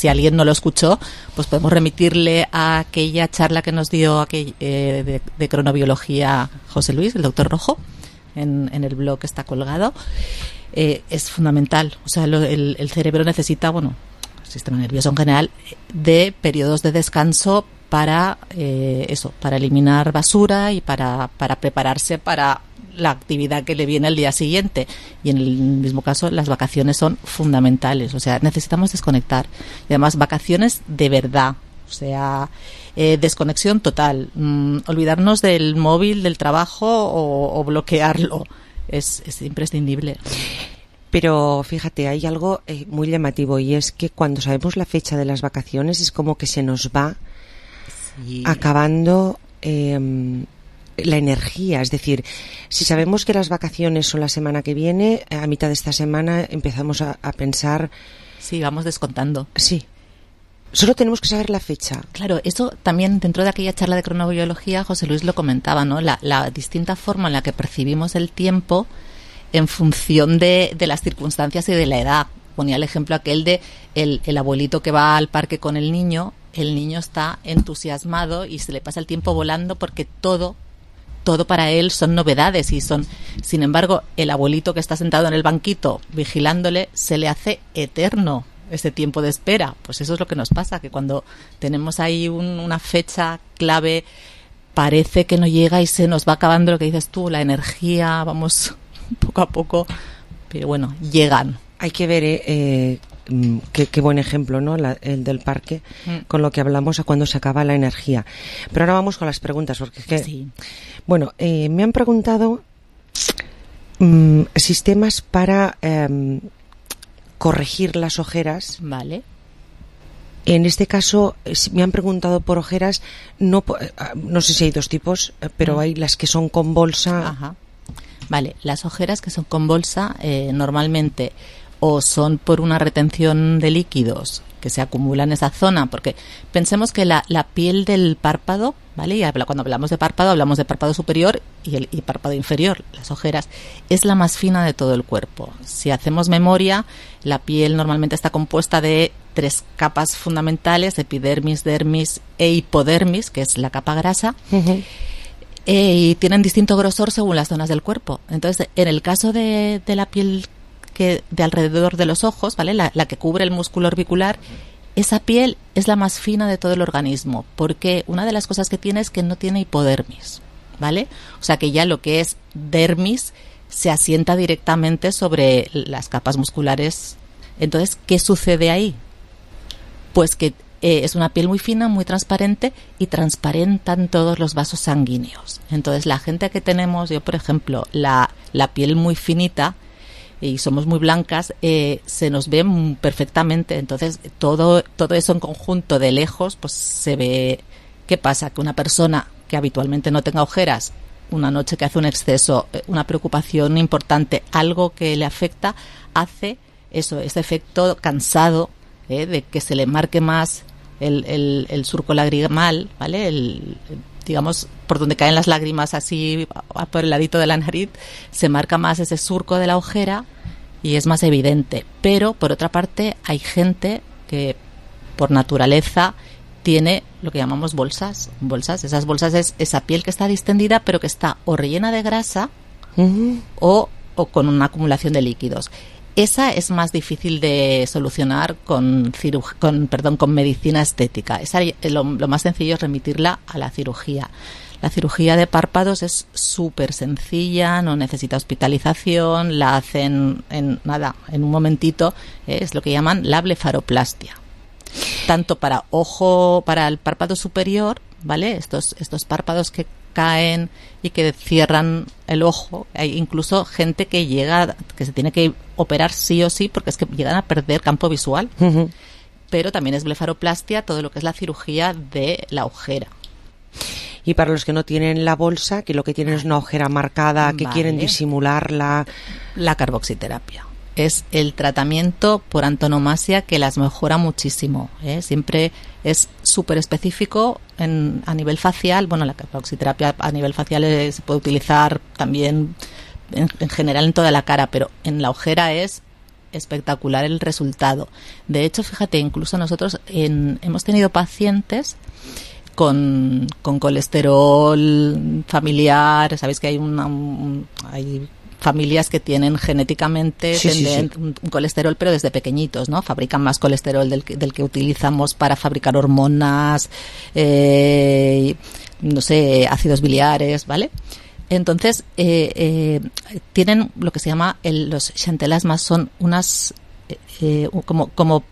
alguien no lo escuchó, pues podemos remitirle a aquella charla que nos dio de cronobiología José Luis, el doctor Rojo, en el blog que está colgado. Es fundamental. O sea, el cerebro necesita, bueno, sistema nervioso en general, de periodos de descanso para para eliminar basura y para prepararse para la actividad que le viene al día siguiente. Y en el mismo caso, las vacaciones son fundamentales. O sea, necesitamos desconectar. Y además, vacaciones de verdad. O sea, desconexión total. Olvidarnos del móvil, del trabajo o bloquearlo. Es imprescindible. Pero fíjate, hay algo muy llamativo, y es que cuando sabemos la fecha de las vacaciones es como que se nos va acabando la energía. Es decir, si sabemos que las vacaciones son la semana que viene, a mitad de esta semana empezamos a pensar... Sí, vamos descontando. Sí. Solo tenemos que saber la fecha. Claro, eso también dentro de aquella charla de cronobiología, José Luis lo comentaba, ¿no? La distinta forma en la que percibimos el tiempo en función de las circunstancias y de la edad. Ponía el ejemplo aquel de el abuelito que va al parque con el niño está entusiasmado y se le pasa el tiempo volando porque todo para él son novedades y sin embargo, el abuelito que está sentado en el banquito vigilándole, se le hace eterno ese tiempo de espera. Pues eso es lo que nos pasa, que cuando tenemos ahí una fecha clave, parece que no llega y se nos va acabando lo que dices tú, la energía, vamos poco a poco, pero bueno, llegan. Hay que ver qué buen ejemplo, ¿no? El del parque, con lo que hablamos a cuando se acaba la energía. Pero ahora vamos con las preguntas, porque es que... Sí. Bueno, me han preguntado sistemas para corregir las ojeras. Vale. En este caso, me han preguntado por ojeras, no sé si hay dos tipos, pero hay las que son con bolsa. Ajá. Vale, las ojeras que son con bolsa normalmente o son por una retención de líquidos que se acumulan en esa zona, porque pensemos que la piel del párpado, ¿vale? Y cuando hablamos de párpado superior y párpado inferior, las ojeras, es la más fina de todo el cuerpo. Si hacemos memoria, la piel normalmente está compuesta de 3 capas fundamentales: epidermis, dermis e hipodermis, que es la capa grasa. Uh-huh. Y tienen distinto grosor según las zonas del cuerpo. Entonces, en el caso de la piel de alrededor de los ojos, ¿vale? La que cubre el músculo orbicular, esa piel es la más fina de todo el organismo, porque una de las cosas que tiene es que no tiene hipodermis, ¿vale? O sea que ya lo que es dermis se asienta directamente sobre las capas musculares. Entonces, ¿qué sucede ahí? Pues que es una piel muy fina, muy transparente, y transparentan todos los vasos sanguíneos. Entonces, la gente que tenemos, yo por ejemplo, la piel muy finita y somos muy blancas, se nos ve perfectamente. Entonces, todo eso en conjunto de lejos, pues se ve. ¿Qué pasa? Que una persona que habitualmente no tenga ojeras, una noche que hace un exceso, una preocupación importante, algo que le afecta, hace eso, ese efecto cansado, de que se le marque más el surco lagrimal, ¿vale? Digamos, por donde caen las lágrimas, así por el ladito de la nariz, se marca más ese surco de la ojera y es más evidente. Pero, por otra parte, hay gente que, por naturaleza, tiene lo que llamamos bolsas. Esas bolsas es esa piel que está distendida, pero que está o rellena de grasa o con una acumulación de líquidos. Esa es más difícil de solucionar con medicina estética. Lo más sencillo es remitirla a la cirugía. La cirugía de párpados es súper sencilla, no necesita hospitalización, la hacen en un momentito. Es lo que llaman la blefaroplastia. Tanto para el párpado superior, ¿vale? Estos párpados que caen y que cierran el ojo. Hay incluso gente que se tiene que operar sí o sí porque es que llegan a perder campo visual. Uh-huh. Pero también es blefaroplastia todo lo que es la cirugía de la ojera. Y para los que no tienen la bolsa, que lo que tienen es una ojera marcada, que quieren disimularla, la carboxiterapia es el tratamiento por antonomasia que las mejora muchísimo, ¿eh? Siempre es súper específico a nivel facial. Bueno, la carboxiterapia a nivel facial se puede utilizar también en general en toda la cara, pero en la ojera es espectacular el resultado. De hecho, fíjate, incluso nosotros hemos tenido pacientes con colesterol familiar. Sabéis que hay hay familias que tienen genéticamente un colesterol, pero desde pequeñitos, ¿no? Fabrican más colesterol del que utilizamos para fabricar hormonas, ácidos biliares, ¿vale? Entonces, tienen lo que se llama los xantelasmas, son unas como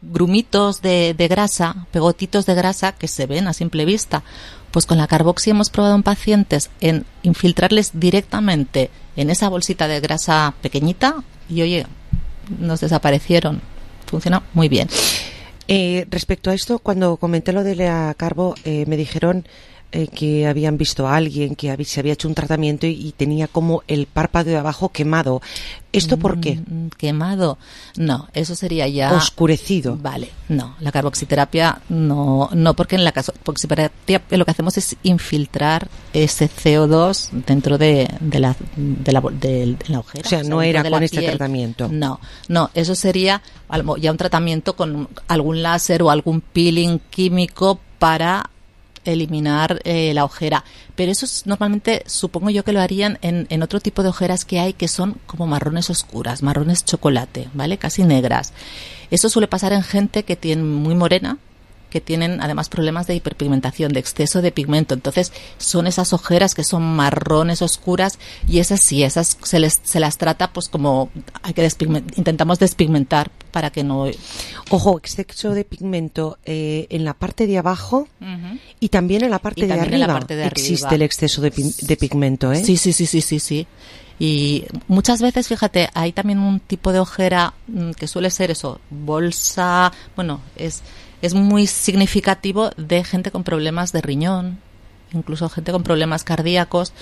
grumitos de grasa, pegotitos de grasa que se ven a simple vista. Pues con la carboxi hemos probado en pacientes en infiltrarles directamente en esa bolsita de grasa pequeñita y, oye, nos desaparecieron. Funciona muy bien. Respecto a esto, cuando comenté lo de la carbo, me dijeron que habían visto a alguien que se había hecho un tratamiento y tenía como el párpado de abajo quemado. ¿Esto por qué? ¿Quemado? No, eso sería ya... ¿Oscurecido? Vale, no. La carboxiterapia no, porque en la carboxiterapia lo que hacemos es infiltrar ese CO2 dentro de la ojera. O sea, no era con este piel. Tratamiento. No, eso sería ya un tratamiento con algún láser o algún peeling químico para eliminar la ojera, pero eso normalmente supongo yo que lo harían en otro tipo de ojeras que hay, que son como marrones oscuras, marrones chocolate, ¿vale? Casi negras. Eso suele pasar en gente que tiene muy morena, que tienen además problemas de hiperpigmentación, de exceso de pigmento. Entonces son esas ojeras que son marrones oscuras, y esas sí, esas se las trata pues como intentamos despigmentar para que no... Ojo, exceso de pigmento en la parte de abajo y también en la parte de arriba. Existe el exceso de pigmento, ¿eh? Sí. Y muchas veces, fíjate, hay también un tipo de ojera que suele ser eso, bolsa, bueno, es muy significativo de gente con problemas de riñón, incluso gente con problemas cardíacos,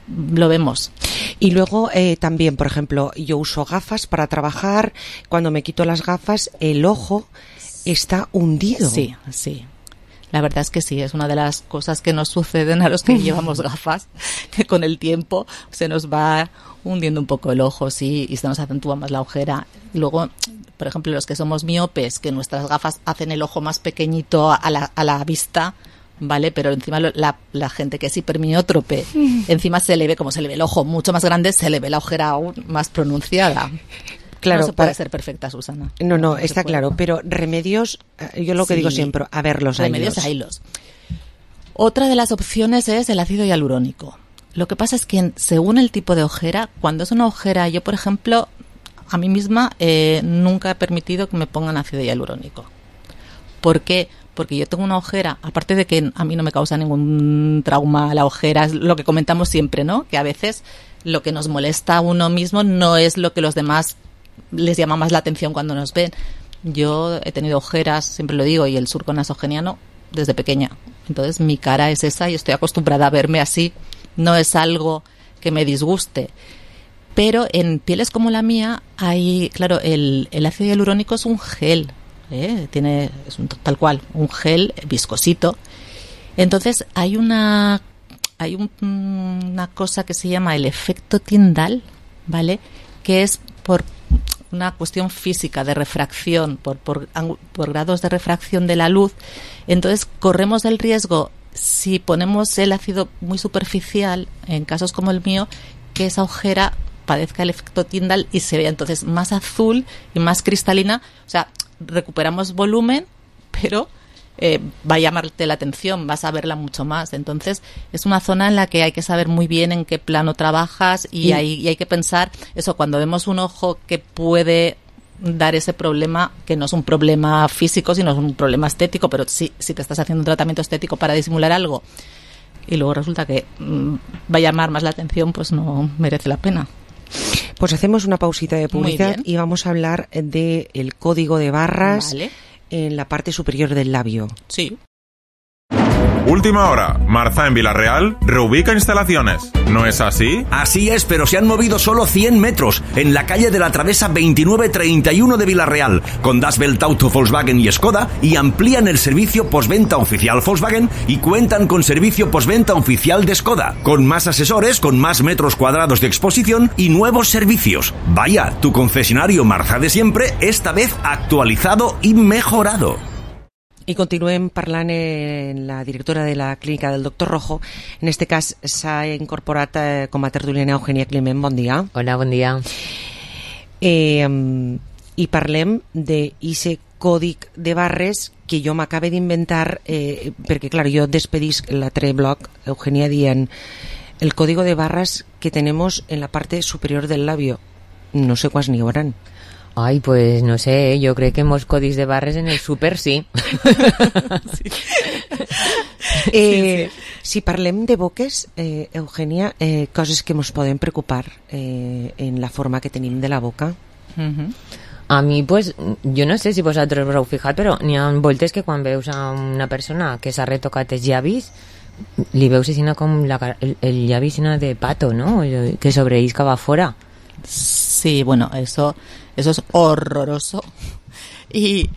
lo vemos. Y luego también, por ejemplo, yo uso gafas para trabajar. Cuando me quito las gafas, el ojo está hundido. Sí. La verdad es que sí, es una de las cosas que nos suceden a los que llevamos gafas, que con el tiempo se nos va hundiendo un poco el ojo, sí, y se nos acentúa más la ojera. Luego, por ejemplo, los que somos miopes, que nuestras gafas hacen el ojo más pequeñito a la vista, ¿vale? Pero encima la gente que es hipermiótrope, encima se le ve, como se le ve el ojo mucho más grande, se le ve la ojera aún más pronunciada. Claro, no se puede ser perfecta, Susana. No, está claro, pero remedios, yo lo que digo siempre, a ver, los remedios haylos. Otra de las opciones es el ácido hialurónico. Lo que pasa es que según el tipo de ojera, cuando es una ojera, yo por ejemplo, a mí misma nunca he permitido que me pongan ácido hialurónico. ¿Por qué? Porque yo tengo una ojera, aparte de que a mí no me causa ningún trauma la ojera, es lo que comentamos siempre, ¿no? Que a veces lo que nos molesta a uno mismo no es lo que los demás les llama más la atención cuando nos ven. Yo he tenido ojeras, siempre lo digo, y el surco nasogeniano desde pequeña. Entonces mi cara es esa y estoy acostumbrada a verme así. No es algo que me disguste. Pero en pieles como la mía hay, claro, el ácido hialurónico es un gel, es tal cual, un gel viscosito. Entonces hay una cosa que se llama el efecto Tyndall, ¿vale? Que es por una cuestión física de refracción, por grados de refracción de la luz. Entonces corremos el riesgo, si ponemos el ácido muy superficial, en casos como el mío, que esa ojera padezca el efecto Tyndall y se vea entonces más azul y más cristalina. O sea, recuperamos volumen, pero va a llamarte la atención, vas a verla mucho más. Entonces es una zona en la que hay que saber muy bien en qué plano trabajas y hay que pensar eso, cuando vemos un ojo que puede dar ese problema, que no es un problema físico sino es un problema estético, pero si te estás haciendo un tratamiento estético para disimular algo y luego resulta que va a llamar más la atención, pues no merece la pena. Pues hacemos una pausita de publicidad y vamos a hablar del código de barras. Vale. En la parte superior del labio. Sí. Última hora. Marza en Villarreal reubica instalaciones. ¿No es así? Así es, pero se han movido solo 100 metros en la calle de la Travesa 2931 de Villarreal, con Das Welt Auto Volkswagen y Skoda, y amplían el servicio postventa oficial Volkswagen y cuentan con servicio postventa oficial de Skoda, con más asesores, con más metros cuadrados de exposición y nuevos servicios. Vaya, tu concesionario Marza de siempre, esta vez actualizado i mejorado. I continuem parlant en la directora de la clínica del Doctor Rojo. En este cas s'ha incorporat com a tertuliana Eugènia Climent. Bon dia. Hola, bon dia. I parlem d'aquest còdic de barres que jo m'acabe d'inventar perquè, clar, jo despedisc l'altre bloc, Eugènia, dient el código de barras que tenemos en la parte superior del labio. No sé cuáles ni haurán. Ai, pues no sé, jo crec que molts codis de barres en el súper sí. Si parlem de boques, Eugènia, coses que ens poden preocupar en la forma que tenim de la boca. A mi, pues, jo no sé si vosaltres us heu fijat, però n'hi ha voltes que quan veus a una persona que s'ha retocat els llavis, li veus així com el llavi de pato, ¿no? Que sobreisca va fora. Sí, bueno, eso es horroroso. Y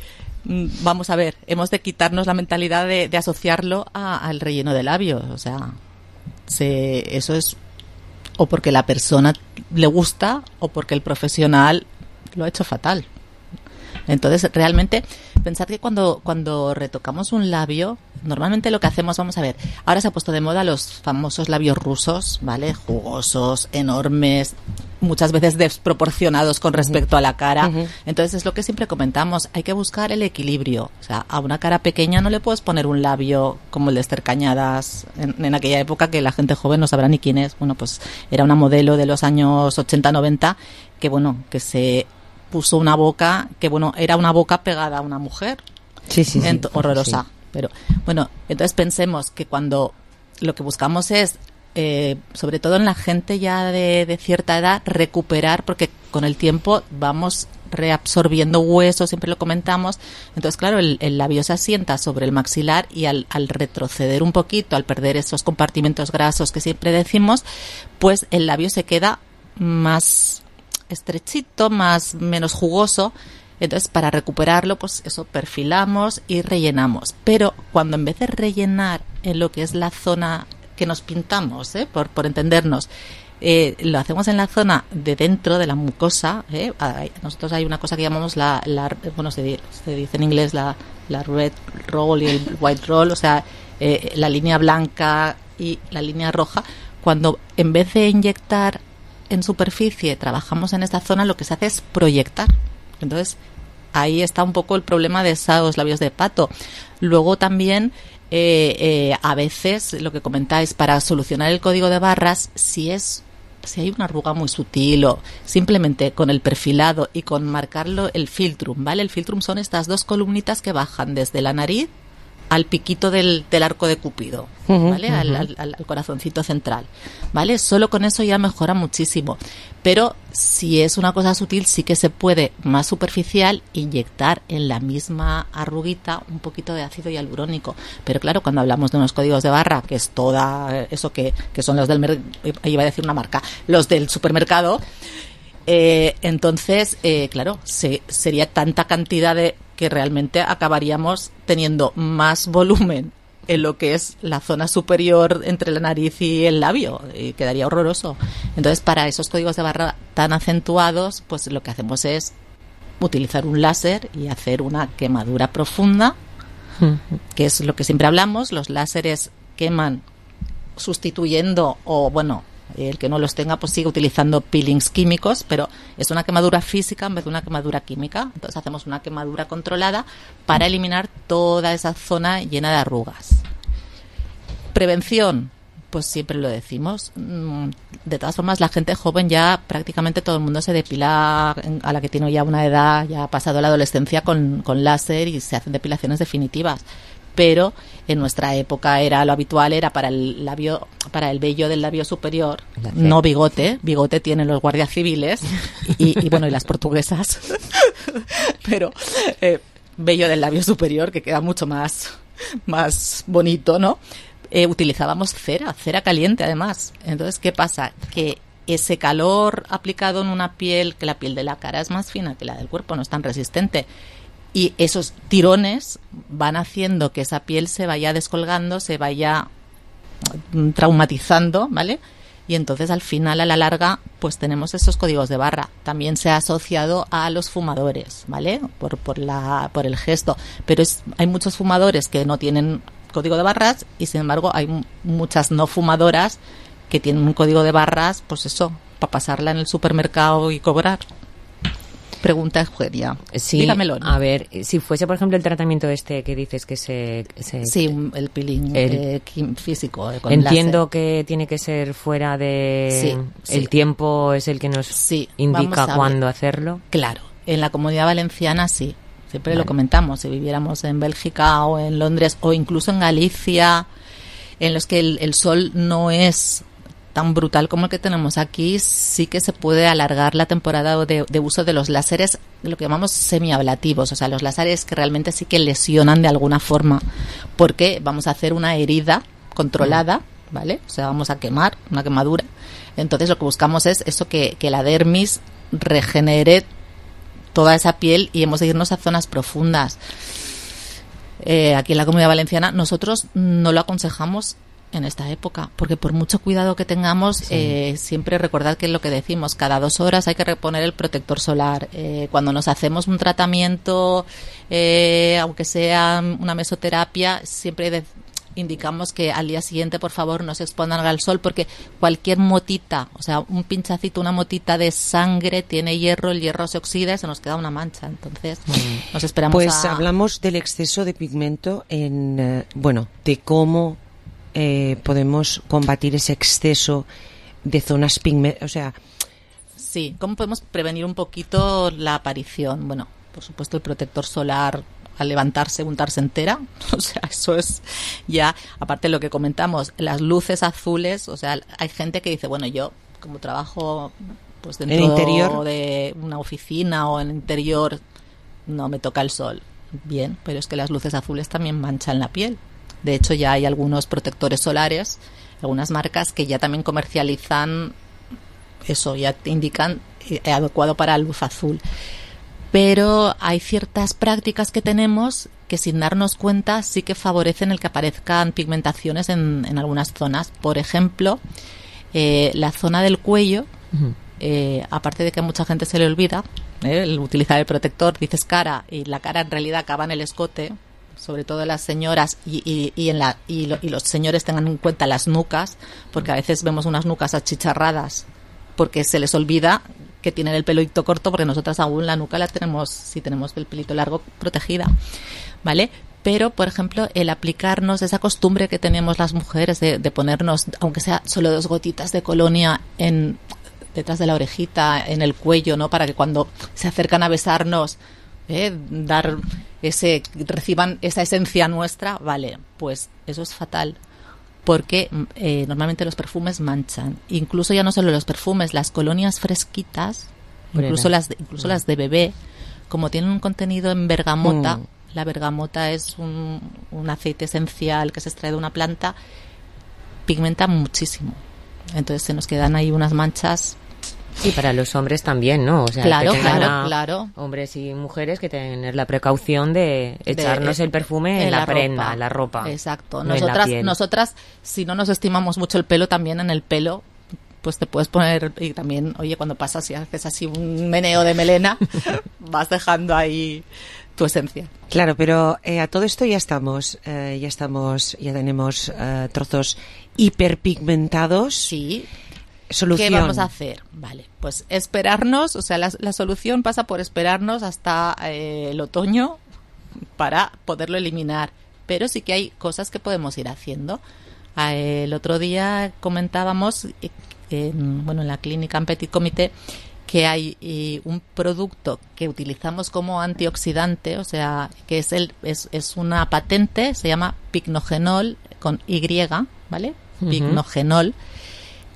vamos a ver, hemos de quitarnos la mentalidad de asociarlo al relleno de labios. O sea, eso es o porque la persona le gusta o porque el profesional lo ha hecho fatal. Entonces, realmente, pensad que cuando retocamos un labio, normalmente lo que hacemos, vamos a ver, ahora se ha puesto de moda los famosos labios rusos, ¿vale? Jugosos, enormes, muchas veces desproporcionados con respecto a la cara. Entonces, es lo que siempre comentamos, hay que buscar el equilibrio. O sea, a una cara pequeña no le puedes poner un labio como el de Esther Cañadas en aquella época, que la gente joven no sabrá ni quién es. Bueno, pues era una modelo de los años 80-90 que, bueno, que se puso una boca que, bueno, era una boca pegada a una mujer. Sí. Horrorosa. Sí. Pero, bueno, entonces pensemos que cuando lo que buscamos es, sobre todo en la gente ya de cierta edad, recuperar, porque con el tiempo vamos reabsorbiendo huesos, siempre lo comentamos. Entonces, claro, el labio se asienta sobre el maxilar y al retroceder un poquito, al perder esos compartimentos grasos que siempre decimos, pues el labio se queda más estrechito, menos jugoso. Entonces, para recuperarlo, pues eso, perfilamos y rellenamos. Pero cuando en vez de rellenar en lo que es la zona que nos pintamos, por entendernos, lo hacemos en la zona de dentro de la mucosa, nosotros hay una cosa que llamamos bueno, se dice en inglés la red roll y el white roll, o sea, la línea blanca y la línea roja. Cuando en vez de inyectar en superficie trabajamos en esta zona, lo que se hace es proyectar. Entonces, ahí está un poco el problema de esos labios de pato. Luego también, a veces, lo que comentáis, para solucionar el código de barras, si hay una arruga muy sutil o simplemente con el perfilado y con marcarlo el filtrum, ¿vale? El filtrum son estas dos columnitas que bajan desde la nariz al piquito del arco de Cupido, ¿vale? Al corazoncito central, ¿vale? Solo con eso ya mejora muchísimo. Pero si es una cosa sutil, sí que se puede, más superficial, inyectar en la misma arruguita un poquito de ácido hialurónico. Pero claro, cuando hablamos de unos códigos de barra, que es toda eso que son los iba a decir una marca, los del supermercado, entonces, claro, sería tanta cantidad que realmente acabaríamos teniendo más volumen en lo que es la zona superior entre la nariz y el labio, y quedaría horroroso. Entonces, para esos códigos de barra tan acentuados, pues lo que hacemos es utilizar un láser y hacer una quemadura profunda, que es lo que siempre hablamos. Los láseres queman sustituyendo, o bueno, el que no los tenga pues sigue utilizando peelings químicos, pero es una quemadura física en vez de una quemadura química. Entonces hacemos una quemadura controlada para eliminar toda esa zona llena de arrugas. Prevención, pues siempre lo decimos. De todas formas, la gente joven ya prácticamente todo el mundo se depila, a la que tiene ya una edad, ya ha pasado la adolescencia, con láser, y se hacen depilaciones definitivas. Pero en nuestra época lo habitual era para el vello del labio superior, no bigote tienen los guardias civiles y bueno, y las portuguesas, pero vello del labio superior, que queda mucho más bonito, ¿no? Utilizábamos cera caliente además. Entonces, ¿qué pasa? Que ese calor aplicado en una piel, que la piel de la cara es más fina que la del cuerpo, no es tan resistente, y esos tirones van haciendo que esa piel se vaya descolgando, se vaya traumatizando, ¿vale? Y entonces al final, a la larga, pues tenemos esos códigos de barra. También se ha asociado a los fumadores, ¿vale? Por el gesto. Pero hay muchos fumadores que no tienen código de barras, y sin embargo hay muchas no fumadoras que tienen un código de barras, pues eso, para pasarla en el supermercado y cobrar. Pregunta Eugenia. Sí, Dígamelo. a ver, si fuese, por ejemplo, el tratamiento este que dices que se sí, el peeling físico. Con entiendo láser. que tiene que ser fuera de... Sí, el tiempo es el que nos indica cuándo hacerlo. Claro, en la Comunidad Valenciana sí. Siempre lo comentamos. Si viviéramos en Bélgica o en Londres o incluso en Galicia, en los que el sol no es tan brutal como el que tenemos aquí, sí que se puede alargar la temporada de uso de los láseres, lo que llamamos semiablativos, o sea, los láseres que realmente sí que lesionan de alguna forma, porque vamos a hacer una herida controlada, ¿vale? O sea, vamos a quemar, una quemadura. Entonces lo que buscamos es eso, que la dermis regenere toda esa piel y hemos de irnos a zonas profundas. Aquí en la Comunidad Valenciana nosotros no lo aconsejamos en esta época, porque por mucho cuidado que tengamos, siempre recordad que es lo que decimos, cada 2 horas hay que reponer el protector solar. Cuando nos hacemos un tratamiento, aunque sea una mesoterapia, siempre indicamos que al día siguiente, por favor, no se expongan al sol, porque cualquier motita, o sea, un pinchacito, una motita de sangre tiene hierro, el hierro se oxida y se nos queda una mancha. Entonces, nos esperamos Pues hablamos del exceso de pigmento en, de cómo podemos combatir ese exceso de zonas pigmentosas, o sea... Sí, ¿cómo podemos prevenir un poquito la aparición? Bueno, por supuesto el protector solar al levantarse, untarse entera, o sea, eso es ya, aparte de lo que comentamos, las luces azules, o sea, hay gente que dice, bueno, yo como trabajo pues dentro interior de una oficina o en interior, no me toca el sol. Bien, pero es que las luces azules también manchan la piel. De hecho, ya hay algunos protectores solares, algunas marcas que ya también comercializan eso, ya te indican adecuado para luz azul. Pero hay ciertas prácticas que tenemos que sin darnos cuenta sí que favorecen el que aparezcan pigmentaciones en algunas zonas. Por ejemplo, la zona del cuello, aparte de que a mucha gente se le olvida el utilizar el protector, dices cara y la cara en realidad acaba en el escote, sobre todo las señoras y los señores tengan en cuenta las nucas, porque a veces vemos unas nucas achicharradas porque se les olvida que tienen el pelito corto, porque nosotras aún la nuca la tenemos, si tenemos el pelito largo, protegida, ¿vale? Pero, por ejemplo, el aplicarnos esa costumbre que tenemos las mujeres de ponernos, aunque sea solo 2 gotitas de colonia detrás de la orejita, en el cuello, ¿no? Para que cuando se acercan a besarnos, reciban esa esencia nuestra, vale, pues eso es fatal, porque normalmente los perfumes manchan, incluso ya no solo los perfumes, las colonias fresquitas, incluso las de bebé, como tienen un contenido en bergamota, la bergamota es un aceite esencial que se extrae de una planta, pigmenta muchísimo, entonces se nos quedan ahí unas manchas. Sí, para los hombres también, ¿no? O sea, claro. Hombres y mujeres que tener la precaución de echarnos el perfume en la prenda, en la ropa. Exacto. No Nosotras, si no nos estimamos mucho el pelo, también en el pelo, pues te puedes poner, y también, oye, cuando pasas y haces así un meneo de melena, vas dejando ahí tu esencia. Claro, pero a todo esto ya tenemos trozos hiperpigmentados. Sí. Solución. ¿Qué vamos a hacer? Vale, pues esperarnos, o sea, la solución pasa por esperarnos hasta el otoño para poderlo eliminar. Pero sí que hay cosas que podemos ir haciendo. El otro día comentábamos, en la clínica en Petit Comité, que hay un producto que utilizamos como antioxidante, o sea, que es una patente, se llama Picnogenol con Y, ¿vale? Picnogenol,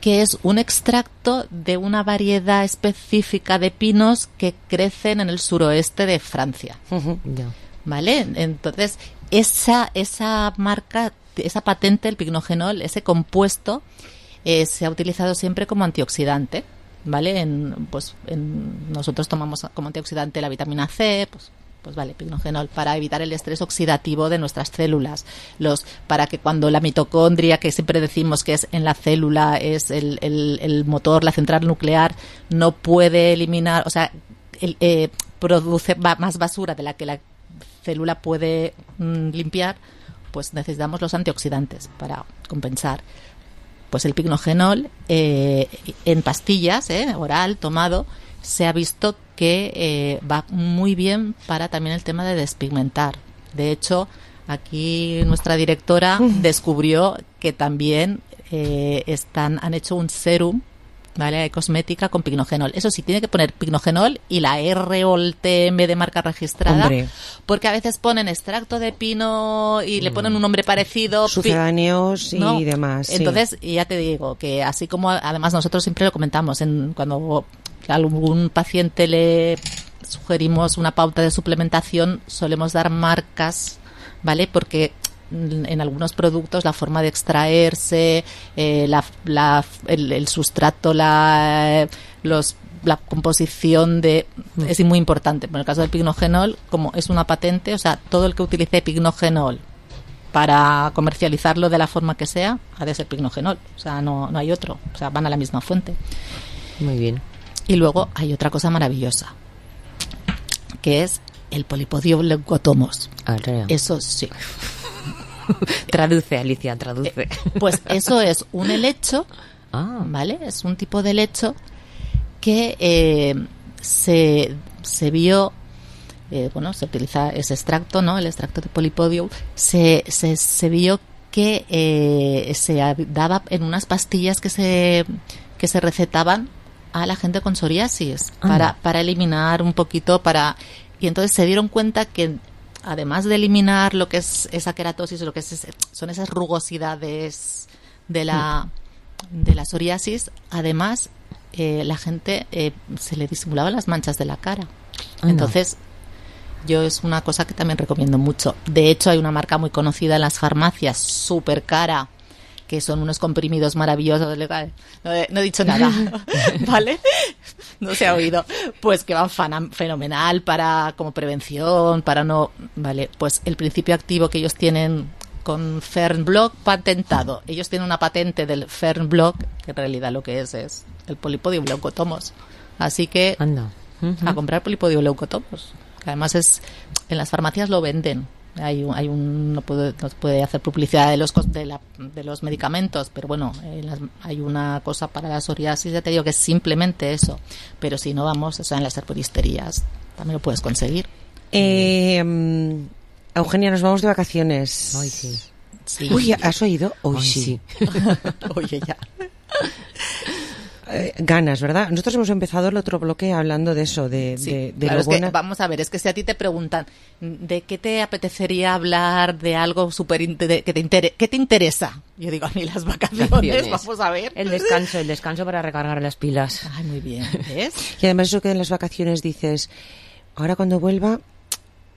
que es un extracto de una variedad específica de pinos que crecen en el suroeste de Francia. ¿Vale? Entonces, esa marca, esa patente, el Picnogenol, ese compuesto, se ha utilizado siempre como antioxidante, ¿vale? Nosotros tomamos como antioxidante la vitamina C, pues vale, Picnogenol, para evitar el estrés oxidativo de nuestras células, para que cuando la mitocondria, que siempre decimos que es en la célula, es el motor, la central nuclear, no puede eliminar, o sea, produce más basura de la que la célula puede limpiar, pues necesitamos los antioxidantes para compensar. Pues el Picnogenol en pastillas, oral, tomado, se ha visto que va muy bien para también el tema de despigmentar. De hecho, aquí nuestra directora descubrió que también han hecho un serum, ¿vale?, de cosmética con pignogenol. Eso sí, tiene que poner pignogenol y la R o el TM de marca registrada. Hombre. Porque a veces ponen extracto de pino y le ponen un nombre parecido. Sucedáneos y demás. Sí. Entonces, ya te digo que así como además nosotros siempre lo comentamos, cuando a algún paciente le sugerimos una pauta de suplementación, solemos dar marcas, ¿vale? Porque en algunos productos la forma de extraerse, el sustrato, la composición es muy importante. En el caso del pignogenol, como es una patente, o sea, todo el que utilice pignogenol para comercializarlo de la forma que sea, ha de ser pignogenol. O sea, no hay otro. O sea, van a la misma fuente. Muy bien. Y luego hay otra cosa maravillosa, que es el polipodio leucotomos. Eso sí. Traduce, Alicia, traduce. Pues eso es un helecho, ¿vale? Es un tipo de helecho que se vio, se utiliza ese extracto, ¿no? El extracto de polipodio. Se vio que se daba en unas pastillas que se recetaban a la gente con psoriasis para eliminar un poquito, y entonces se dieron cuenta que además de eliminar lo que es esa queratosis, lo que son esas rugosidades de la psoriasis, además la gente se le disimulaban las manchas de la cara. Entonces, yo es una cosa que también recomiendo mucho. De hecho, hay una marca muy conocida en las farmacias, súper cara, que son unos comprimidos maravillosos. No he dicho nada, ¿vale? No se ha oído. Pues que van fenomenal como prevención, ¿vale? Pues el principio activo que ellos tienen con Fernblock patentado. Ellos tienen una patente del Fernblock, que en realidad lo que es el polipodio leucotomos. Así que a comprar polipodio leucotomos. Además en las farmacias lo venden. No puede hacer publicidad de los medicamentos, pero bueno, hay una cosa para la psoriasis, ya te digo que es simplemente eso, pero si no vamos, en las herboristerías también lo puedes conseguir. Eugenia, nos vamos de vacaciones. Hoy sí. Uy, ¿has oído? Hoy sí. Oye, ya. Ganas, ¿verdad? Nosotros hemos empezado el otro bloque hablando de eso, de claro, lo buena. Vamos a ver, es que si a ti te preguntan ¿de qué te apetecería hablar, de algo que te interesa? Yo digo, a mí las vacaciones, vamos a ver. El descanso para recargar las pilas. Ay, muy bien, ¿ves? Y además eso que en las vacaciones dices, ahora cuando vuelva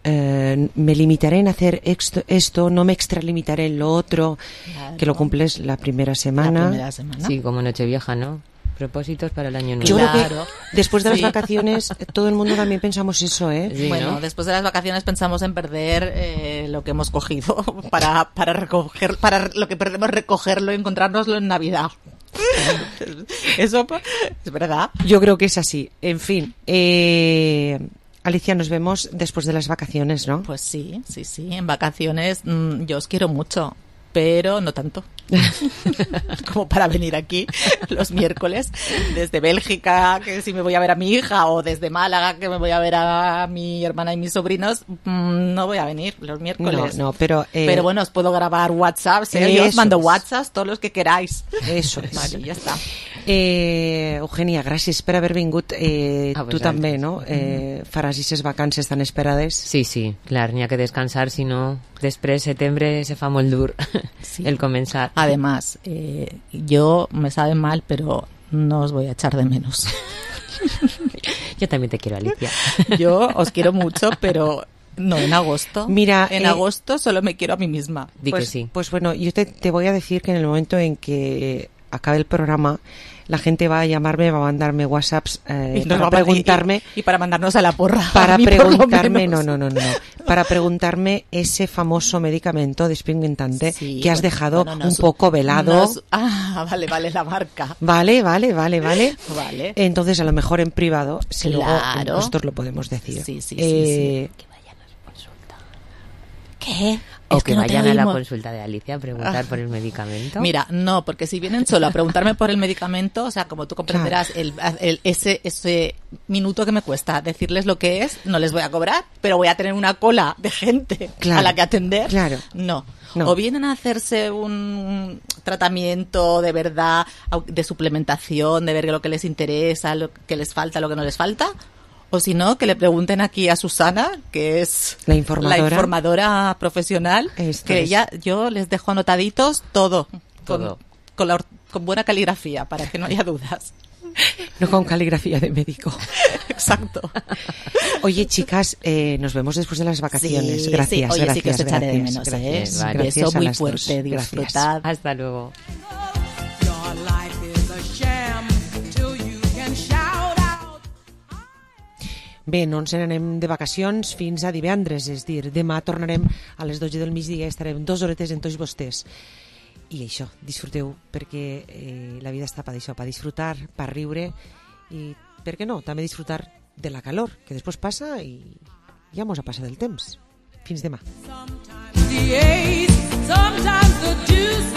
me limitaré en hacer esto, no me extralimitaré en lo otro, claro, que lo cumples la primera semana. Sí, como Nochevieja, ¿no? Propósitos para el año nuevo. Yo creo que después de las vacaciones todo el mundo también pensamos eso, ¿eh? Sí, bueno, ¿no? Después de las vacaciones pensamos en perder lo que hemos cogido para recoger, para lo que perdemos recogerlo y encontrárnoslo en Navidad. Eso es verdad. Yo creo que es así. En fin, Alicia, nos vemos después de las vacaciones, ¿no? Pues sí. En vacaciones yo os quiero mucho, pero no tanto como para venir aquí los miércoles desde Bélgica, que si me voy a ver a mi hija, o desde Málaga, que me voy a ver a mi hermana y mis sobrinos. No voy a venir los miércoles. Pero bueno, os puedo grabar WhatsApp, yo os mando WhatsApp todos los que queráis. Eso es. Vale, ya está. Eugenia, gràcies per haver vingut. Tu també, no? Faràs aquestes vacances tan esperades? Sí, clar, n'hi ha que descansar, si no després setembre se fa molt dur el comenzar. Además, yo me sabe mal, pero no os voy a echar de menos. Yo también te quiero, Alicia. Yo os quiero mucho, pero no en agosto. Mira, en agosto solo me quiero a mí misma. Que sí. Pues bueno, yo te voy a decir que en el momento en que acabe el programa, la gente va a llamarme, va a mandarme WhatsApps para preguntarme y para mandarnos a la porra. Para preguntarme, no. Para preguntarme ese famoso medicamento despigmentante que has dejado un poco velado. Vale, la marca. Vale. Entonces, a lo mejor en privado, luego nosotros lo podemos decir. Sí. ¿Qué? O Es que no te vayan a la oímos. consulta de Alicia a preguntar por el medicamento. Mira, no, porque si vienen solo a preguntarme por el medicamento, o sea, como tú comprenderás, ese minuto que me cuesta decirles lo que es, no les voy a cobrar, pero voy a tener una cola de gente a la que atender. Claro. No. No. O vienen a hacerse un tratamiento de verdad, de suplementación, de ver lo que les interesa, lo que les falta, lo que no les falta. O si no, que le pregunten aquí a Susana, que es la informadora profesional, yo les dejo anotaditos todo. Todo. Con buena caligrafía, para que no haya dudas. No con caligrafía de médico. Exacto. Oye, chicas, nos vemos después de las vacaciones. Sí, Gracias, sí. Oye, gracias, sí que os echaré de menos, gracias. Vale. Gracias Beso a muy las fuerte, dos. disfrutad. Hasta luego. Bé, no ens n'anem de vacacions fins a divendres, és dir, demà tornarem a les 12 del migdia, estarem 2 horetes amb tots vostès. I això, disfruteu, perquè la vida està per això, per disfrutar, per riure i, per què no, també disfrutar de la calor, que després passa i ja mos ha passat el temps. Fins demà. Sometimes the juice